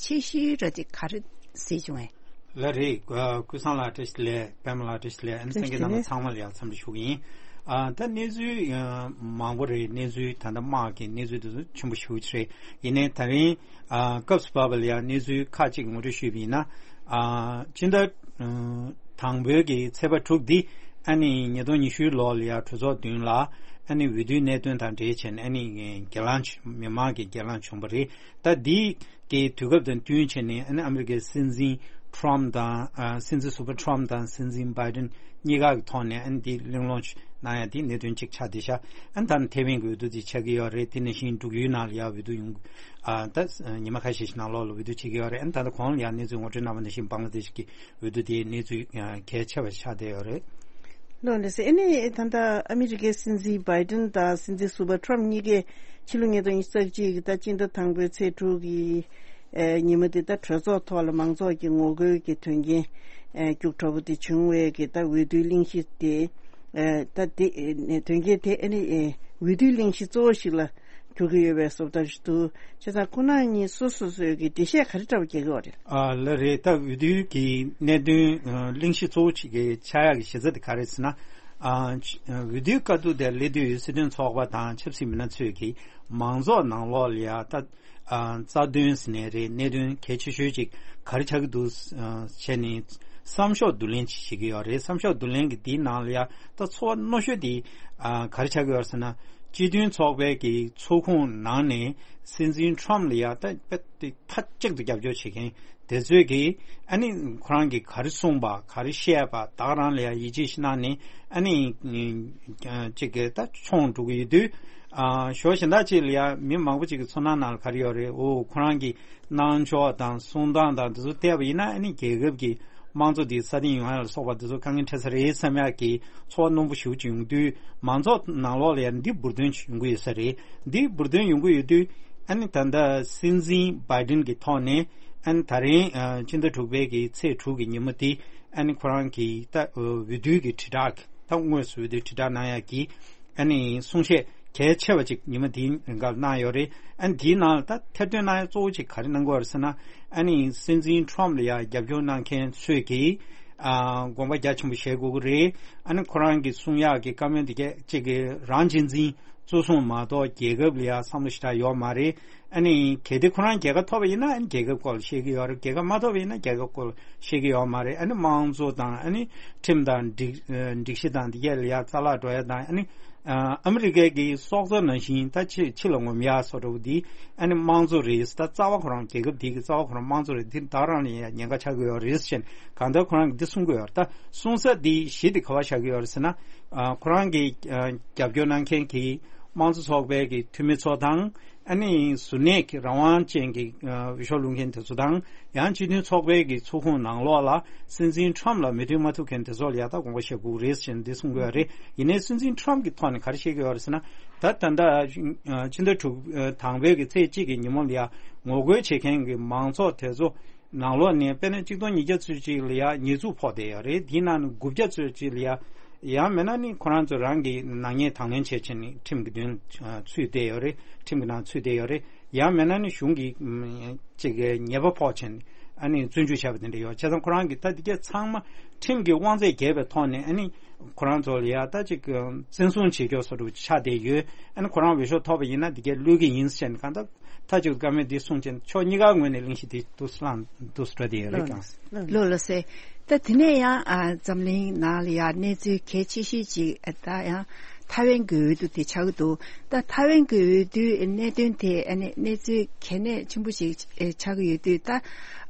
ཆེ་ཤོས་ར་དེ་ག་རེ་གཟིགས་བྱུང་ངས། ལགས་རེད། ཨ། ཀུན་བཟང་ལགས་བཀྲ་ཤིས་བདེ་ལེགས། པད་མ་ལགས་བཀྲ་ཤིས་བདེ་ལེགས། ཨ་ནི་གསན་མཁན་རྣམ་པ་ཚང་མར་ཡང་འཚམས་འདྲི་ཞུ་གི་ཡིན། ཨ་ད་གནས་ཚུལ་ཨ་མང་པོ་རེད། གནས་ཚུལ་ད་ལྟ་དམག་གི་གནས་ཚུལ་དེ་ཚོ་ཆེན་པོ་ཞེ་པོ་ཅིག་རེད། ཡིན་ནའི་ད་རིང་ཨ་སྐབས་སུ་བབས་པ་ལ་ཡང་གནས་ཚུལ་ཁག་ཅིག་ངོ་སྤྲོད་ཞུས་པ་ཡིན་ན། ཨ་སྤྱི་ཟླ་ཨ་དང་པོའི་གི་ཚེས་པ་དྲུག་འདི་ཨ་ནི་ཉིས་སྟོང་ཉི་ཤུའི་ལོ་ལ་ཡང་གྲོས་ཚོགས་མདུན་ལ་ཨ་ནི་འོས་བསྡུའི་གནད་དོན་དང་འབྲེལ་བྱས་ནས་ཨ་ནི་སྒེར་ལངས་མི་མང་གི་སྒེར་ལངས་བྱུང་བ་རེད། ད་འདི་གི་དུས་སྐབས་དང་བསྟུན་བྱས་ནས་ཨ་ནི་ཨ་མི་རི་ཀའི་སྲིད་འཛིན་ཁྲོམ་དང་ཨ་སྲིད་འཛིན་ཟུར་པ་ཁྲོམ་དང་སྲིད་འཛིན་བྷའི་ཌེན་གཉིས་ཀ་གི་ཐོག་ནས་ཨ་ནི་འདི་གླེང་སློང་གནང་ཡ་འདི་གནད་དོན་གཅིག་ཆགས་བསྡད་ཤག་ཨ་ནི་ད་ནི་ཐེ་ཝན་གྱི་འོས་བསྡུ་འདི་ཆགས་ཀྱི་ཡོད་རེད། དེ་ནང་བཞིན་འབྲུག་ཡུལ་ནང་ལ་ཡ་འོས་བསྡུ་ཡོང་ཨ་ད་ཉི་མ་ཁ་ཤས་ཤིག་ནང་ལོགས་ལ་འོས་བསྡུ་བྱེད་ཀྱི་ཡོད་རེད། ཨ་ནི་ད་ལྟ་གོང་ལ་ཡ་གནས་ཚུལ་ངོ་སྤྲོད་གནང་བ་ནང་བཞིན་བང་ལ་དེ་ཤི་གི་འོས་བསྡུ་དེའི་གནས་ཚུལ་གལ་ཆེ་བ་ཆགས་བསྡད་ཡོད་རེད། ལོ་ལེ་སེ་ཨ་ནི་ད་ལྟ་ཨ་མི་རི་ཀའི་སྲིད་འཛིན་བྷའི་ཌེན་དང་སྲིད་འཛིན་ཟུར་པ་ཁྲོམ་གཉིས་ཀས་ཕྱི་ལོ་ཉིས་སྟོང་ཉི་ཤུ་རྩ་གཅིག་གི་ད་སྤྱི་ཟླ་དང་པོའི་ཚེས་དྲུག་གི་ཨ་ཉིན་མོ་དེ་ད་གྲོས་ཚོགས་ཐོག་ལ་མང་ཚོགས་ཀྱི་ངོ་རྒོལ་གྱི་དོན་རྐྱེན་ཨ་རྒྱུགས་དྲག་པོ་དེ་བྱུང་བའི་གི་ད་འོས་བསྡུའི་གླེང་གཞི་དེ་ཨ་ད་དེ་ཨ་དོན་རྐྱེན་དེ་ཨ་ནི་ཨ་འོས་བསྡུའི་གླེང་གཞི་གཙོ་བོ་ཞིག་ལ་གྱུར་གྱི་ཡོད་པའི་བཟོ་ལྟ་ཞིག་འདུག་བྱས་ཙང་ཁོ་རང་གཉིས་སོ་སོ་སོའི་གི་འགྲེལ་བཤད་ག་རེ་འདྲ་བ་རྒྱག་གི་ཡོད་རེད། ཨ་ལ་རེད། ད་འོས་བསྡུའི་གི་གནད་དོན་ཨ་གླེང་གཞི་གཙོ་བོ་ཅིག་གི་ཆགས་ཡག་གི་གཞི་རྩ་དེ་ག་རེ་ཟེར་ན། ཨ་འོས་བསྡུའི་བཀའ་བསྡུར་དེ་སླེབས་དུས་སྲིད་དོན་ཚོགས་པ་དང་ཆབ་སྲིད་མི་སྣ་ཚོས་ཀྱིས་མང་ཚོགས་ནང་ལོགས་ལ་ཡ་ད་ཨ་རྩ་དོན་ཟེར་ནའི་རེད། གནད་དོན་གལ་ཆེ་ཤོས་ཅིག་ག་རེ་ཆགས་ཀྱི་འདུག་ཨ་བྱས་ནས་བསམ་ཤོག་བསྡུ་ལེན་ཅིག་བྱེད་ཀྱི་ཡོད་རེད། བསམ་ཤོག་བསྡུ་ལེན་གྱི་དེའི་ནང་ལ་ཡ་ད་ཚོར་བ་རྣོ་ཤོས་དེ་ཨ་ག་རེ་ཆགས་ཀྱི་ཡོད་རེད་ཟེར་ན། སྤྱི་མཐུན་ཚོགས་པའི་གི་ཚོགས་ཁོངས་ནང་ནས་སྲིད་འཛིན་ཁྲོམ་ལ་ཡ་ད་དཔེ་དེ་མཐའ་གཅིག་ཏུ་རྒྱབ་སྐྱོར་བྱེད་མཁན་དེ་ཚོས་ཀྱིས་ཨ་ནི་ཁོ་རང་གིས་ག་རེ་གསུངས་པ་ག་རེ་བཤད་པ་ད་ག་རང་ལ་ཡ་ཡིད་ཆེས་ཤིག་གནང་ནས་ཨ་ནི་ཅིག་གི་ད་མཆོང་འགྲོ་གི་ཡོད་དུས། ཨ་ཞོ་གཞན་དག་ཅིག་ལ་ཡ་མི་མང་པོ་ཅིག་གི་ཚོར་སྣང་ནང་ལ་ག་རེ་ཡོད་རེད། འོ་ཁོ་རང་གི་གནང་ཕྱོགས་དང་གསུང་སྟངས་དང་དེ་ཚོ་བལྟས་པ་ཡིན་ན་ཨ་ནི་རྒྱལ་ཁབ་ཀྱི་དམངས་གཙོ་དེ་སྲ་བརྟན་ཡོང་ཡ་ལ་སོགས་པ་དེ་ཚོ་དཀའ་ངལ་འཕྲད་ས་རེད་བསམ་ཡག་གི་ཚོར་བ་རྣོན་པོ་ཞེ་པོ་ཅིག་ཡོང་དུས། མང་ཚོགས་ནང་ལོགས་ལ་ཡང་འདི་འབུར་འདོན་ཅིག་ཡོང་གི་ཡོད་ས་རེད། འདི་འབུར་འདོན་ཡོང་གི་ཡོད་དུས་ཨ་ནི་ད་ལྟ་སྲིད་འཛིན་བྷའི་ཌེན་གྱི་ཐོག་ནས་ཨ་ནི་ད་རིང་ཨ་སྤྱི་ཟླ་དྲུག་པའི་གི་ཚེས་དྲུག་གི་ཉིན་མོ་དེ་ཨ་ནི་ཁོ་རང་གི་ད་འོས་བསྡུའི་གི་དྲིལ་བསྒྲགས་ད་དངོས་སུ་འོས་བསྡུའི་དྲིལ་བསྒྲགས་གནང་ཡག་གི་ཨ་ནི་གསུང་བཤད་གལ་ཆེ་བ་ཅིག་ཉི་མ་དེའི་རིང་ག་གནང་ཡོད་རེད། ཨ་ནི་དེའི་ནང་ལ་ད་ཐེར་འདོན་གནང་ཡ་གཙོ་བོ་ཅིག་ག་རེ་གནང་གི་ཡོད་རེད་ཟེར་ན། ཨ་ནི་སྲིད་འཛིན་ཁྲོམ་ལ་ཡ་རྒྱབ་སྐྱོར་གནང་མཁན་ཚོས་ཀྱིས་ཨ་དགོངས་པ་རྒྱ་ཆེན་པོ་བཞེས་དགོས་ཀྱི་རེད། ཨ་ནི་ཁོ་རང་གིས་གསུང་ཡག་གི་བཀའ་མོལ་འདི་གས་གཅིག་གི་རང་གཅེས་འཛིན་གཙོ་བཟུང་མ་གཏོགས་རྒྱལ་ཁབ་ལ་ཡ་བསམ་བློ་ཞེ་དྲག་ཡོད་མ་རེད། ཨ་ནི་གལ་ཏེ་ཁོ་རང་རྒྱལ་ཁ་ཐོབ་པ་ཡིན་ན་ཨ་ནི་རྒྱལ་ཁབ་སྐོར་ལ་བཤད་ཀྱི་ཡོད་རེད། རྒྱལ་ཁ་མ་ཐོབ་པ་ཡིན་ན་རྒྱལ་ཁབ་སྐོར་ལ་བཤད་ཀྱི་ཡོད་མ་རེད། ཨ་ནི་དམངས་གཙོ་དང་ཨ་ནི་ཁྲིམས་དང་སྒྲིག་སྒྲིག་གཞི་དང་འདི་གས་ལ་ཡ་རྩ་བརླག་འགྲོ་ཡ་དང་ཨ་ནི། ཨ་ཨ་མི་རི་ཀའི་གི་སྲོག་རྩ་ནང་བཞིན་ད་ཕྱི་ཕྱི་ལ་ངོམ་ཡག་བཟོ་འདྲ་བོ་འདི་ཨ་ནི་དམངས་གཙོ་རེད། ད་རྩ་བ་ཁོ་རང་རྒྱལ་ཁབ་འདི་གི་རྩ་བ་ཁོ་རང་དམངས་གཙོ་རེད། འདི་ད་རང་ལ་ཡང་ཉེན་ཁ་ཆགས་ཀྱི་ཡོད་རེད་ཟེར་ནས་གང་ལྟར་ཁོ་རང་གིས་འདི་གསུང་གི་ཡོད་རེད། ད་གསུང་ས་འདི་གཞི་འདི་ག་བ་བཞག་གི་ཡོད་རེད་ཟེར་ན། ཨ་ཁོ་རང་གི་ཨ་རྒྱབ་སྐྱོར་གནང་མཁན་གྱི་དམངས་གཙོ་ཚོགས་པའི་གི་འཐུས་མི་ཚོ་དང་ཨ་ནི་གཟུར་གནས་ཀྱི་རང་དབང་ཅན་གྱི་ཨ་འོས་ཤོག་བླུག་མཁན་དེ་ཚོ་དང་། ཡང་སྤྱི་མཐུན་ཚོགས་པའི་གི་ཚོགས་ཁོངས་ནང་ལོགས་ལ་སྲིད་འཛིན་ཁྲོམ་ལ་མོས་མཐུན་མ་ཐུབ་མཁན་དེ་ཚོ་ལ་ཡ་ད་དགོངས་པ་བཞེས་དགོས་རེད་ཟེར་ནས་འདི་གསུང་གི་ཡོད་རེད། ཡིན་ནའི་སྲིད་འཛིན་ཁྲོམ་གྱི་ཐོག་ནས་ག་རེ་བཤད་ཀྱི་ཡོད་རེད་ཟེར་ན། ད་ད་ལྟ་ཨ་སྤྱི་ཟླ་དྲུག་ཨ་དང་པོའི་གི་ཚེས་གཅིག་གི་ཉིན་མོ་ལ་ཡ་ངོ་རྒོལ་བྱེད་མཁན་གྱི་མང་ཚོགས་དེ་ཚོ་ནང་ལོགས་ནས་དཔེར་ན་གཅིག་སྟོང་ཉིས་བརྒྱ་ཚོད་ཅིག་ལ་ཡ་ཉེས་འཛུགས་ཕོག་བསྡད་ཡོད་རེད། དེའི་ནང་ནས་དགུ་བརྒྱ་ཚོད་ཅིག་ལ་ཡ། ཡང་མིན་ན་ནི་ཁོ་རང་ཚོ་རང་གི་ནག་ཉེས་དང་ལེན་བྱས་བྱས་ནས་ཁྲིམས་ཀྱི་མདུན་ཚུད་བསྡད་ཡོད་རེད། ཁྲིམས་ཀྱི་ནང་ཚུད་བསྡད་ཡོད་རེད། ཡང་མིན་ན་ནི་གཞུང་གི་ཅིག་ཉེས་པ་ཕོག་བྱས་ནས་ཨ་ནི་བཙོན་འཇུག་བྱས་པ་དེ་འདྲ་ཡོད། བྱས་ཙང་ཁོ་རང་གི་ད་འདི་གས་ཚང་མ་ཁྲིམས་ཀྱི་དབང་ཚད་འགལ་བའི་ཐོག་ནས་ཨ་ནི་ཁོ་རང་ཚོ་ལ་ཡ་ད་ཅིག་བཙན་བཟུང་བྱེད་རྒྱུ་བཟོ་འདྲ་ཆགས་བསྡད་ཡོད། ཨ་ནི་ཁོ་རང་འོས་ཤོག་ཐོབ་པ་ཡིན་ན་འདི་གས་གློད་ཀྱི་ཡིན་ཟེར་ནས་གང་ལྟར། མཐའ་གཅིག་ཏུ་བཀའ་མོལ་འདི་གསུངས་ཚེ་ཕྱོགས་གཉིས་ཀ་ངོས་ནས་གླེང་གཞི་འདི་འདུག་སེ་བསླངས་འདུག་སེ་འགྲོ་བསྡད་ཡོད་རེད་ཀྱང་། ལགས་ལགས་སེ། ད་དེ་ནས་ཡང་ཨ་འཛམ་གླིང་ནང་ལ་ཡང་གནས་ཚུལ་གལ་ཆེ་ཤོས་ཅིག་ཨ་ད་ཡང་ཐའེ་ཝན་གྱི་འོས་བསྡུ་དེ་ཆགས་ཀྱི་འདུག་ད་ཐའེ་ཝན་གྱི་འོས་བསྡུའི་གནད་དོན་དེ་ཨ་ནི་གནས་ཚུལ་གལ་གནད་ཆེན་པོ་ཞིག་ཨེ་ཆགས་ཀྱི་ཡོད་དུས། ད་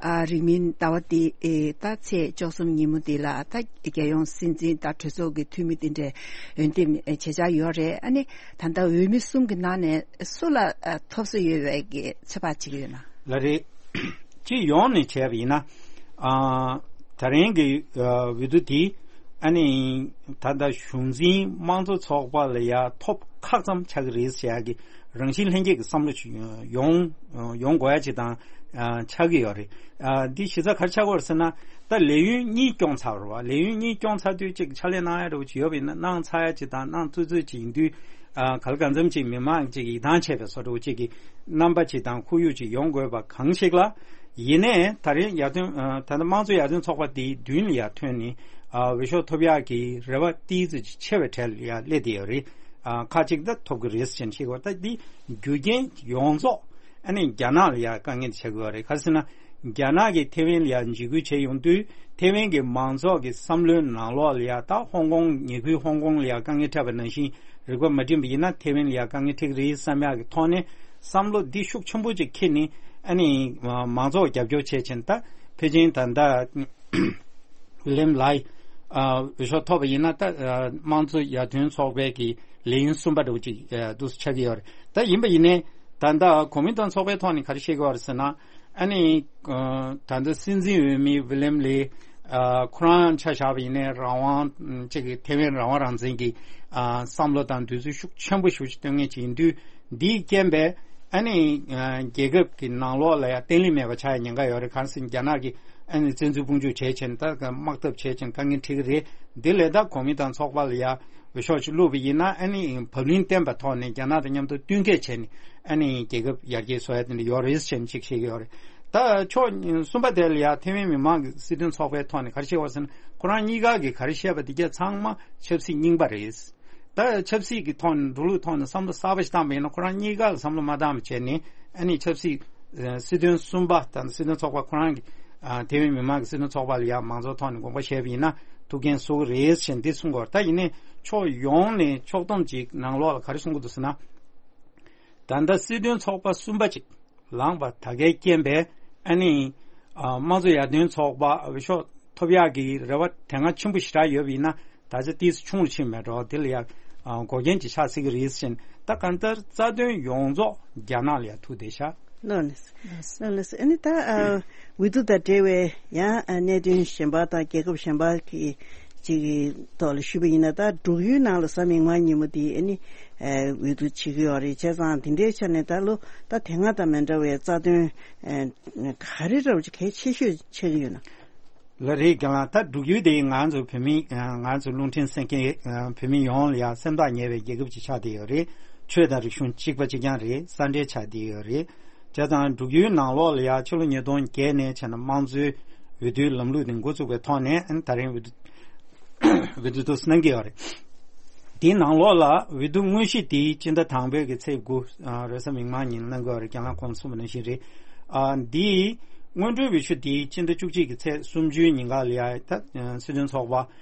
ཨ་རིང་མིན་ཟླ་བ་འདི་ཨེ་ད་ཚེས་བཅུ་གསུམ་ཉིན་མོ་འདི་ལ་ད་རྒྱལ་ཡོངས་སྲིད་འཛིན་དང་གྲོས་ཚོགས་ཀྱི་འཐུས་མི་དེ་འདྲས་འོས་འདེམས་ཨེ་བྱེད་འཆར་ཡོད་རེད། ཨ་ནི་ད་ལྟ་འོས་མི་གསུམ་གྱི་ནང་ནས་སུ་ལ་ཨ་ཐོབ་ས་ཡོད་པའི་གི་ཚོད་དཔག་བྱེད་ཀྱི་ཡོད་ན། ལགས་རེད། སྤྱི་ཡོངས་ནས་བྱས་པ་ཡིན་ན། ཨ་ད་རིང་གི་ཨ་འོས་བསྡུ་དེ་ཨ་ནི་ད་ལྟ་གཞུང་འཛིན་དམངས་གཙོ་ཚོགས་པ་ལ་ཡ་ཐོབ་ཁག་ཙམ་ཆགས་ཀྱི་རེད་ཟེར་ཡ་གི་རང་བཞིན་ལྷན་སྐྱེས་ཀྱི་བསམ་བློ་ཞིག་ཡོང་ཡོང་དགོས་ཡ་ཅིག་དང་ཨ་ཆགས་ཀྱི་ཡོད་རེད། ཨ་འདི་གཞི་རྩ་ག་རེ་ཆགས་ཀྱི་ཡོད་རེད་ཟེར་ན། ད་ལས་ཡུན་གཉིས་སྐྱོང་ཚར་བ་རེད་བ། ལས་ཡུན་གཉིས་སྐྱོང་ཚར་དུས་ཅིག་ཕྱག་ལས་གནང་ཡ་འདྲ་བོ་ཅིག་ཡོད་པ་ཡིན་ན་གནང་ཚར་ཡ་ཅིག་དང་གནང་ཚར་ཚར་ཅིག་ཡིན་དུས། ཨ་ག་ལ་གང་འཚམ་ཅིག་མི་མང་ཅིག་ཡིད་ཐང་ཆད་པའི་བཟོ་འདྲ་བོ་ཅིག་གི་རྣམ་པ་ཅིག་དང་ཁོར་ཡུག་ཅིག་ཡོང་དགོས་པ་གང་ཞིག་ལ། ཡིན་ནའི་ད་རིང་ཡར་ཐོན་ཨ་ད་ལྟ་དམངས་གཙོ་ཡར་ཐོན་ཚོགས་པ་དེའི་མདུན་ལ་ཡར་ཐོན་ནས་ འོས་ཤོག་ཐོབ་ཡག་གི་རེ་བ་ཏིས་ཆེ་བའི་གྲས་ལ་ཡ་སླེབས་བསྡད་ཡོད་རེད། ཁ་ཅིག་ད་ཐོབ་ཀྱི་རེད་ཟེར་བཤད་ཀྱི་ཡོད། ད་འདི་རྒྱུ་རྐྱེན་ཡོངས་རྫོགས་ཨ་ནི་རྒྱ་ནག་ལ་ཡ་དཀའ་ངལ་འདི་ཆགས་ཀྱི་ཡོད་རེད། ག་རེ་ཟེར་ན། རྒྱ་ནག་གིས་ཐེ་ཝན་ལ་ཡ་འཇིགས་སྐུལ་བྱས་ཡོང་དུས་ཐེ་ཝན་གྱི་མང་ཚོགས་ཀྱི་བསམ་བློའི་ནང་ལོགས་ལ་ཡ་ད་ཧོང་ཀོང་ཉེ་ཁུལ་ཧོང་ཀོང་ལ་ཡ་དཀའ་ངལ་འཕྲད་པ་ནང་བཞིན་རིག་པ་མ་བསྒྲིམས་པ་ཡིན་ན་ཐེ་ཝན་ལ་ཡ་དཀའ་ངལ་འཕྲད་ཀྱི་རེད་བསམ་ཡག་གི་ཐོག་ནས་བསམ་བློ་འདི་ཤུགས་ཆེན་པོ་ཅིག་འཁྱེར་ནས་ཨ་ནི་མང་ཚོགས་རྒྱབ་སྐྱོར་བྱས་ཕྱིན། ད་ཕལ་ཆེར་ད་ལྟ་ཝི་ལེམ་ལའི་འོས་ཤོག་ཐོབ་པ་ཡིན་ན་ད་དམངས་གཙོ་ཡར་ཐོན་ཚོགས་པའི་གི་ལས་ཡུན་གསུམ་པ་འདྲ་བོ་ཅིག་འདུག་སེ་ཆགས་ཀྱི་ཡོད་རེད། ད་ཡིན་པ་ཡིན་ནའི་ད་ལྟ་གོ་མིན་ཏང་ཚོགས་པའི་ཐོག་ནས་ག་རེ་བཤད་ཀྱི་ཡོད་རེད་ཟེར་ན། ཨ་ནི་ད་ལྟ་སྲིད་འཛིན་འོས་མི་ཝི་ལེམ་ལའི་ཁོ་རང་ཆ་བཞག་པ་ཡིན་ནའི་རང་དབང་ཅིག་གི་ཐེ་ཝན་རང་དབང་རང་བཙན་གྱི་བསམ་བློ་དང་འདོད་ཚུལ་ཤུགས་ཆེན་པོ་ཞེ་པོ་ཅིག་སྟོན་མཁན་ཅིག་ཡིན་དུས། འདིའི་རྐྱེན་པས་ཨ་ནི་རྒྱལ་ཁབ་ཀྱི་ནང་ལོགས་ལ་ཡང་བརྟན་ལྷིང་མེད་པ་ཆགས་ཡ་ཉེན་ཁ་ཡོད་རེད། གང་ཟེར་རྒྱ་ནག་གིས་ཨ་ནི་བཙན་འཛུལ་དཔུང་འཇུག་བྱས་ཕྱིན་ད་དམག་འཐབ་བྱས་ཕྱིན་དཀའ་ངལ་འཕྲད་ཀྱི་རེད། འདི་ལས་ད་གོ་མིན་ཏང་ཚོགས་པ་ལ་ཡ་འོས་ཤོག་ཅིག་བླུགས་པ་ཡིན་ན་ཨ་ནི་བབ་བརླིང་བསྟན་པའི་ཐོག་ནས་རྒྱ་ནག་དང་མཉམ་དུ་བསྟུན་མཁས་བྱས་ནས་ཨ་ནི་རྒྱལ་ཁབ་ཡར་རྒྱས་བཟོ་ཡ་དེ་འདྲ་ཡོད་རེད་ཟེར་ནས་ཅིག་བཤད་ཀྱི་ཡོད་རེད། ད་ཕྱོགས་གསུམ་པ་དེ་ལ་ཡ་ཐེ་ཝན་མི་མང་གི་སྲིད་དོན་ཚོགས་པའི་ཐོག་ནས་ག་རེ་བཤད་པ་ཟེར་ན་ཁོ་རང་གཉིས་ཀ་གིས་ག་རེ་བཤད་པ་དེ་གྱད་ཚང་མ་ཆབ་སྲིད་རྙིང་པ་རེད། ད་ཆབ་སྲིད་ཀྱི་ཐོག་ནས་འགྲོ་ལུགས་ཐོག་ནས་བསམ་བློ་གསར་པ་ཞིག་བཏང་པ་ཡིན་ན་ཁོ་རང་གཉིས་ཀ་ལ་བསམ་བློ་མ་བཏང་བ་བྱས་ནས་ཨ་ནི་ཆབ་སྲིད་ཨ་སྲིད་དོན་གསུམ་པ་དང་སྲིད་དོན་ཚོགས་པ་ཁོ་རང་གི་ཨ་ཐེ་ཝན་མི་མང་གི་སྲིད་དོན་ཚོགས་པ་ལ་ཡང་མང་གཙོའི་ཐོག་ནས་དགོངས་པ་བཞེས་པ་ཡིན་ན་ཐུགས་འགན་གསོ་གི་རེད་ཞེས་འདི་གསུང་གི་ཡོད་རེད། ད་ཡིན་ནའི་ཕྱོགས་ཡོངས་ནས་ཕྱོགས་བསྡོམས་ཅིག་ནང་ལོགས་ལ་ག་རེ་གསུང་གི་འདུག་ཟེར་ན། ད་ལྟ་སྲིད་དོན་ཚོགས་པ་གསུམ་པ་ཅིག་ལངས་པ་ད་གའི་རྐྱེན་པས་ཨ་ནི་ཨ་དམངས་གཙོ་ཡར་ཐོན་ཚོགས་པ་འོས་ཤོག་ཐོབ་ཡག་གི་རེ་བ་དེ་སྔ་ཆེན་པོ་ཞེ་དྲག་ཡོད་པ་ཡིན་ན་ད་ཆ་ཏིས་ཆུང་རུ་ཕྱིན་མེད་འགྲོ། དེ་ལ་ཡང་ཨ་འགོག་རྐྱེན་ཅིག་ཆགས་སྲིད་ཀྱི་རེད་ཟེར། ད་གང་ལྟར་རྩ་དོན་ཡོངས་རྫོགས་རྒྱ་ནག་ལ་ཡང་ཐུག་བསྡད་ཤག་ལགས་ལགས་ལགས་ལགས། ཨ་ནི་ད་ཨ་འོས་བསྡུ་དང་འབྲེལ་བའི་ཡང་ཨ་གནད་དོན་གཞན་པ་དང་རྒྱལ་ཁབ་གཞན་པ་གི་ཅིག་གི་ཐོག་ལ་ཞུས་པ་ཡིན་ན་ད་འབྲུག་ཡུལ་ནང་ལ་གཟའ་མིག་དམར་ཉིན་མོ་དེ་ཨ་ནི་ཨ་འོས་བསྡུ་བྱེད་ཀྱི་ཡོད་རེད། བྱས་ཙང་དེ་འདྲའི་ཆ་ནས་ད་ལོ་ད་དེ་སྔ་དང་མི་འདྲ་བའི་རྩ་དོན་ཨ་ག་རེ་འདྲ་བོ་ཅིག་གལ་ཆེ་ཤོས་ཆགས་ཀྱི་ཡོད་ན། ལགས་རེད། རྒན་ལགས། ད་འབྲུག་ཡུལ་དེ་ང་ཚོ་བོད་མི་ང་ཚོ་རླུང་འཕྲིན་གསན་མཁན་བོད་མི་ཡོངས་ལ་ཡང་སེམས་ཐག་ཉེ་བའི་རྒྱལ་ཁབ་ཅིག་ཆགས་བསྡད་ཡོད་རེད། ཆོས་དང་རིག་གཞུང་གཅིག་པ་གཅིག་རྐྱང་རེད། ས་འབྲེལ་ཆགས་བསྡད་ཡོད་རེད། བྱས་ཙང་འབྲུག་ཡུལ་ནང་ལོགས་ལ་ཡང་ཕྱི་ལོ་ཉིས་སྟོང་བརྒྱད་ནས་བྱས་ན་དམངས་གཙོའི་འོས་བསྡུའི་ལམ་ལུགས་དེ་འགོ་བཙུགས་པའི་ཐོག་ནས་ཨ་ནི་ད་རིང་འོས་བསྡུ་འོས་བསྡུ་དུ་གནང་གི་ཡོད་རེད། དེའི་ནང་ལོགས་ལ་འོས་བསྡུ་དངོས་གཞི་དེ་སྤྱི་ཟླ་དང་པོའི་གི་ཚེས་དགུ་ཨ་རེས་གཟའ་མིག་དམར་ཉིན་གནང་གི་ཡོད་རེད། རྒན་ལགས་གོང་གསུངས་པ་ནང་བཞིན་རེད། ཨ་འདིའི་སྔོན་འགྲོའི་འོས་ཤོག་དེ་སྤྱི་ཟླ་བཅུ་གཅིག་གི་ཚེས་སུམ་ཅུའི་ཉིན་ག་ལ་ཡ་ད་སྲིད་དོན་ཚོགས་པ་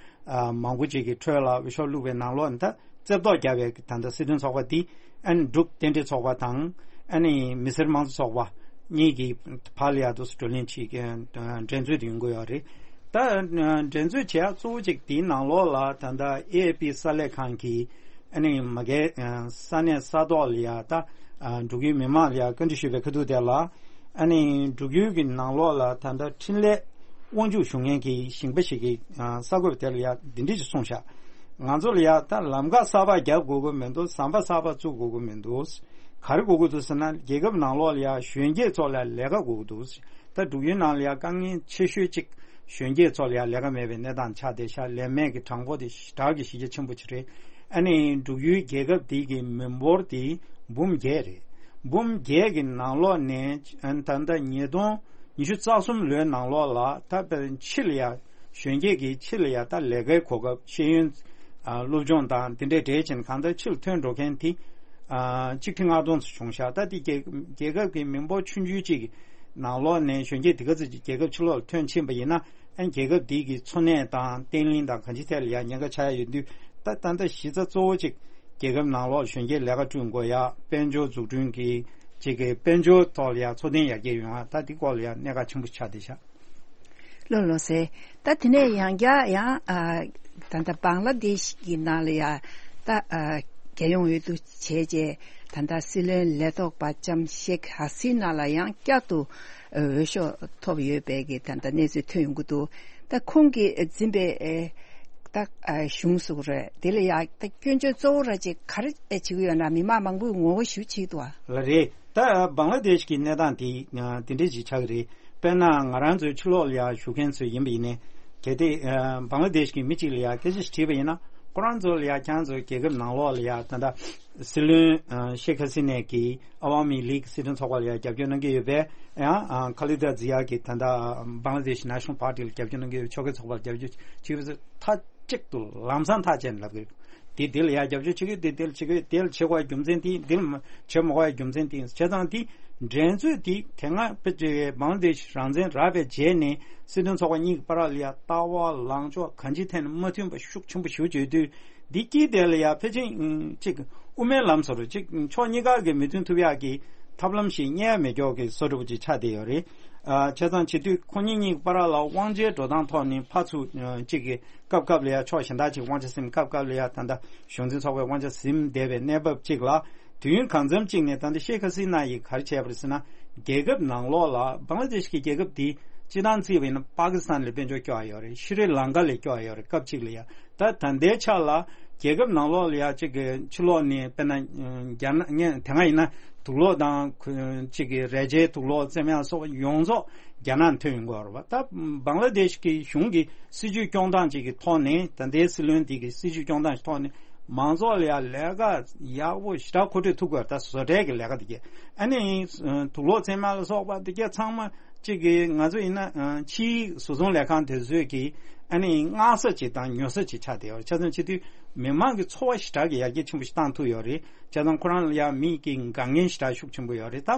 ཨ་མང་པོ་ཅིག་གི་ཁྲོད་ལ་འོས་ཤོག་བླུགས་པའི་ནང་ལོགས་ད་རྩེ་བཏོག་བརྒྱབ་པའི་ད་ལྟ་སྲིད་དོན་ཚོགས་པ་འདི་ཨ་ནི་འབྲུག་རྟེན་འབྲེལ་ཚོགས་པ་དང་ཨ་ནི་མི་སེར་དམངས་གཙོ་ཚོགས་པ་གཉིས་ཀྱི་བར་ལ་ཡ་དུ་བགྲོ་གླེང་བྱེད་ཀྱི་འགྲན་རྩོད་དུ་ཡོང་གི་ཡོད་རེད། ད་འགྲན་རྩོད་བྱེད་ཡག་གཙོ་བོ་གཅིག་དེའི་ནང་ལོགས་ལ་ད་ལྟ་ཨེ་ཨེ་པི་གསར་ལས་ཁང་གིས་ཨ་ནི་མ་གའི་ས་གནས་ས་ཐོག་ལ་ཡ་ད་འབྲུག་ཡུལ་མི་མང་ལ་ཡ་བཀའ་འདྲི་ཞུས་པའི་ཁ་ཐུག་དེ་ལ་ཨ་ནི་འབྲུག་ཡུལ་གྱི་ནང་ལོགས་ལ་ད་ལྟ་འཕྲིན་ལས་དབང་ཕྱུག་ཞུ་མཁན་གྱི་ཞིང་པ་ཞིག་གིས་གསར་འགོད་པ་དེ་ལ་ཡ་འདི་འདྲ་ཞིག་གསུངས་ཤག་ང་ཚོ་ལ་ཡ་ད་ལམ་ཁ་གསར་པ་རྒྱབ་དགོས་ཀྱི་མི་འདུག་ཟམ་པ་གསར་པ་བཙུགས་དགོས་ཀྱི་མི་འདུག་ག་རེ་དགོས་ཀྱི་འདུག་ཟེར་ན་རྒྱལ་ཁབ་ནང་ལོགས་ལ་ཡ་གཞོན་སྐྱེས་ཚོ་ལ་ལས་ཀ་དགོས་ཀྱི་འདུག་ད་འབྲུག་ཡུལ་ནང་ལ་ཡ་དཀའ་ངལ་ཆེ་ཤོས་གཅིག་གཞོན་སྐྱེས་ཚོ་ལ་ཡ་ལས་ཀ་མེད་པའི་གནས་སྟངས་ཆགས་བསྡད་ཤག་ལས་མེད་ཀྱི་གྲངས་འབོར་དེ་ཞེ་དྲག་གི་གཞི་རྒྱ་ཆེན་པོ་ཅིག་རེད། ཨ་ནི་འབྲུག་ཡུལ་རྒྱལ་ཁབ་དེ་གི་མི་འབོར་དེ་འབུམ་བརྒྱད་རེད། འབུམ་བརྒྱད་ཀྱི་ནང་ལོགས་ནས་ཨ་ནི་ད་ལྟ་ཉིས་སྟོང་ཉི་ཤུ་རྩ་གསུམ་ལོའི་ནང་ལོགས་ལ་ད་དཔེར་ཕྱི་ལ་ཡ་གཞོན་སྐྱེས་ཀྱི་ཕྱི་ལ་ཡ་ད་ལས་ཀའི་གོ་སྐབས་ཤེས་ཡོན་ཨ་སློབ་སྦྱོང་དང་དེ་འདྲའི་འབྲེལ་ཅན་གང་ལྟར་ཕྱིར་ཐོན་འགྲོ་མཁན་དེ་ཨ་གཅིག་ཁྲི་ལྔ་སྟོང་ཙམ་བྱུང་ཤག་ད་དེ་རྒྱལ་རྒྱལ་ཁབ་ཀྱི་མི་འབོར་ཆུང་ཆུང་གཅིག་གི་ནང་ལོགས་ནས་གཞོན་སྐྱེས་དེ་ག་ཚོད་ཅིག་རྒྱལ་ཁབ་ཕྱི་ལོགས་ལ་ཐོན་ཕྱིན་པ་ཡིན་ན་ཨ་རྒྱལ་ཁབ་དེ་གི་འཚོ་གནས་དང་བརྟན་ལྷིང་དང་གང་ཅིའི་ཐད་ལ་ཡ་ཉེན་ཁ་ཆགས་ཡ་ཡོད་དུས་ད་ད་ལྟ་གཞི་རྩ་གཙོ་བོ་གཅིག་རྒྱལ་ཁབ་ནང་ལོགས་གཞོན་སྐྱེས་ལས་ཀ་བསྐྲུན་དགོས་ཡ། དཔལ་འབྱོར་འཛུགས་སྐྲུན་གྱི་གཅིག་གི་དཔལ་འབྱོར་ཐོག་ལ་ཡ་འཚོ་རྟེན་ཡར་རྒྱས་ཡོང་ཡ་ད་འདི་སྐོར་ལ་ཡ་གནད་འགག་ཆེན་པོ་ཆགས་བསྡད་ཤག་ལགས་ལགས་སེ། ད་དེ་ནས་ཡང་བསྐྱར་ཡང་ཨ་ད་ལྟ་བང་ལ་དེ་ཤི་གི་ནང་ལ་ཡ་ད་ཨ་རྒྱལ་ཡོངས་འོས་བསྡུ་བྱས་རྗེས་ད་ལྟ་སྲིད་བློན་ལས་ཐོག་པ་ལྕམ་ཤེག་ཧ་སི་ན་ལ་ཡང་བསྐྱར་དུ་འོས་ཤོག་ཐོབ་ཡོད་པའི་གི་ད་ལྟ་གནས་ཚུལ་ཐོན་ཡོང་གི་འདུག་ད་ཁོང་གིས་འཛིན་པའི་ཨེ་ད་ཨ་གཞུང་སུ་རེད་དེ་ལ་ཡ་ད་སྐྱོན་བརྗོད་གཙོ་བོ་ར་ཅིག་ག་རེ་བྱེད་ཀྱི་ཡོད་ན་མི་མང་མང་པོས་ངོ་རྒོལ་ཞུ་བྱེད་འདུག་ཨ། ལགས་རེད། ད་བང་ལ་དེཤ་གི་གནས་སྟངས་དེ་དེ་འདྲས་ཅིག་ཆགས་ཀྱི་རེད། དཔེར་ན་ང་རང་ཚོའི་ཕྱི་ལོགས་ལ་ཡ་བཞུགས་མཁན་ཚོ་ཡིན་པ་ཡིན་ནའི་གལ་ཏེ་བང་ལ་དེཤ་གི་མི་གཅིག་ལ་ཡ་སྐད་ཆ་ཞིག་དྲིས་པ་ཡིན་ན་ ཁོ་རང་ཚོ་ལ་ཡ་ཁྱེད་རང་ཚོ་རྒྱལ་ཁབ་ནང་ལོགས་ལ་ཡ་ད་ལྟ་སྲིད་བློན་ཨ་ཤེག་ཧ་སི་ནས་ཀྱིས་ཨ་ཝ་མི་ལིག་སྲིད་དོན་ཚོགས་པ་ལ་ཡ་རྒྱབ་སྐྱོར་གནང་གི་ཡོད་པས་ཡང་ཨ་ཁ་ལི་ད་ཛི་ཡ་གིས་ད་ལྟ་བང་ལ་དེཤ་ནེ་ཤ་ནལ་པར་ཊི་ལ་རྒྱབ་སྐྱོར་གནང་གི་ཡོད། ཕྱོགས་འགལ་ཚོགས་པ་ལ་རྒྱབ་སྐྱོར་བྱེད་ཀྱི་ཡོད་པས་མཐའ་གཅིག་ཏུ་ལམ་སང་ཐག་བཅད་ནས་ལབ་ཀྱི་ཡོད། དེ་དེ་ལ་ཡ་རྒྱབ་སྐྱོར་བྱེད་ཀྱི་ཡོད། དེ་དེ་ལ་བྱེད་ཀྱི་ཡོད། དེ་ལ་བྱེད་དགོས་པའི་རྒྱུ་མཚན་དེ་དེ་ལ་མ་བྱེད་མ་དགོས་པའི་རྒྱུ་མཚན་དེ་ཡིན། བྱས་ཙང་དེ་འགྲན་རྩོད་དེ་དེ་སྔ་བེ་ཅེ་བང་ལ་དེཤ་རང་བཙན་རག་པའི་རྗེས་ནས་སྲིད་དོན་ཚོགས་པ་གཉིས་ཀྱི་བར་ལ་ཡ་ལྟ་བ་ལངས་ཕྱོགས་གང་ཅིའི་ཐད་ནས་མ་མཐུན་པ་ཤུགས་ཆེན་པོ་ཞེ་པོ་བྱེད་དུས། འདི་དཀྱིལ་དེ་ལ་ཡ་ཕལ་ཆེར་ཨུམ་གཅིག་དབུ་མའི་ལམ་བཟོ་འདྲ་ཅིག་ཕྱོགས་གཉིས་ཀ་གི་མོས་མཐུན་ཐུབ་ཡག་གི་ཐབས་ལམ་ཞིག་རྙེད་ཡ་མེད་མཁན་གྱི་བཟོ་འདྲ་པོ་ཅིག་ཆགས་བསྡད་ཡོད་རེད། ཨ་བྱས་ཙང་བྱེད་དུས་ཁོ་གཉིས་གཉིས་ཀྱི་བར་ལ་དབང་ཆའི་འགྲོ་སྟངས་ཐོག་ནས་ཕར་ཚུར་ཨ་གཅིག་གི་སྐབས་སྐབས་ལ་ཡ་ཕྱོགས་གཞན་དག་ཅིག་དབང་ཆ་ཟིན། སྐབས་སྐབས་ལ་ཡ་ད་ལྟ་གཞུང་འཛིན་ཚོགས་པའི་དབང་ཆ་ཟིན་བསྡད་པའི་གནས་བབ་ཅིག་ལ། དུས་ཡུན་གང་འཚམ་ཅིག་ནས་ད་ལྟ་ཤེག་ཧ་སི་ན་ཡིས་ག་རེ་བྱས་པ་རེད་ཟེར་ན། རྒྱལ་ཁབ་ནང་ལོགས་ལ་བང་ལ་དེཤ་གི་རྒྱལ་ཁབ་འདི་སྤྱིར་བཏང་བརྩིས་པ་ཡིན་ན་པ་ཀི་སི་ཐན་ལ་དཔལ་འབྱོར་སྐྱོ་བ་ཡོད་རེད། ཤྲི་ལང་ཀ་ལས་སྐྱོ་བ་ཡོད་རེད། སྐབས་གཅིག་ལ་ཡ། ད་ད་ལྟའི་ཆ་ལ་རྒྱལ་ཁབ་ནང་ལོགས་ལ་ཡ་གཅིག་གི་ཕྱི་ལོགས་ནས་དཔེར་ན་རྒྱ་ནག་ངས་དེ་སྔ་ཡིན་ན་དུག་ལོག་དང་གཅིག་གི་རས་ཆའི་དུག་ལོག་བཙེམ་ཡག་སོགས་ཡོངས་རྫོགས་རྒྱ་ནག་ཐོན་ཡོང་གི་ཡོད་རེད་པ། ད་བང་ལ་དེཤ་གི་གཞུང་གི་སྲིད་ཇུས་སྐྱོང་སྟངས་ཅིག་གི་ཐོག་ནས། ད་ལྟའི་སྲིད་བློན་འདི་གི་སྲིད་ཇུས་སྐྱོང་སྟངས་ཀྱི་ཐོག་ནས་མང་ཚོགས་ལ་ཡ་ལས་ཀ་ཡག་པོ་ཞེ་དྲག་མཁོ་སྤྲོད་ཐུབ་དགོས། ད་བཟོ་གྲྭའི་གི་ལས་ཀ་དེ་གས། ཨ་ནི་དུག་ལོག་བཙེམ་ཡག་ལ་སོགས་པ་དེ་གས་ཚང་མ་གཅིག་གི་ང་ཚོ་ཡིན་ན་ཕྱིའི་བཟོ་ཚོང་ལས་ཁང་དེ་ཚོས་ཀྱི་ཨ་ནི་མངགས་ས་ཅིག་དང་ཉོ་ས་ཅིག་ཆགས་བསྡད་ཡོད་རེད། བྱས་ཙང་བྱེད་དུས་མི་མང་གི་འཚོ་བ་ཞེ་དྲག་གི་ཡར་རྒྱས་ཆེན་པོ་ཞིག་བཏང་ཐུབ་ཡོད་རེད། བྱས་ཙང་ཁོ་རང་ལ་ཡ་མི་གི་དགའ་ངལ་ཞེ་དྲག་ཤུགས་ཆེན་པོ་ཡོད་རེད། ད་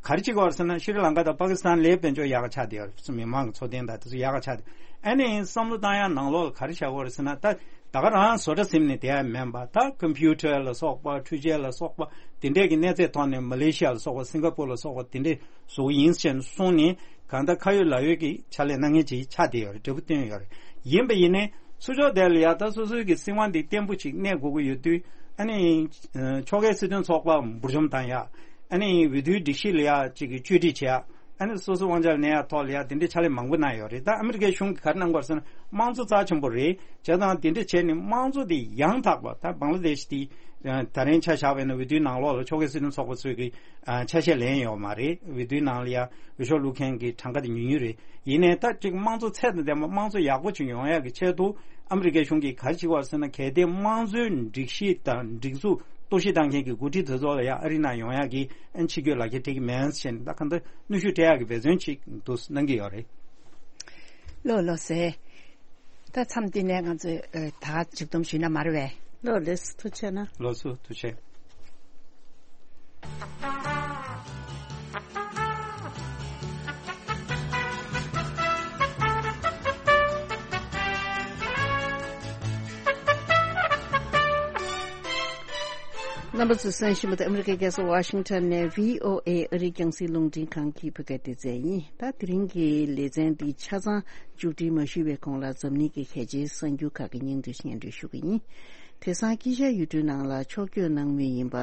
ག་རེ་བྱེད་དགོས་རེད་ཟེར་ན། ཤྲི་ལང་ཀ་དང་པ་ཀི་སི་ཐན་ལས་དཔལ་འབྱོར་ཡག་ག་ཆགས་བསྡད་ཡོད་རེད། མི་མང་གི་འཚོ་རྟེན་དང་དེ་ཚོ་ཡག་ག་ཆགས་བསྡད། ཨ་ནི་བསམ་བློ་བཏང་ཡག་ནང་ལོགས་ལ་ག་རེ་བྱ་དགོས་རེད་ཟེར་ན། ད་ད་ག་རང་བཟོ་གྲྭ་ཟིན་ནས་བསྡད་ཡ་མིན་པ། ད་ཀམ་པུ་ཊར་ལ་སོགས་པ། འཕྲུལ་ཆས་ལ་སོགས་པ་དེ་འདྲས་ཀྱི་གནས་ཚད་ཐོག་ནས་མ་ལེ་ཤི་ཡ་ལ་སོགས་པ། སིང་ག་པུར་ལ་སོགས་པ་དེ་འདྲས་བཟོ་གི་ཡིན་ཟེར་ནས་གསུངས་ནས། གང་ལྟར་ཁ་ཡོད་ལག་ཡོད་ཀྱི་ཕྱག་ལས་གནང་མཁན་ཅིག་ཆགས་བསྡད་ཡོད་རེད། འབྲས་བུ་བཏོན་ཡོད་རེད། ཡིན་པ་ཡིན་ནའི་ཚུར་ཕྱོགས་དེ་ལ་ཡ་ད་སོ་སོའི་གི་སྲིད་དབང་འདི་བརྟན་པོ་ཅིག་གནས་དགོས་ཀྱི་ཡོད་དུས། ཨ་ནི་ཕྱོགས་འགལ་སྲིད་དོན་ཚོགས་པ་འབུར་འཇོམས་བཏང་ཡ། ཨ་ནི་འོས་བསྡུའི་སྒྲིག་གཞི་ལ་ཡ་ཅིག་གི་བཅོས་སྒྲིག་བྱེད་ཡ། ཨ་ནི་སོ་སོའི་དབང་ཆ་ལ་གནས་ཡ་ཐོག་ལ་ཡ་དེ་འདྲའི་ཕྱག་ལས་མང་པོ་གནང་ཡོད་རེད། ད་ཨ་མི་རི་ཀའི་གཞུང་གིས་ག་རེ་གནང་དགོས་རེད་ཟེར་ན། དམངས་གཙོ་རྩ་ཆེན་པོ་རེད། བྱས་ཙང་དེ་འདྲ་བྱས་ནས་དམངས་གཙོ་དེ་ཡང་དག་པ། ད་བང་ལ་དེཤ་དེ་ད་རིང་ཆ་བཞག་པ་ཡིན་ན་འོས་བསྡུའི་ནང་ལོགས་ལ་ཕྱོགས་འགལ་སྲིད་དོན་ཚོགས་པ་ཚོས་ཀྱི་ཆ་ཤས་ལེན་ཡོད་མ་རེད། འོས་བསྡུའི་ནང་ལ་ཡ་འོས་ཤོག་བླུག་མཁན་གྱི་གྲངས་ཀ་དེ་ཉུང་ཉུང་རེད། ཡིན་ནའི་ད་ཅིག་དམངས་གཙོ་ཚད་དང་ལྡན་པ། དམངས་གཙོ་ཡག་པོ་ཅིག་ཡོང་ཡག་གི་ཆེད་དུ་ཨ་མི་རི་ཀའི་གཞུང་གིས་ག་རེ་བྱེད་ཀྱི་ཡོད་རེད་ཟེར་ན། གལ་ཏེ་དམངས་གཙོའི་སྒྲིག་གཞི་དང་སྒྲིག་འཛུགས་གཏོར་བཤིག་བཏང་མཁན་གྱི་འགོ་ཁྲིད་དེ་ཚོ་ལ་ཡ་ཨ་རི་ནང་ཡོང་ཡག་གི་ཨ་ནི་ཕྱི་སྐྱོད་ལག་འཁྱེར་སྤྲད་ཀྱི་མེད་ཟེར་ནས། ད་གང་ལྟར་གནོན་ཤུགས་སྤྲད་ཡག་གི་འབད་བརྩོན་ཅིག་འདུག་གནང་གི་ཡོད་རེད། ལགས་ལགས་སེ། ད་མཚམས་འདི་ནས་ང་ཚོས་ཨ་ད་མཇུག་སྡོམ་ཞུས་ན་མ་རེད་པས། ལགས་ལགས་སེ། ཐུགས་རྗེ་གནང་། ལགས་སོ། ཐུགས་རྗེ་ཆེ། རྣམ་པ་ཚོས་གསན་བཞིན་པ་དེ་ཨ་མི་རི་ཀའི་རྒྱལ་ས་ཝ་ཤིང་ཊོན་ནས་བྷི་ཨོ་ཨེ་ཨ་རིའི་རྒྱང་སྲིང་རླུང་འཕྲིན་ཁང་གི་བོད་སྐད་སྡེ་ཚན་ཡིན། ད་དེ་རིང་གི་ལེ་ཚན་འདི་ཆ་ཚང་མཇུག་སྒྲིལ་མ་ཞུས་པའི་གོང་ལ། འཛམ་གླིང་གི་གལ་ཆེའི་གསར་འགྱུར་ཁག་གི་སྙིང་བསྡུས་སྙན་སྒྲོན་ཞུ་གི་ཡིན། དེང་སང་དཀྱིལ་ཤར་ཡུལ་གྲུའི་ནང་ལ་ཕྱོགས་བསྐྱོད་གནང་མུས་ཡིན་པ་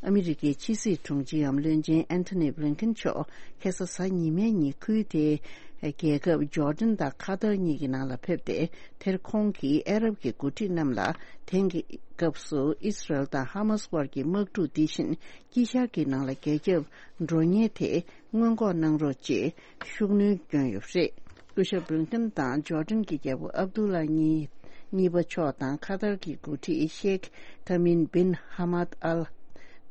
ཨ་མི་རི་ཀའི་ཕྱི་སྲིད་དྲུང་ཆེའམ་བློན་ཆེན་ཨན་ཐོ་ནི་བྷི་ལིན་ཁིན་མཆོག་ཁ་སང་གཟའ་ཉི་མའི་ཉིན་ཁུལ་དེའི་རྒྱལ་ཁབ་ཇོར་ཌན་དང་ཁ་ཐར་གཉིས་ཀྱི་ནང་ལ་ཕེབས་ཏེ། དེར་ཁོང་གིས་ཨ་རབ་ཀྱི་འགོ་ཁྲིད་རྣམས་ལ་དེང་གི་སྐབས་སུ་ཨི་སི་རལ་དང་ཧ་མ་སི་དབར་གྱི་དམག་འཁྲུག་འདི་བཞིན་དཀྱིལ་ཤར་གྱི་ནང་ལ་རྒྱ་ཁྱབ་འགྲོ་ཉེན་དེ་སྔོན་འགོག་གནང་རོགས་ཅེས་ཤུགས་སྣོན་བསྐྱོན་ཡོད་པ་རེད། སྐུ་ཞབས་བྷི་ལིན་ཁིན་དང་ཇོར་ཌན་གྱི་རྒྱལ་པོ་ཨབ་དུ་ལ་གཉིས་གཉིས་པ་མཆོག་དང་ཁ་ཐར་གྱི་འགོ་ཁྲིད་ཤེག་ཐ་མིན་བིན་ཧ་མད་ཨལ་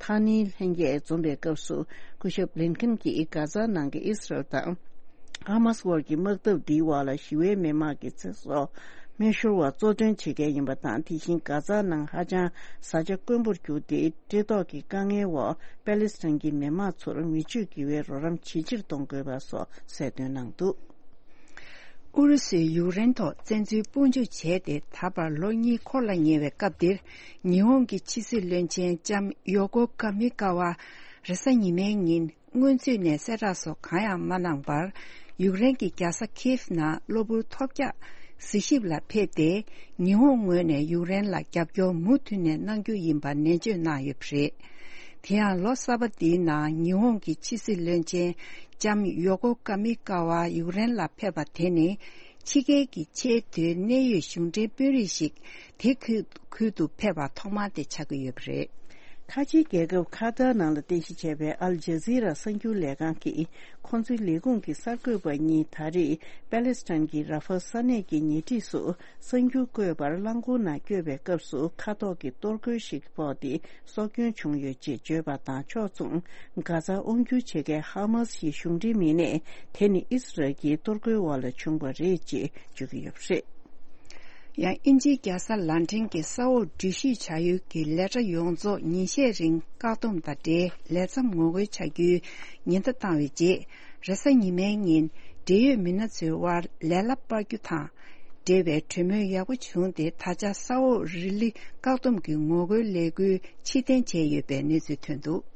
ཐ་ནི་ལྷན་རྒྱས་འཛོམས་པའི་སྐབས་སུ། སྐུ་ཞབས་བྷི་ལིན་ཁིན་གྱིས་གྷ་ཛ་ནང་གི་ཨི་སི་རལ་དང་ཧ་མ་སི་དབར་གྱི་དམག་འཐབ་འདིའི་འོག་ལ་ཞི་བའི་མི་མང་གི་ཚེ་སྲོག་སྨན་ཤོར་བ་གཙོ་དོན་བྱེད་མཁན་ཡིན་པ་དང་། དེ་བཞིན་གྷ་ཛ་ནང་ཧ་ཅང་བཟའ་བཅའ་དཀོན་པོར་གྱུར་ཏེ། བཀྲེས་ལྟོགས་ཀྱི་དཀའ་ངལ་འོག་པེ་ལེ་སི་ཐན་གྱི་མི་མང་ཚོར་མི་ཆོས་དགེ་བའི་རོགས་རམ་ཇེ་ཆེར་གཏོང་དགོས་པ་སོགས་གསལ་སྟོན་གནང་འདུག། ཨུ་རུ་སུས་ཡུཀ་རེན་ཐོག་བཙན་འཛུལ་དཔུང་འཇུག་བྱས་ཏེ་ད་བར་ལོ་གཉིས་འཁོར་ལ་ཉེ་བའི་སྐབས་འདིར། ཉི་ཧོང་གི་ཕྱི་སྲིད་བློན་ཆེན་ལྕམ་ཡོ་ཀོ་ཀ་མི་ཀ་ཝ་རེས་གཟའ་ཉི་མའི་ཉིན་སྔོན་ཚུད་ནས་གསལ་བསྒྲགས་སོགས་གང་ཡང་མ་གནང་བར། ཡུཀ་རེན་གྱི་རྒྱལ་ས་ཁིའེབ་ནང་གློ་བུར་ཐོལ་རྒྱག་གཟིགས་ཞིབ་ལ་ཕེབས་ཏེ། ཉི་ཧོང་ངོས་ནས་ཡུཀ་རེན་ལ་རྒྱབ་སྐྱོར་མུ་མཐུད་ནས་གནང་རྒྱུ་ཡིན་པ་ནན་བརྗོད་གནང་ཡོད་པ་རེད། དེ་ཡང་ལོ་གསར་པ་འདིའི་ནང་ཉི་ཧོང་གི་ཕྱི་སྲིད་བློན་ཆེན་ལྕམ་ཡོ་ཀོ་ཀ་མི་ཀ་ཝ་ཡུཀ་རེན་ལ་ཕེབས་པ་དེ་ནི། ཕྱི་རྒྱལ་གྱི་ཆེས་མཐོའི་གནད་ཡོད་གཞུང་འབྲེལ་དཔོན་རིགས་ཤིག་དེ་ཁུལ་ཁུལ་དུ་ཕེབས་པ་ཐོག་མ་དེ་ཆགས་ཀྱི་ཡོད་པ་རེད། ཁ་ཆེའི་རྒྱལ་ཁབ་ཁ་ཏར་ནང་ལ་རྟེན་གཞི་བྱས་པའི་ཨལ་ཇ་ཛི་ར་གསར་འགྱུར་ལས་ཁང་གིས། ཁོང་ཚོའི་ལས་ཁུངས་ཀྱི་གསར་འགོད་པ་གཉིས་ད་རེས་པེ་ལེ་སི་ཐན་གྱི་ར་ཧྥ་ས་གནས་ཀྱི་ཉེ་འཁྲིས་སུ་གསར་འགྱུར་བཀོད་པར་རླངས་འཁོར་ནང་བསྐྱོད་པའི་སྐབས་སུ། མཁའ་ཐོག་གི་གཏོར་རྒོལ་ཞིག་ཕོག་སྟེ། སྲོག་སྐྱོན་བྱུང་ཡོད་ཅེས་བརྗོད་པ་དང་ཕྱོགས་མཚུངས། གྷ་ཛ་དབང་སྒྱུར་བྱེད་མཁན་ཧ་མ་སི་ཡི་གཞུང་འབྲེལ་མི་སྣས། དེ་ནི་ཨི་སི་རལ་གྱི་གཏོར་རྒོལ་འོག་ལ་བྱུང་བ་རེད་ཅེས་བརྗོད་ཀྱི་ཡོད་པ་རེད། ཡང་དབྱིན་ཇིའི་རྒྱལ་ས་ལན་ཀྲན་གྱི་ས་འོག་འགྲུལ་བཞུད་བྱ་ཡུལ་གྱི་ལས་གྲྭ་ཡོངས་རྫོགས་ཉིན་ཤས་རིང་བཀག་སྡོམ་དང་འབྲེལ་ལས་མཚམས་ངོ་རྒོལ་བྱ་རྒྱུའི་ཉེན་བརྡ་བཏང་བའི་རྗེས། རེས་གཟའ་ཉི་མའི་ཉིན་འབྲེལ་ཡོད་མི་སྣ་ཚོའི་དབར་ལས་སླ་སྤར་རྒྱུ་དང་འབྲེལ་བའི་གྲོས་མོལ་ཡག་པོ་བྱུང་སྟེ། ད་ཆ་ས་འོག་རི་ལི་བཀག་སྡོམ་གྱི་ངོ་རྒོལ་ལས་འགུལ་ཕྱིར་འཐེན་བྱས་ཡོད་པའི་གནས་ཚུལ་ཐོན་འདུག།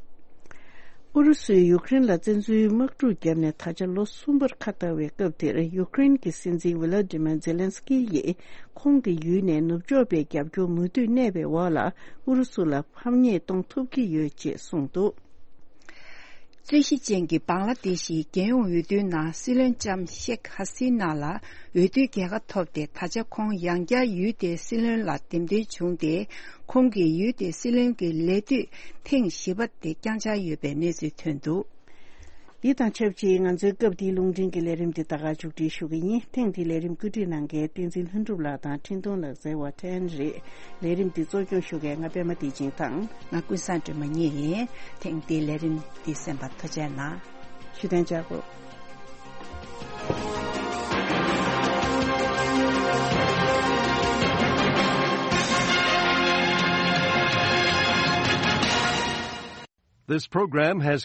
ཨུ་རུ་སུས་ཡུཀ་རེན་ལ་བཙན་འཛུལ་དམག་འཁྲུག་བརྒྱབ་ནས་ད་ཆ་ལོ་གསུམ་པར་ཁ་ལྟ་བའི་སྐབས་དེར། ཡུཀ་རེན་གྱི་སྲིད་འཛིན་ཝི་ལ་ཏི་མེར་ཛེ་ལན་སི་ཀི་ཡིས་ཁོང་གི་ཡུལ་ནས་ནུབ་ཕྱོགས་པའི་རྒྱབ་སྐྱོར་མུ་མཐུད་གནས་པའི་འོག་ལ། ཨུ་རུ་སུ་ལ་ཕམ་ཉེས་གཏོང་ཐུབ་ཀྱི་ཡོད་ཅེས་གསུངས་འདུག། རྩོད་གཞི་ཅན་གྱི་བང་ལ་དེ་ཤིའི་རྒྱལ་ཡོངས་འོས་བསྡུའི་ནང་། སྲིད་བློན་ལྕམ་ཤེག་ཧ་སི་ན་ལ་འོས་བསྡུའི་རྒྱལ་ཁ་ཐོབ་སྟེ། ད་ཆ་ཁོང་ཡང་བསྐྱར་ཡུལ་དེའི་སྲིད་བློན་ལ་འདེམས་ཐོན་བྱུང་སྟེ། ཁོང་གིས་ཡུལ་དེའི་སྲིད་བློན་གྱི་ལས་དུས་ཐེངས་བཞི་པ་དེ་བསྐྱངས་འཆར་ཡོད་པའི་གནས་ཚུལ་ཐོན་འདུག། འདི་དང་ཆབས་ཅིག་ང་ཚོའི་སྐབས་འདིའི་རླུང་འཕྲིན་གྱི་ལས་རིམ་འདི་ད་ག་མཇུག་སྒྲིལ་ཞུ་གི་ཡིན། ཐེངས་འདིའི་ལས་རིམ་བཀོད་སྒྲིག་གནང་མཁན་བསྟན་འཛིན་ལྷུན་གྲུབ་ལགས་དང་འཕྲིན་གཏོང་ལག་རྩལ་བ་ཐན་རེད། ལས་རིམ་འདི་གཙོ་སྐྱོང་ཞུ་མཁན་ང་པད་མ་བདེ་ཆེན་དང་། ང་ཀུན་བཟང་སྒྲོལ་མ་གཉིས་ཡིན། ཐེངས་འདིའི་ལས་རིམ་འདི་གསན་པར་ཐུགས་རྗེ་གནང་། ཞུ་དོན་བཅར་དགོས། This program has